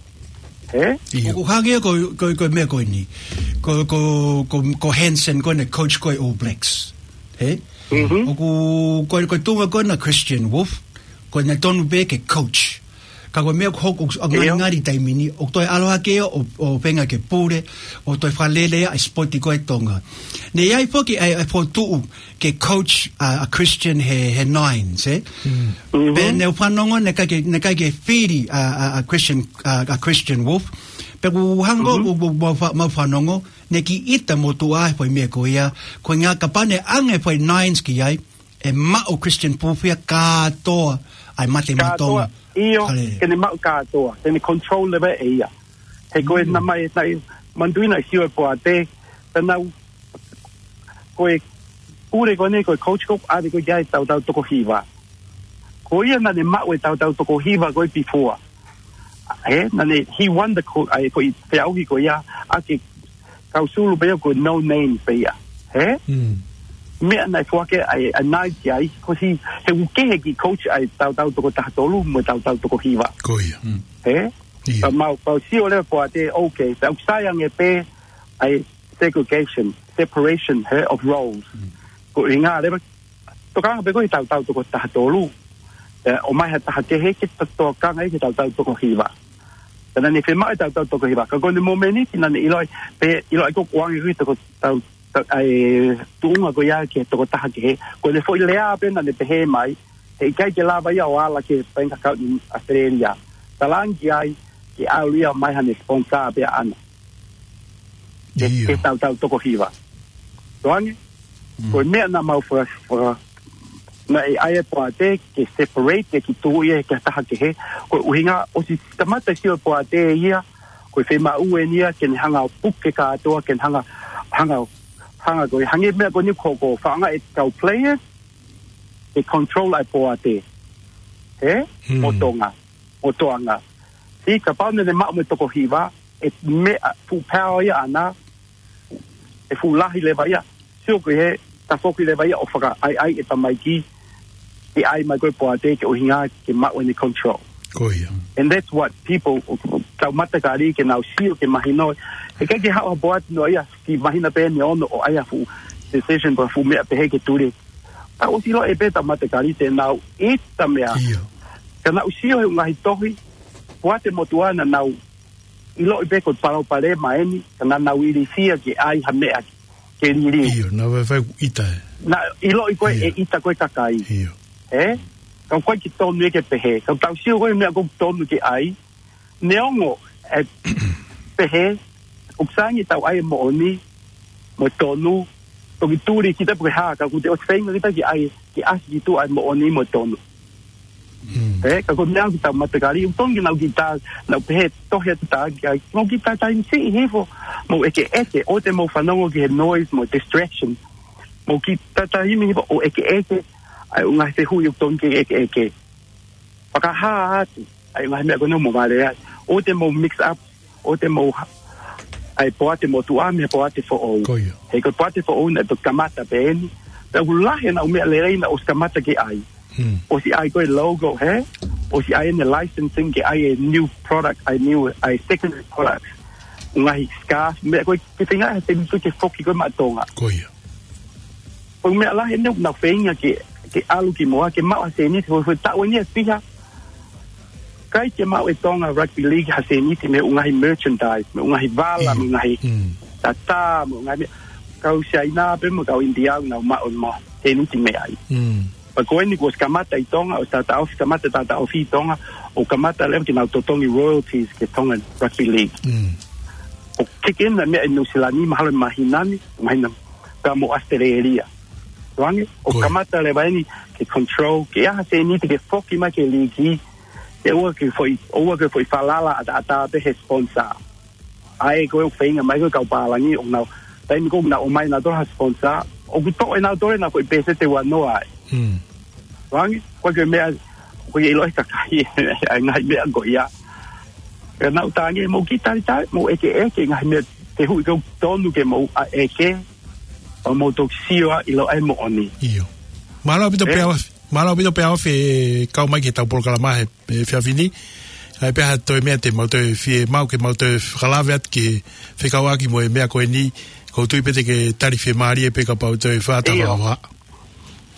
Ē? ʻIo. ʻOku hangē ko, ko, ko e meʻa ko eni. Ko, ko, ko, ko Hansen ko ena coach ko e All Blacks. Ē? Mhm. ʻOku, ko, ko e tuʻunga ko ena Christian Wolf, ko ena tonu pē ke coach. Ka ko e meʻa ʻoku hoko, ʻoku ʻIo. ngalingali taimi ni, ʻoku toe ʻalu hake ʻo, ʻo feinga ke pule, ʻo toe fakalele ʻa e sipoti ko ē ʻa Tonga. Naʻe ʻi ai foki ʻa e, ʻa e fokotuʻu ke coach ʻa, ʻa Christian he, he Nines, ē? Mm. Pea Mhm. naʻá ku fanongo, naʻe ʻikai ke, naʻe ʻikai ke fili ʻa, ʻa, ʻa Christian, ʻa, ʻa Christian Wolf. Pea ʻoku hangē Mhm. ʻoku, ʻoku, ʻoku mau fa-, mau fanongo, naʻe kiʻi ʻita motuʻa he foʻi meʻa ko ia, ko e ʻuhinga kapau naʻe ʻange e foʻi Nines ki ai, ʻe maʻu ʻe Christian Wolf ia kātoa ʻa e mate Kātoa, matonga. ʻIo, Hale. ke ne maʻu kātoa, ke ne control leva ʻe ia. He ko e Mm. naʻe mai, naʻe manatuʻi naʻe sio e poate, te nau, ko e pule ko eni, ko e coach ko ē ʻave ko ē ki ai e tautau toko hiva. Ko ia naʻá ne maʻu e tautau toko hiva ko ē before. Ē, naʻá ne, he won the co-, ʻa e ko e feʻauhi ko ia, ʻa e kau sulu pē ia ko e no name pē ia. Ē? Mm. Meʻa naʻe foaki ʻa e, ʻa e Nines ki ai, ko e hā, he ʻoku kehe e kiʻi coach ʻa e tautau toko taha tolu mo e tautau toko hiva. Ko ia. Mm. Ē? ʻIo. Ka mau, kau sio leva poate, okay, pea ʻoku sai ange pē ʻa e segregation, separation, ē, of roles. Mm. Ko e ʻuhinga leva, tokanga pē ko ē ki he tautau toko taha tolu. Ē, ʻomai ha taha kehe ke to-, tokanga ia ki he tautau toko hiva. Ka naʻá ne fiemaʻu e tautau toko hiva. Ka ko ʻene momeniti naʻá ne ʻiloʻi, pea ʻiloʻi ko ʻoku ʻoange ko ē toko tau, tau, ʻa e tuʻunga ko ia ki he toko taha kehe. Ko ʻene foʻi lea pē naʻá ne pehē mai, he ʻikai ke lava ia ʻo ala ki he Bank Account ʻi ʻAositelēlia. Talaange ki ai, ke ʻalu ia mai haʻane sponsor pē ʻaʻana. Ke, ʻIo. ke tautau toko hiva. Toange? Mm. Ko e meʻa naʻa mau faka-, faka-, naʻe ʻai e poate ke separate, ke kiʻi tuʻu ia ki ha taha kehe. Ko e ʻuhinga ʻosi kamata sio e poate ia, ko e fiemaʻu eni ia, ke ne hanga ʻo puke kātoa, ke ne hanga, hanga, hanga ko e, hangē meʻa ko eni ko, ko e fakaangaʻi e kau players, ke control ʻa e poate. Ē? Mm. ʻO Tonga, ʻo Toʻonga. Sio kapau naʻá ne maʻu mo e toko hiva, ʻe meʻa fuʻu power ia ʻaʻana, ʻe fuʻu lahi leva ia. Sio ko e hā, tafoki leva ia ʻo fakaʻaiʻai e tamaiki, ke ʻai mai ko ē e poate ke ʻuhinga ke maʻu ʻene control. Ko ia. And that's what people, tau matakali ke nau sio ke mahino. He ʻikai ke haʻu ha poate noa ia, ke mahino pē ʻene ono ʻo ʻai ha fuʻu decision pe fuʻu meʻa pehē ke tuli. Ka ʻosi ʻilo ʻe pē ʻetau matakali te nau ʻita meʻa. ʻIo. Ka nau sio he ngaahi tohi, poate motuʻa naʻa nau ʻiloʻi pē ko e palopalema eni, ka naʻa nau ilifia ke ʻai ha meʻa ke liliu. ʻIo, naʻa nau fai ʻita ē. Naʻe ʻiloʻi ko ē ʻe ʻita ko ē kakai. ʻIo. Ē? Ka ʻoku ʻikai ke tonu ia ke pehē. Ka tau sio ko ē meʻa ʻoku tonu ke ʻai. Neongo ʻe pehē, ʻoku sai ange ʻetau ʻai e moʻoni, mo e tonu, toki tuli kita pe ko e hā, ka ʻoku te ʻosi feinga kita ke ʻai, ke ʻasi ki tuʻa e moʻoni mo e tonu. Mm. Ē, ka ko e meʻa ʻoku ʻikai ke tau matakali, ʻoku tonu ke nau kiʻi tā, nau pehē, tohi atu tā, ki ai, mou kiʻi tā taimi siʻi hifo, mou ʻekeʻeke, ʻoua te mou fanongo ki he noise, mo e distraction. Mou kiʻi tā taimi hifo, ʻo ʻekeʻeke, ʻai ʻo ngaahi fehuʻi ʻoku tonu ke ʻekeʻeke. Fakahā atu, ʻai ʻo ngaahi meʻa ko ē naʻa mou vale ai. ʻOua te mou mix up, ʻoua te mou ha-, ʻai poate motuʻa mei he poate foʻou. Ko ia. He ko e poate foʻou naʻe toki kamata pē eni. Pea ʻoku lahi ʻenau meʻa lelei naʻe ʻosi kamata ke ʻai. Hmm. ʻOsi ʻai ko e logo, hē? ʻOsi ʻai ʻene licensing ke ʻai e new product, ʻai new, ʻai secondary product. Ngaahi scarf, meʻa ko ē ke feinga he te ke foki ko ē maʻa Tonga. Ko ia. Ko e meʻa lahi eni ʻoku nau feinga ke, ke ʻalu ki muʻa, ke maʻu ha sēniti, ko e taʻu eni ʻe fiha. ʻIkai ke maʻu ʻe Tonga Rugby League ha sēniti mei he ngaahi merchandise, mei he ngaahi vala, mei he ngaahi tatā, mei he ngaahi meʻa. Kau Siaina pē mo kau India ʻoku nau maʻu mo sēniti mei ai. Pea ko eni kuo ʻosi kamata ʻi Tonga, ʻosi taʻataʻofi, kamata taʻataʻofi ʻi Tonga, ʻo kamata leva ke nau totongi royalties ki he Tonga Rugby League. ʻO keke ena meʻa ʻi Nuʻu Sila ni, mahalo ʻe māhina ni, māhina pea mo ʻAositelēlia. Tuange, ʻo kamata leva eni ke control, ke ʻai ha sēniti ke foki mai ki he liiki, ke ʻoua ke foʻi, ʻoua ke foʻi falala ʻataʻatā pē he sponsor. ʻAi ko e feinga mai ko e kau pālangi ʻo nau, taimi ko ē naʻa nau ʻomai nautolu ha sponsor, ʻoku toʻo ʻe nautolu ʻenau foʻi pēseti ua noa ai. Tuange, ko e meʻa, ko e ʻilo ʻe he kakai, ʻai ngaahi meʻa ko ia. Ka naʻa ku tangi, mou kiʻi talitali, mou ʻekeʻeke, ngaahi meʻa, fehuʻi ʻoku tonu ke mou ʻa ʻeke, ʻo mou toki sio ʻa ʻilo ʻa e moʻoni. ʻIo. Mālō ʻaupito Peaofi, mālō ʻaupito Peaofi e kau mai ki heʻetau polokalama he, he efiafi ni. ʻAi pē ha toe meʻa te mau toe fiemaʻu ke mau toe fakalave atu ke fekauʻaki mo e meʻa ko eni, ʻoku ou tui pē te ke tali fiemālie pē kapau toe fata. ʻIo.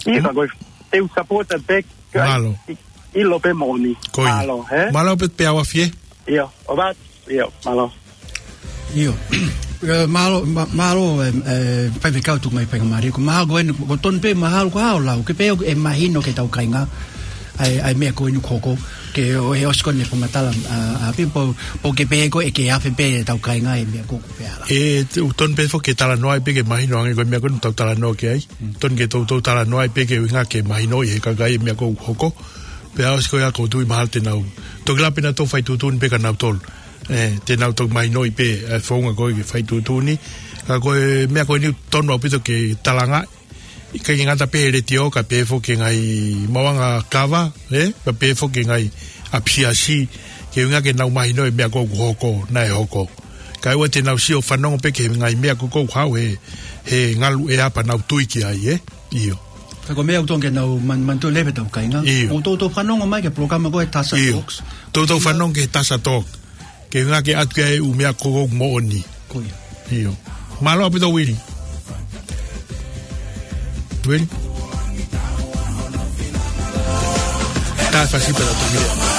Ka ko e, te u support that back. Mālō. ʻIlo pē moʻoni. Ko ia. Mālō, hē? Mālō pē Peaofi ē? ʻIo, ʻo bat, ʻio, mālō. ʻIo. Ē, mālō, mā-, mālō, ē, ē, faifekau Tuʻimaifaingamālie. Ko mahalo ko eni, ʻoku tonu pē mahalo ko e hā hoʻo lau, ke pehē ʻoku mahino ki heʻetau kāinga. ʻAi, ʻai meʻa ko eni ʻoku hoko. Ke ʻo, he ʻosi ko eni fakamatala, ʻa, ʻa, pē po, po ke pehē ko e ke afe pē ʻetau kāinga ʻi he meʻa ko ē ʻoku pehē ala. Ē, te u tonu pē foki ke talanoa ai pē ke mahino ange ko e meʻa ko eni ʻoku tau talanoa ki ai. Tonu ke toutou talanoa ai pē ke ʻuhinga ke mahinoʻi ʻe he kakai e meʻa ko ē ʻoku hoko. Pea ʻosi ko ia ʻoku ou tui mahalo te nau toki lava pē nautolu ʻo fai tuʻutuʻuni pē kia nautolu. Ē, te nau toki mahinoʻi pē, ē, founga ko ē ke fai tuʻutuʻuni. Ka ko e meʻa ko eni ʻoku tonu ʻaupito ke talanga. ʻIkai ke ngata pē he letiō ka pehē foki ki he ngaahi maʻuʻanga kava, ē? Ka pehē foki ki he ngaahi ʻapisiasi, ke ʻuhinga ke nau mahinoʻi e meʻa ko ē ʻoku hoko, naʻe hoko. Kae ʻoua te nau sio fanongo pē ki he ngaahi meʻa ko ē ʻoku haʻu he, he ngalu ʻea pea nau tui ki ai, ē? ʻIo. Ka ko e meʻa ʻoku tonu ke nau man-, manatu leva ʻetau kāinga. ʻIo. ʻOku toutou fanongo mai ki he polokalama ko ē Tasa Talks. Toutou fanongo ki he Tasa Talks. Ke ʻuhinga ke ʻatu ki ai e ʻū meʻa ko ē ʻoku moʻoni. Ko ia. ʻIo. Mālō ʻaupito Uili. Uili. Tā fasi pela tō mire.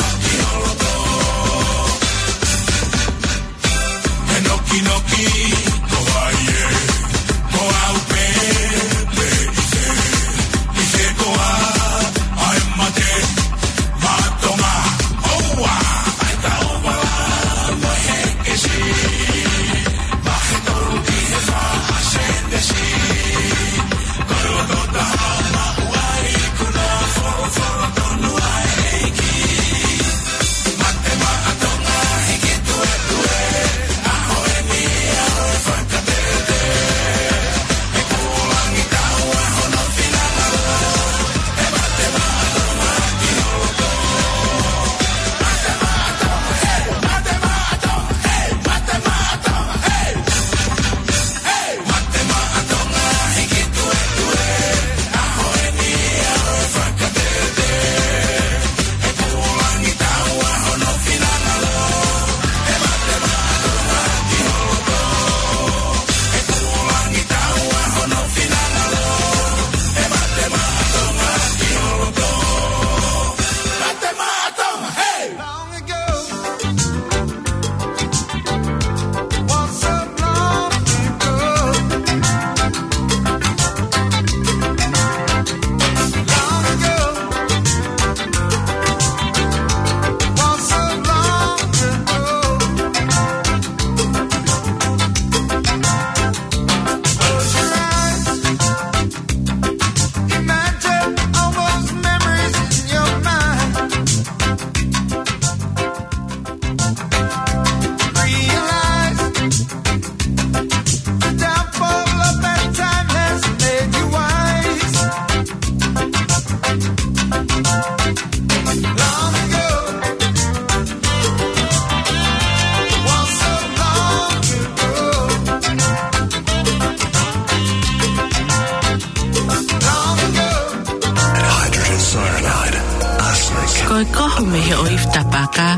Ko e kohu mei he ʻoifi tapaka,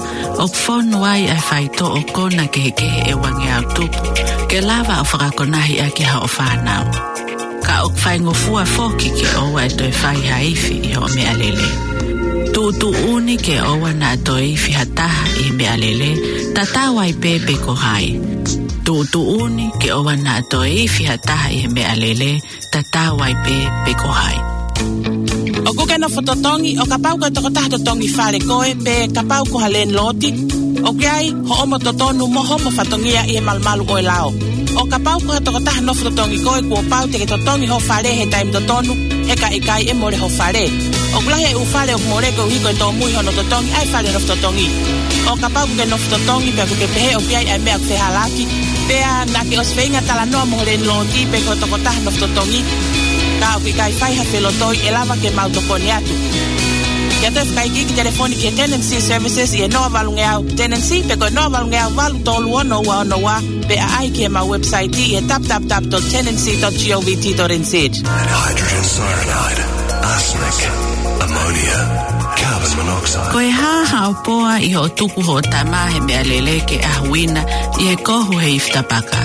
ʻoku fonu ai ʻa e faitoʻo kona kehekehe ʻe uangeau tupu, ke lava ʻo fakakonahi ʻaki hoʻo fānau. Ka ʻoku faingofua foki ke ʻoua ʻe toe fai ha ifi ʻi hoʻo meʻalele. Tuʻutuʻuni ke ʻoua naʻa toe ifi ha taha ʻi he meʻalele, tatau ai pē pe ko hai. Tuʻutuʻuni ke ʻoua naʻa toe ifi ha taha ʻi he meʻalele, tatau ai pē pe ko hai. ʻOku ke nofo totongi, ʻo kapau ko e tokotaha totongi fale koe, pe kapau ko ha lēniloti, ʻoku ʻi ai hoʻomo totonu mo hoʻomo fatongia ʻi he malumalu ʻo e lao. ʻO kapau ko ha tokotaha nofo totongi koe, kuo pau te ke totongi ho fale he taimi totonu, he ka ʻikai ʻe mole ho fale. ʻOku lahi e ʻū fale ʻoku mole koeʻuhi ko e tōmui hono totongi ʻa e fale nofo totongi. ʻO kapau ʻoku ke nofo totongi pea ʻoku ke pehē ʻoku ʻi ai ʻa e meʻa ʻoku fehālaaki, pea naʻa ke ʻosi feinga talanoa mo ho lēniloti pe ko e tokotaha nofo totongi, ka ʻoku ʻikai fai ha felotoi, ʻe lava ke mau tokoni atu. Ke toe fakaikiiki, telefoni ki he Tenancy Services ʻi he noa valungeau Tenancy pe ko e noa valungeau valu tolu ono ua ono ua, pe ʻaʻahi ki heʻemau website ʻi he w w w dot tenancy dot govt dot n z. Hydrogen cyanide, arsenic, ammonia, carbon monoxide. Ko e hā haʻo poa ʻi hoʻo tuku hoʻo tama he meʻalele ke ʻahuina ʻi he kohu he ifi tapaka?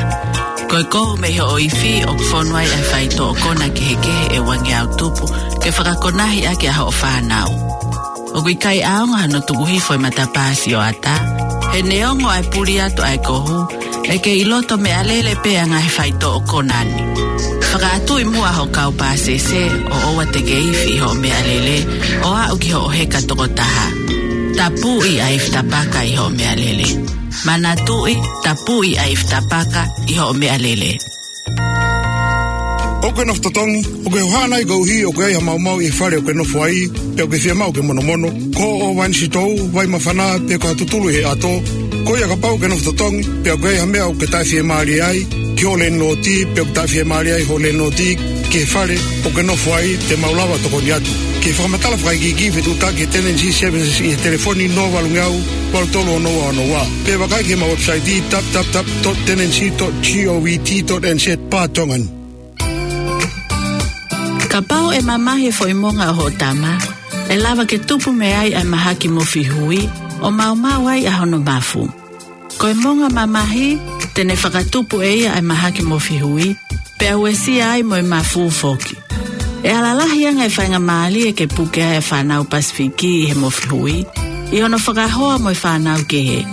Ko e kohu mei hoʻo ifi ʻoku fonu ai ʻa e faitoʻo kona kehekehe ʻe uangeau tupu, ke fakakonahi ʻaki ʻa hoʻo fānau. ʻOku ʻikai ʻaonga hano tuku hifo e matapā sioʻata. He neongo ʻa e puli atu ʻa e kohu, ʻe kei ʻi loto meʻalele pē ʻa e ngaahi faitoʻo kona ni. Fakaʻatuʻi muʻa hoʻo kau pāsese, ʻo ʻoua te ke ifi ʻi hoʻo meʻalele, ʻo aʻu ki hoʻo heka toko taha. Tapuʻi ʻa e ifi tapaka ʻi hoʻo meʻalele. Manatuʻi, tapuʻi ʻa e ifi tapaka ʻi hoʻo meʻalele. ʻOku ke nofo totongi, ʻoku ke hohaʻa nai koeʻuhi ʻoku ʻi ai ha maumau ʻi he fale ʻoku ke nofo ai, pe ʻoku ke fiemaʻu ke monomono? Ko hoʻo vainisitou, vai māfana, pe ko ha tutulu ʻi he ʻato? Ko ia, kapau ʻoku ke nofo totongi, pe ʻoku ʻi ai ha meʻa ʻoku ke taʻefiemālie ai ki hoʻo lēniloti, pe ʻoku taʻefiemālie ai hoʻo lēniloti ki he fale ʻoku ke nofo ai, te mau lava ʻo tokoni atu. Ke fakamatala fakaikiiki, fetuʻutaki he Tenancy Services ʻi he telefoni noa valungeau valu tolu ono ua ono ua. Pe vakai ki heʻemau website, w w w dot tenancy dot govt dot n z, pā Tongan. Kapau ʻe mamahi e foʻi monga ʻo hoʻo tama, ʻe lava ke tupu mei ai ʻa e mahaki mofihui, ʻo maumau ai ʻa hono mafu. Ko e monga mamahi, te ne fakatupu ʻe ia ʻa e mahaki mofihui, pea uesia ai mo e mafu foki. ʻE ala lahi ange e faingamālie ke puke ai ʻa e fānau Pasifiki ʻi he mofihui, ʻi hono fakahoa mo e fānau kehe.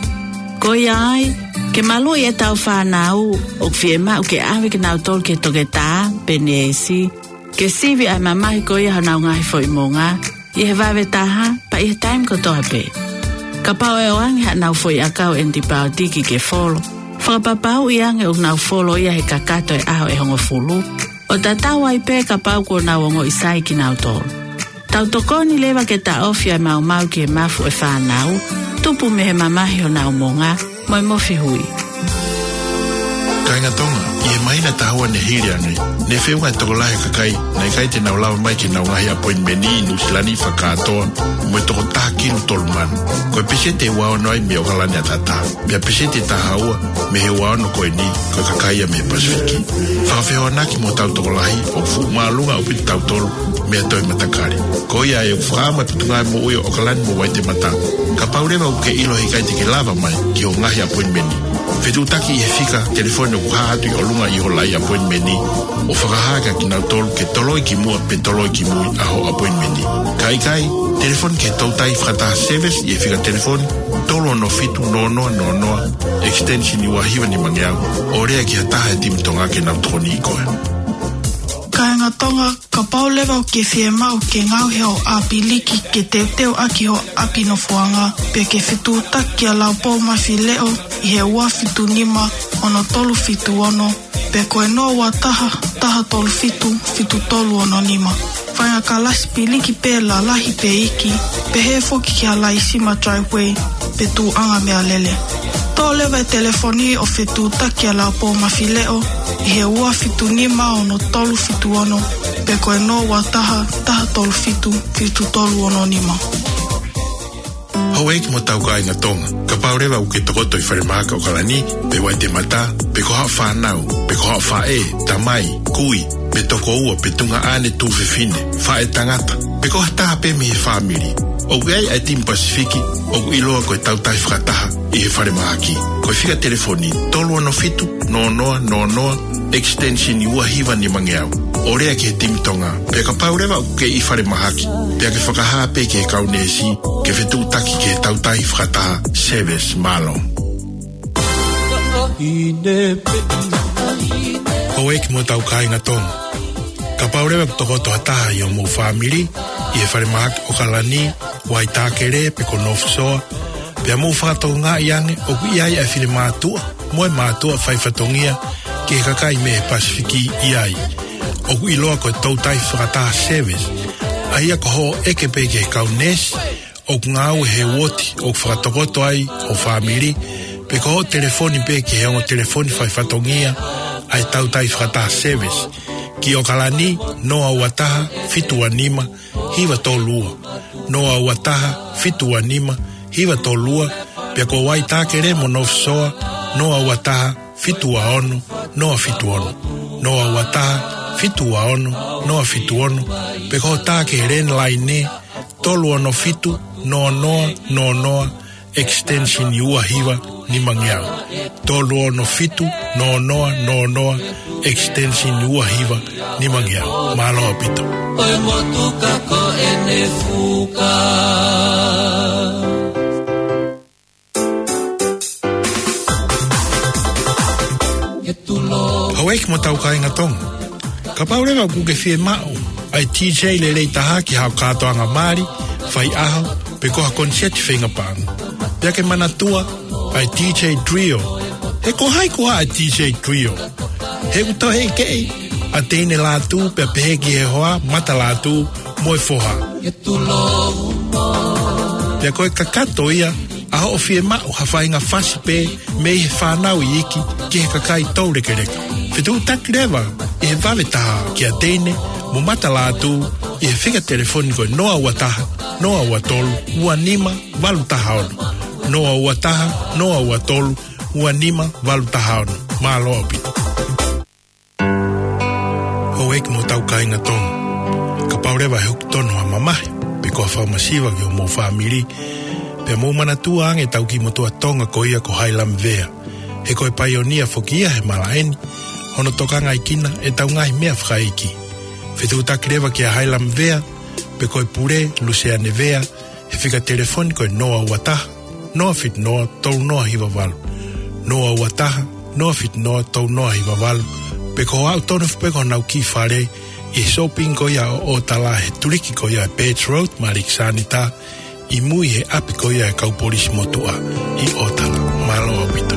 Ko ia ai, ke maluʻi ʻetau fānau, ʻoku fiemaʻu ke ʻave kinautolu ki he toketā pe neesi, ke sivi ʻa e mamahi ko ia honau ngaahi foʻi monga, ʻi he vave taha, pea ʻi he taimi kotoa pē. Kapau ʻe ʻoange haʻanau foʻi ʻakau ʻenitipaotiki ke folo, fakapapauʻi ange ʻoku nau folo ia he kakato e ʻaho ʻe hongofulu, ʻo tatau ai pē kapau kuo nau ongoʻi sai kinautolu. Tau tokoni leva ke taʻofi ʻa e maumau ki he mafu ʻo e fānau, tupu mei he mamahi honau monga, mo e mofihui. Kāinga Tonga, ʻi he māhina ʻe taha ua ne hili ange, ne feʻunga e tokolahi e kakai naʻe ʻikai te nau lava mai ki heʻenau ngaahi ʻapoinimeni ʻi Nuʻusila ni fakakātoa mo e toko taha kilu tolu mano. Ko e peseti ʻe ua ono ai mei ʻOkalani ʻAtatā, pea peseti ʻe taha ua mei he ua ono ko eni ko e kakai ia mei he Pasifiki. Fakafehoanaki mo hotau tokolahi, ʻoku fuʻu māʻolunga ʻaupito kitautolu mei ha toe matakali. Ko ia ai ʻoku fakaʻamu ʻa e Potungāue Moʻui ʻo ʻOkalani mo Waitemata, kapau leva ʻoku ke ʻilo he ʻikai te ke lava mai ki hoʻo ngaahi ʻapoinimeni, fetuʻutaki ʻi he fika telefoni ʻoku hā atu ʻi ʻolunga ʻi ho laʻi ʻapoinimeni, ʻo fakahā kia kinautolu ke toloi ki muʻa pe toloi ki mui ʻa hoʻo ʻapoinimeni. Ka ʻikai, telefoni ki he Toutai Fakataha Service ʻi he fika telefoni tolu ono fitu noa noa noa noa, extension ua hiva nima ngeau, ʻo lea ki ha taha he timi Tonga ke nau tokoniʻi koe. Kāinga Tonga, kapau leva ʻoku ke fiemaʻu ke ngaohi hoʻo ʻāpiliki ke teuteu ʻaki hoʻo ʻapi nofoʻanga, pe ke fetuʻutaki kia Laupou Mafileʻo ʻi he ua fitu nima ono tolu fitu ono, pe ko e noa ua taha, taha tolu fitu, fitu tolu ono nima. Faʻahinga kalasi piliki pē lalahi pe iiki, pehē foki ki ha laisima Driveway pe tuʻuʻanga meʻalele. Toʻo leva e telefoni ʻo fetuʻutaki kia Laupou Mafileʻo ʻi he ua fitu nima ono tolu fitu ono, pe ko e noa ua taha, taha tolu fitu, fitu tolu ono nima. Houʻeiki mo hotau kāinga Tonga, kapau leva ʻoku ke tokoto ʻi Falemahaki ʻOkalani, pe Waitemata, pe ko haʻo fānau, pe ko haʻo faʻē, tamai, kui, pe tokoua, pe tuongaʻane tuofefine, faʻētangata, pe ko ha taha pē mei he fāmili, ʻOku ʻi ai ʻa e timi Pasifiki ʻoku ʻiloa ko e Tautai Fakataha ʻi he falemahaki. Ko e fika telefoni tolu ono fitu, noa noa noa noa, extension ua hiva nima ngeau. ʻO lea ki he timi Tonga, pea kapau leva ʻoku ke ʻi falemahaki, pea ke fakahā pē ki he kau neesi, ke fetuʻutaki ki he Tautai Fakataha Service. Mālō. Houʻeiki mo e tau kāinga Tonga. Kapau leva ʻoku tokoto ha taha ʻi hoʻomou fāmili ʻi he falemahaki ʻOkalani, Waitākele pe ko North Shore, pea mou fakatokangaʻi ange ʻoku ʻi ai ʻa e finemātuʻa mo e mātuʻa faifatongia ki he kakai mei he Pasifiki ʻi ai. ʻOku ʻiloa ko e Tautai Fakataha Service, ʻa ia ko hoʻo ʻeke pē ki he kau neesi ʻoku ngāue he uooti ʻoku fakatokoto ai ho fāmili, pe ko hoʻo telefoni pē ki he ongo telefoni faifatongia ʻa e Tautai Fakataha Service, ki ʻOkalani, noa ua taha, fitu ua nima, hiva tolu ua, noa ua taha, fitu ua nima, hiva tolu ua, pea ko Waitākele mo North Shore, noa ua taha, fitu ua ono, noa fitu ono, noa ua taha, fitu ua ono, noa fitu ono, pe ko hoʻo tā ki he landline, tolu ono fitu, noa noa noa noa, extension ua hiva nima ngeau. Tolu ono fitu, noa noa noa noa, extension ua hiva nima ngeau. Mālō ʻaupito. ʻOi motuka ko ʻene fuka. Houʻeiki mo e tau kāinga Tonga. Kapau leva ʻoku ke fiemaʻu ʻa e DJ lelei taha ki haʻo kātoanga mali, faiʻaho, pe ko ha koniseti feinga paʻanga, pea ke manatua ʻa e DJ Trio. He ko hai koā ʻa e DJ Trio? He ʻoku toe ʻekeʻi ʻa Teine Lātū pea pehē ki he hoa, Mata Lātū mo e foha. Pea ko e kakato ia ʻa hoʻo fiemaʻu ha faʻahinga fasi pē mei he fānau iiki ki he kakai toulekeleka. Fetuʻutaki leva ʻi he vave taha kia Teine mo Mata Lātū ʻi he fika telefoni ko e noa ua taha, noa ua tolu, ua nima valu taha ono. Noa ua taha, noa ua tolu, ua nima valu taha ono. Mālō ʻaupito. Houʻeiki mo e tau kāinga Tonga. Kapau leva ʻe hoko tonu ha mamahi pe ko ha fakamasiva ki hoʻomou fāmili, pea mou manatua ange ʻetau kiʻi motuʻa Tonga ko ia ko Hailami Vea. He ko e paionia foki ia he malaʻe ni, hono tokangaʻi kinautolu ʻe heʻetau ngaahi meʻa fakaʻeiki. Fetuʻutaki leva kia Hailami Vea, pe ko e pule, Luseane Vea, he fika telefoni ko e noa ua taha, noa fitu noa, tolu noa hiva valu. Noa ua taha, noa fitu noa, tolu noa hiva valu. Pe ko hoʻo aʻu tonu foki pē ki honau kiʻi fale ʻi he shopping ko ia ʻo ʻOtala he tuliki ko ia ʻa e Birch Road, Maliki Sanita, ʻi mui he ʻapi ko ia ʻa e kau polisi motuʻa ʻi ʻOtala. Mālō ʻaupito.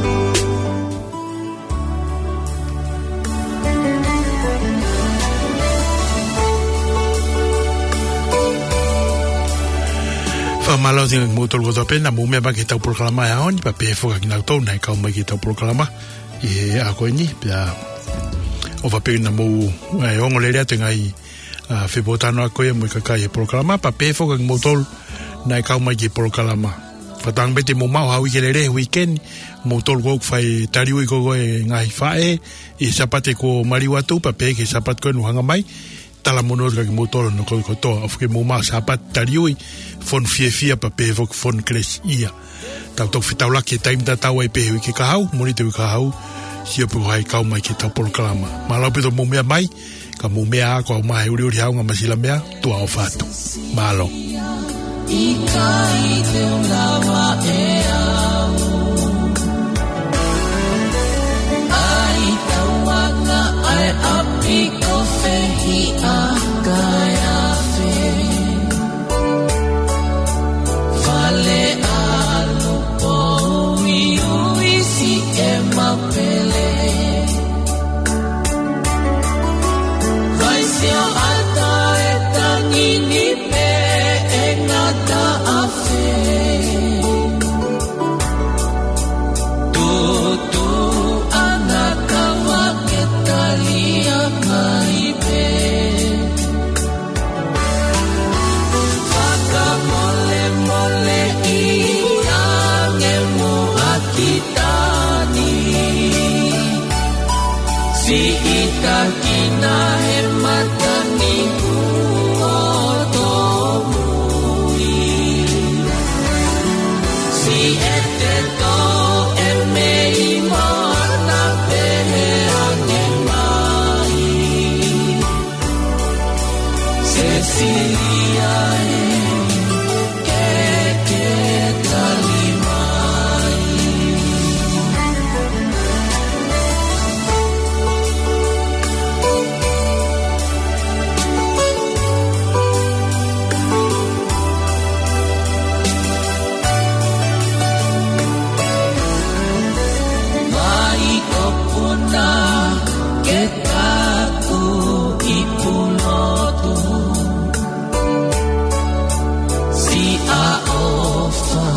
Fakamālō atu kimoutolu kotoa pē naʻa mou meʻa mai ki heʻetau polokalama he ʻaho ni, pea pehē foki kinautolu naʻe kau mai ki heʻetau polokalama ʻi he ʻaho ko eni, pea ʻofa pē naʻa mou, ʻe, ongoongolelei atu e ngaahi, ʻa, fepōtalanoaʻaki ko ia mo e kakai he polokalama, pea pehē foki kimoutolu naʻe kau mai ki he polokalama. Fakatauange pē te mou maʻu ha uike lelei he uike ni, moutolu ʻoku fai taliui ko ē ʻa e ngaahi faʻē ʻi he Sāpate kuo maliu atu, pea pehē ki he Sāpate ko ē ʻoku hanga mai. Talamonū atu kia kimoutolu hono kotoa, ʻofa ke mou maʻu ha Sāpate taliui, fonu fiefia pea pehē foki fonu kelesiʻia. Tau toki fetaulaki he taimi tatau ai pē he uike kahaʻu, Mōnite uike kahaʻu, sio pē ko hai kau mai ki heʻetau polokalama. Mālō ʻaupito hoʻomou meʻa mai, ka mou meʻa ā, ko au mai he uliuli haunga masila meʻa, tuʻa ʻofa atu. Mālō. ʻIkai te u lava ʻe au. ʻAi tauʻanga ʻa e ʻapi ko Fehiʻa kae ʻave. Fale ʻalu pouiui siʻema pele. Vai sio ata e tangi ni pē ʻe ngata afe. Tutu ana kawa ke talia mai pē. Ke ke tali mai. Mai ʻo puna ke taku i pulotu. Siʻa ʻofa,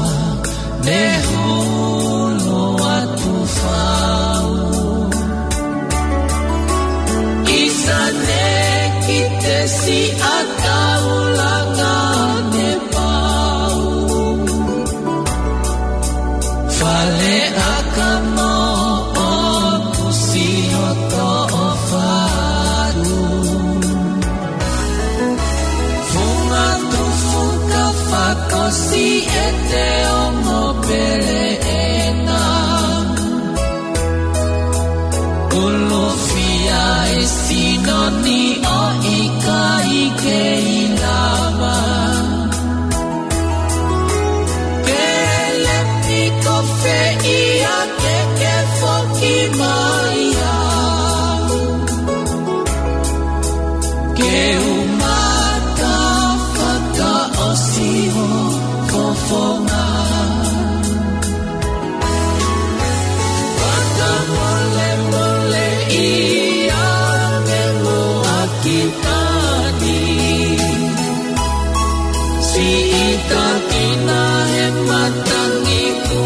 ne hulu atu fau. ʻIsa ne kite siʻa taulanga ne pau. Fale ʻakamo ʻoku siʻi hoto ʻofa atu. Funga tufu ka fakaʻosi ʻe te ongo pele ena. Ulufia e sino ni ʻo ʻikai kei lava. Pele piko fē ia ke ke foki mai ai. Ke u mata fakaʻosi hoʻo fofonga. Fakamolemole ia ke muʻaki tani. Siʻi takina he matangi ku.